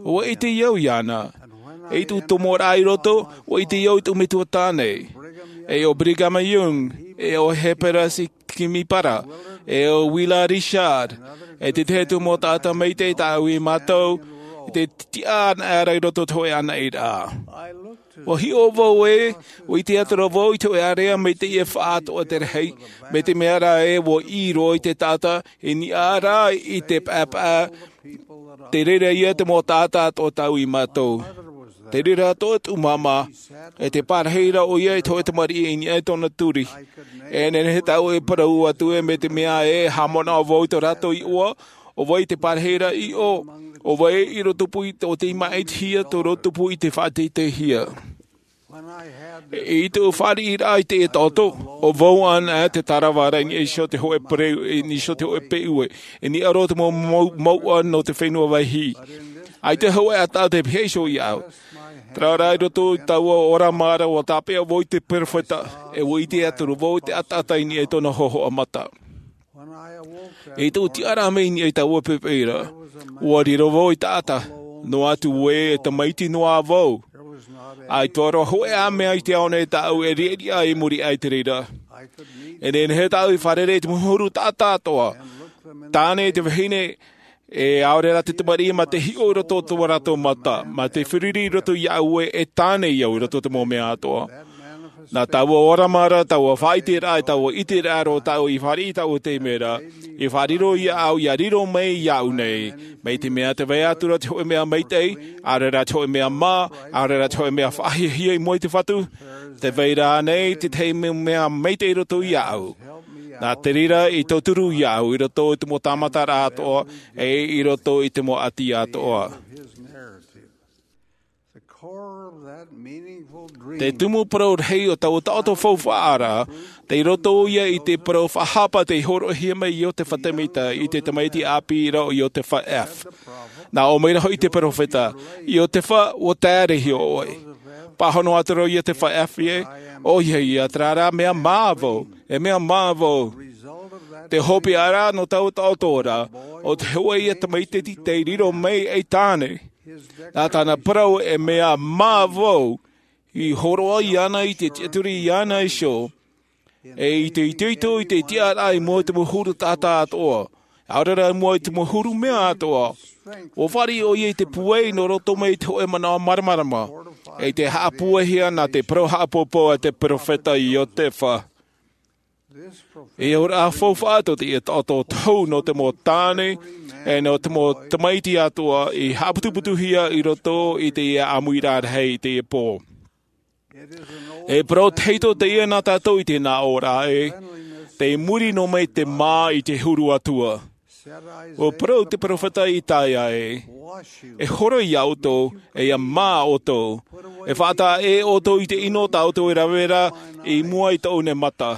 ʻUa ʻite au iāna. E i tōʻu tomoraʻa i roto, ʻua ʻite au i tōʻu metua tāne. E ʻo Brigham Young, e ʻo Heber C. Kimball, e ʻo Willard Richards, e te tahi atu mau taʻata maitaʻi tāʻu i mātau, i te tiʻa anaʻe ra i roto i te hōʻē anaʻe ra. ʻUa hiʻo vau ē, ʻua ʻite atu ra vau i te hōʻē ārea maitaʻi e faʻaatoʻa te rahi, mai te mea rā ē ʻua ʻī roa i te taʻata, i niʻa rā i te paʻapaʻa, te reira ïa te mau taʻata atoʻa tāʻu i mātau. Te reira atoʻa tōʻu māmā, e te pārahi ra ʻoia i te hōʻē tamariʻi i niʻa i tōna turi. E nehenehe tāʻu e parau atu ē mai te mea ē, haʻamanaʻo vau i tō rātou iʻoa, ʻo vai te pārahi ra iʻo, ʻo vai i roto pū i tō te māʻitihia tō roto pū i te faʻateiteihia. I tōʻu fāriʻiraʻa i te taoto, ʻo vau anaʻe te tarava ra i niʻa iho te hōʻē peu, i niʻa iho te hōʻē peu ē, i niʻa roa te mau, mau, mouʻa nō te fenua vaihi. ʻAita hōʻē ʻātaʻata e pihaʻi iho iāʻu. Terā rā i roto i taua ʻōrama ra ʻua tāpeʻa vau i te peropheta, e ʻua ʻite atu ra vau i te ʻātaʻata i niʻa i tōna hōhoʻa mata. I tōʻu tiʻaraʻa mai i niʻa i taua poʻipoʻi ra, ʻua riro vau i taʻata, noa atu ē e tamaiti noa vau. ʻAita roa hōʻē ā mea i te ao nei tāʻu e riʻariʻa i muri aʻe i te reira. E nehenehe tāʻu i fārerei i te mau huru taʻata atoʻa, tāne i te vahine, e ʻaore rā te tamariʻi mā te hiʻo i roto i tō rātou mata, mā te feruri i roto iāʻu ē e tāne au i roto i te mau mea atoʻa. Nā taua ʻōrama ra, taua faʻaʻiteraʻa, taua ʻiteraʻa roa tāʻu i fāriʻi i taua taime ra, i faʻariro iāʻu, ʻia riro mai iāʻu nei, mai te mea tē vai atu ra te hōʻē mea maitaʻi, ʻaore rā te hōʻē mea mā, ʻaore rā te hōʻē mea faʻahiahia i mua i te Fatu, tē vai ra ānei te tahi mau mea maitaʻi i roto iāʻu. Nā te reira i tauturu iāʻu i roto i te mau tāmataraʻa atoʻa, e i roto i te mau ʻati atoʻa. Te tumu parau rahi o taua taʻoto faufaʻa ra, tei roto ïa i te parau faʻahapa tei hōroʻahia mai e Iotefa Temita i te tamaiti ʻāpī ra ʻo Iotefa F. Nā ʻō mai ra hoʻi te peropheta, Iotefa, ʻua taerehia ʻoe. Pāhono atu ra ʻo Iotefa F ē, ʻoia ïa, terā rā mea mā vau, e mea mā vau. Te hopeʻa ra nō taua taʻoto ra, ʻo te hōʻē ia tamaiti tei riro mai ei tāne. Nā tāna parau e mea mā vau, i hōroʻa iāna i te tiʻaturi iāna iho, e i te itoito i te tiʻaraʻa i mua i te mau huru taʻata atoʻa, ʻaore rā i mua i te mau huru mea atoʻa. ʻUa fāriʻi ʻoia i te pūai nō roto mai i te hōʻē manaʻo māramarama, e i te haʻapūaihia nā te parau haʻapōpō a te peropheta Iotefa. E ora faufaʻa tō teie taʻoto tohu nō te mau tāne, e nō te mau tamaiti atoʻa i haʻaputuputuhia i roto i teie ʻāmuiraʻa rahi i teie pō. E parau tahito teie nā tātou i te nā ora e, tei muri noa mai te mā i te huru atua. ʻUa parau te peropheta Isaia e, e horo iā ʻoutou, e ʻia mā ʻoutou, e faʻataʻa ʻē ʻoutou i te ʻino tā ʻoutou e rave ra i mua i tōʻu nei mata.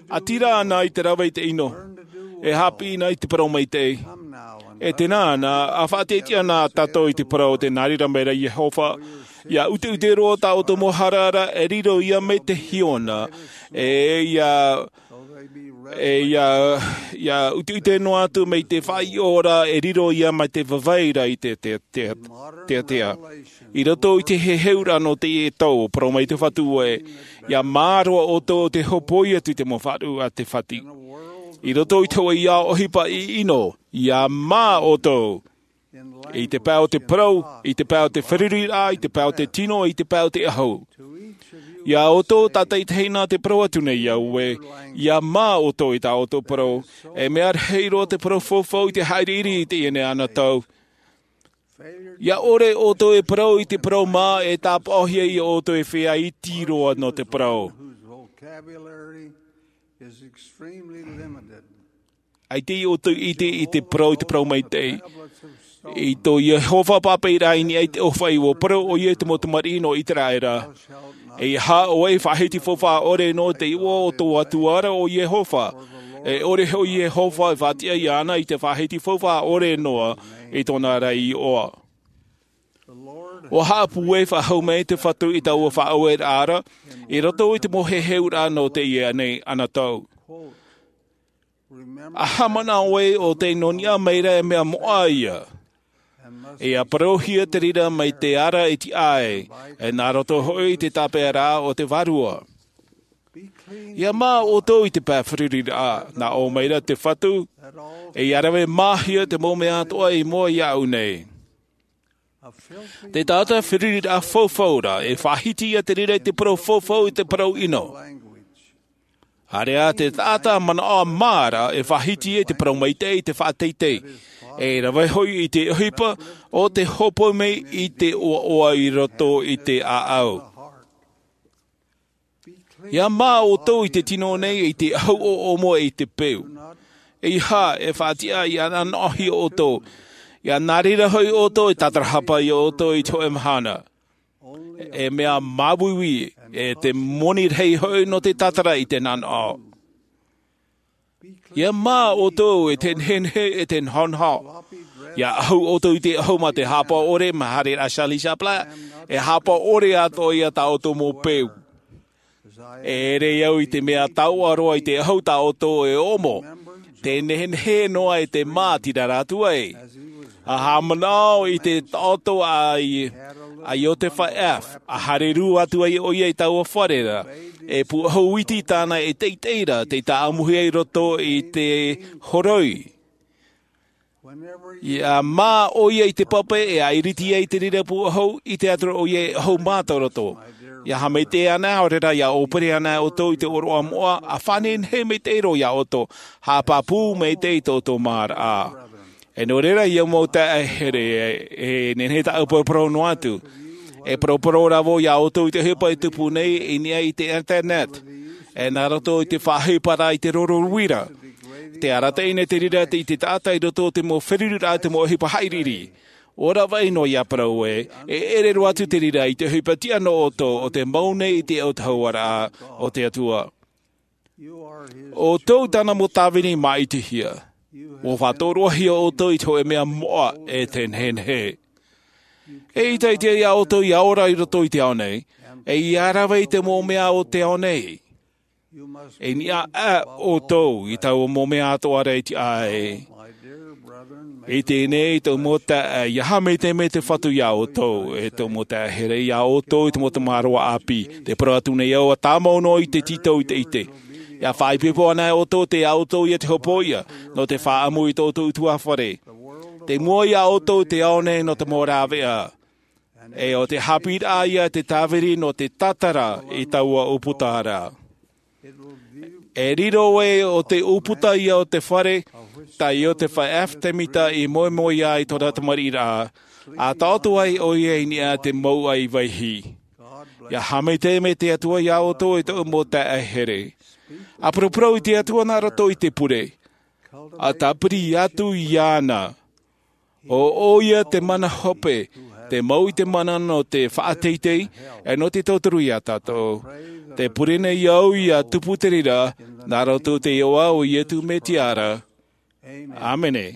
ʻĀtīrā anaʻe i te rave i te ʻino, e haʻapiʻi na i te parau maitaʻi. E tēnā na, ʻa faʻatiʻatiʻa na tātou i te parau o te nā reira mai ra Iehova, ʻia ʻuteʻute roa tā ʻoutou mau hara ra e riro ia mai te hiona, e ʻia, e ʻia, ʻia ʻuteʻute noa atu mai te faʻaiʻo ra e riro ia mai te vavai ra i te, te, te, te, te. I roto i te heheuraʻa nō teie tau, parau mai te Fatu e, ʻia mā roa ʻoutou ʻo tē hōpoi atu i te mau faʻaruʻu a te fatu. I roto i te hōʻē ʻohipa ʻino, ʻia mā ʻoutou. I te pae o te parau, i te pae o te feruriraʻa, i te pae o te tino, i te pae o te ʻahu. Iā ʻoutou tātaʻitahi nā te parau atu nei iā ʻoe, ʻia mā ʻoutou i tā ʻoutou parau, e mea rahi roa te parau faufaʻa i te haʻiriʻiri i teie nei anotau. ʻIa ʻore ʻoutou e parau i te parau mā e tāpaʻohia iā ʻoutou e feiā iti roa nō te parau. ʻAita ʻoutou i ʻite i te parau, i te parau maitaʻi. I tō Iehova papaʻiraʻa i niʻa i te ʻōfaʻi ʻua parau ʻoia i te mau tamariʻi nō Iteraera. ʻEiaha ʻoe e faʻahiti faufaʻa ʻore noa i te iʻoa o tō Atua ra ʻo Iehova. E ʻore hoʻi Iehova e faʻatiʻa iāna i te faʻahiti faufaʻa ʻore noa i tōna ra iʻoa. ʻUa haʻapūai faʻahou mai te Fatu i taua faʻaueraʻa ra, i roto i te mau heheuraʻa nō teie nei anotau. ʻA haʻamanaʻo ʻoe ʻo tei nō niʻa mai ra e mea moʻa ia. E ʻia parauhia te reira mai te ara e tiʻa ai, e nā roto hoʻi i te tāpeʻaraʻa o te Vārua. ʻIa mā ʻoutou i te pae feruriraʻa, nā ʻō mai ra te Fatu, e ʻia rave māhia te mau mea atoʻa i mua iāʻu nei. Te taʻata feruriraʻa faufaʻa ra, e faʻahiti ia te reira i te parau faufaʻa i te parau ʻino. ʻĀreʻa te taʻata manaʻo mā ra, e faʻahiti ia i te parau maitaʻi i te faʻateitei. E rave hoʻi i te ʻohipa o te hōpoi mai i te ʻoaʻoa i roto i te ʻāʻau. ʻIa mā ʻoutou i te tino nei, i te ʻahu ʻoʻomo e i te peu. ʻEiaha e faʻatiʻa ʻia nanaʻohia ʻoutou. ʻIa nā reira hoʻi ʻoutou e tātarahapa iā ʻoutou i te hōʻē mahana. E mea māuiui, e te moni rahi hoʻi nō te tātara i te nanaʻo. ʻIa mā ʻoutou i te nehenehe e te nahonaho. ʻIa ʻahu ʻoutou i te ʻahu mā te hāpaʻo ʻore, mā haere rā Charlie Chaplin, e hāpaʻo ʻore atoʻa ia tā ʻoutou mau peu. E ʻere au i te mea taoʻa roa i te ʻahu tā ʻoutou e ʻoʻomo. Te nehenehe noa e te mā tira rā atu ai. ʻA haʻamanaʻo i te taʻoto a, a Iotefa F. ʻA haere rū atu ai ʻoia i taua fare ra. E pūʻohu iti tāna e teitei ra, tei tāʻamuhia i roto i te horoi. ʻIa mā ʻoia i te pape e ʻairiti ai te reira pūʻohu, ʻite atu ra ʻoia e ʻahu mā tō roto. ʻIa haʻamaitaʻi ana, ʻaore rā ʻia ʻōpere ana ʻoutou i te ʻōroʻa moʻa, ʻa faʻanehenehe maitaʻi roa iā ʻoutou, haʻapāpū maitaʻi i tō ʻoutou māraʻa. E nō reira, ʻia mau taeaʻe here, e, e nehenehe tāʻu e paraparau noa atu. E paraparau rā vau iā ʻoutou i te ʻohipa e tupu nei i niʻa i te internet. E nā roto i te faʻaʻohipa ra i te roro uira. Tē arataʻi nei te reira i te taʻata i roto i te mau feruriraʻa, te mau ʻohipa haʻiriʻiri. ʻUa ravaʻi noa ʻia parau ē, e ʻere roa atu te reira i te ʻohipa tiʻa nō ʻoutou, ʻo tē mau nei i te autahuʻaraʻa o te Atua. ʻO ʻoutou tāna mau tāvini māʻitihia. ʻUa faʻatōroahia ʻoutou i te hōʻē mea moʻa e te nehenehe. E ʻaita e tiʻa iā ʻoutou ʻia ora i roto i te ao nei, e ʻia rave i te mau mea o te ao nei. E niʻa ʻoutou i taua mau mea atoʻa ra e tiʻa ai. I teie nei, tōʻu mau taeaʻe, ʻia haʻamaitaʻi mai te Fatu ia ʻoutou, e tōʻu mau taeaʻe here, ia ʻoutou i te mau tamāroa ʻāpī. Tē parau atu nei au, ʻa tāmau noa i te tītau ʻiteʻite. ʻIa faʻaipoipo anaʻe ʻoutou, tei ʻoutou ia te hopoiʻa, nō te faʻaʻamu i tō ʻoutou ʻutuāfare. Tei mua ia ʻoutou te ao nei nō te mau rāveʻa. E ʻo te haʻapiʻiraʻa ia te tāviri nō te tātara i taua ʻūputa ra. E riro ē ʻo te ʻūputa ia o te fare, tā ʻo te feiā ʻefitemita i moemoeā i tōna tamariʻiraʻa, ʻa taʻoto ai ʻoia i niʻa i te mouʻa i vaihi. ʻIa haʻamaitaʻi mai te Atua ia ʻoutou, e tōʻu mau taeaʻe here. ʻA paraparau i te Atua nā roto i te pure. ʻA tāpiri atu iāna. ʻO ʻoia te mana hope, te mau i te mana nō te faʻateitei, e nō te tauturu ia tātou. Tē pure nei au ʻia tupu te reira, nā roto i te iʻoa o Iesu Mesia ra. ʻĀmene.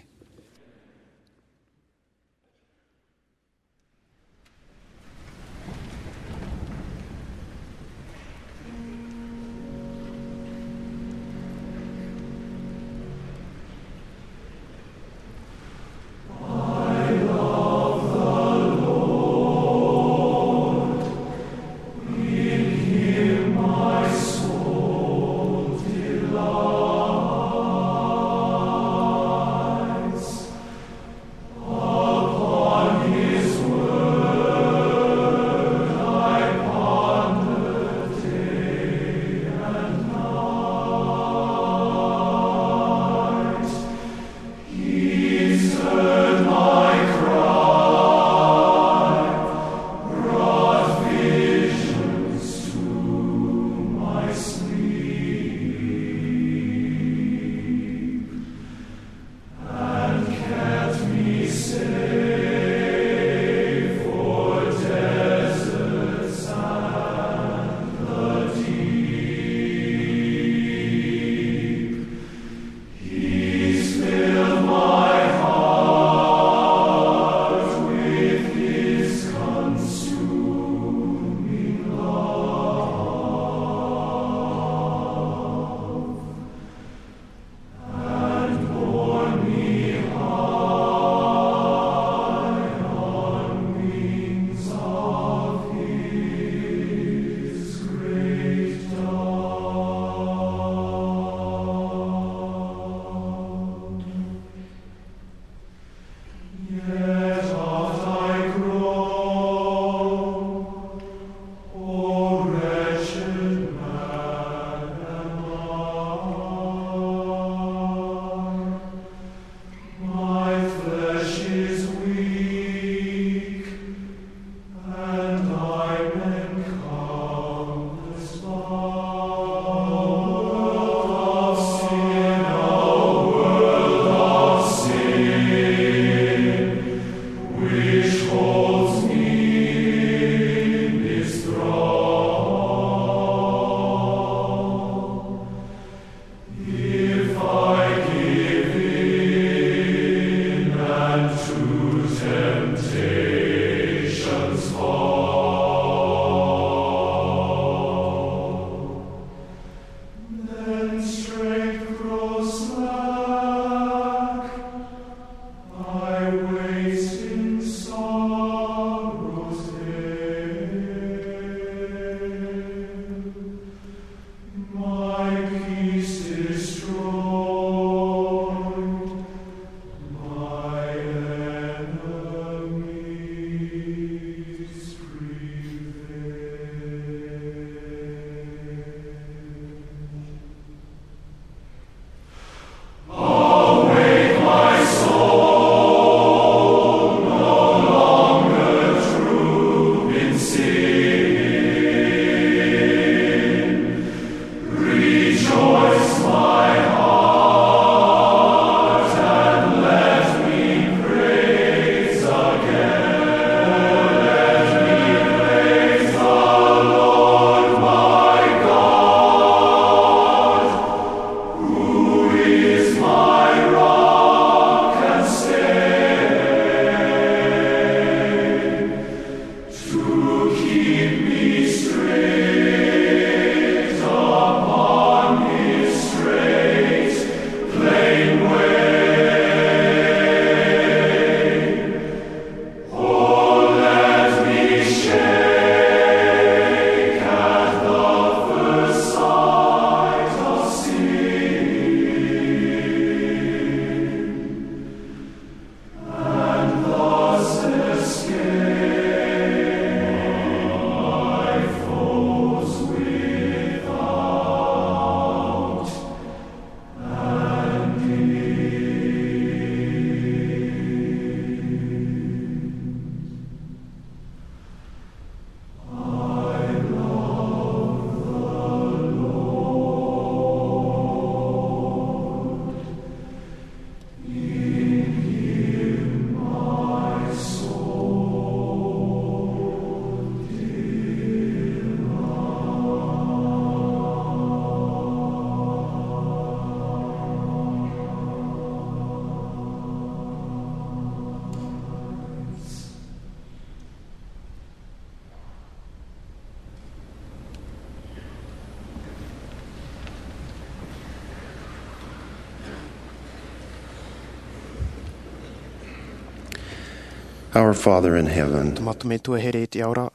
Our Father in heaven, Tō mātou Metua here i te ao ra,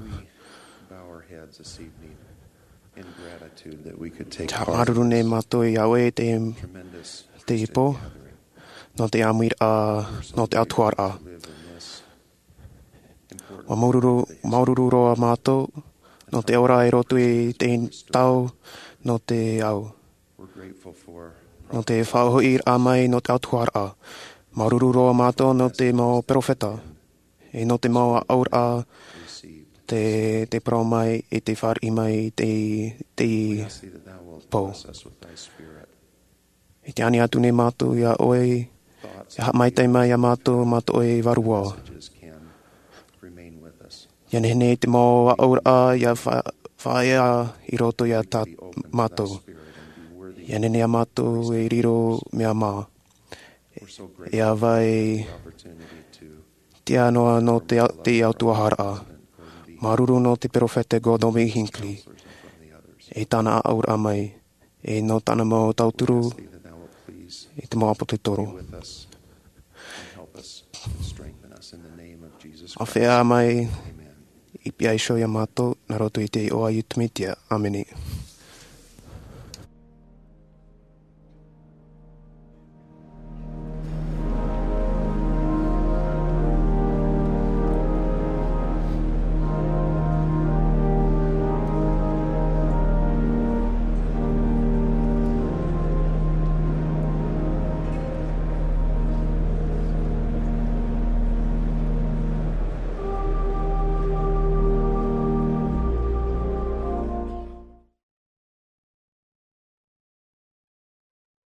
we bow our heads this evening in gratitude that we could take part in this tremendous, te haʻamāuruuru nei mātou iā ʻoe te, te pō, nō te ʻāmuiraʻa, nō te autahuʻaraʻa. Ua māuruuru, māuruuru roa mātou, nō te ora i roto i te tau, nō te ao. Nō te faʻahoʻiraʻa mai nō te autahuʻaraʻa. Māuruuru roa mātou nō te mau perofeta. E nō te mau aʻoraʻa te, te parau mai e te fāriʻi mai i te, te pō. I te ani atu nei mātou iā ʻoe, e haʻamaitaʻi mai iā mātou, mātou e vārua. Ia nehenehe te mau aʻoraʻa, ia fa-, faʻaea i roto iā tā mātou. Ia nehenehe iā mātou e riro mea mā. E ava e tiʻa noa nō te, te autahuʻaraʻa. Māuruuru nō te perofeta Gordon B. Hinckley. E tāna aʻoraʻa mai. E nō tāna mau tauturu, e te mau ʻāpōsetolo. Āfea mai, i pihaʻi iho iā mātou, nā roto i te iʻoa a Iesu Mesia. ʻĀmene.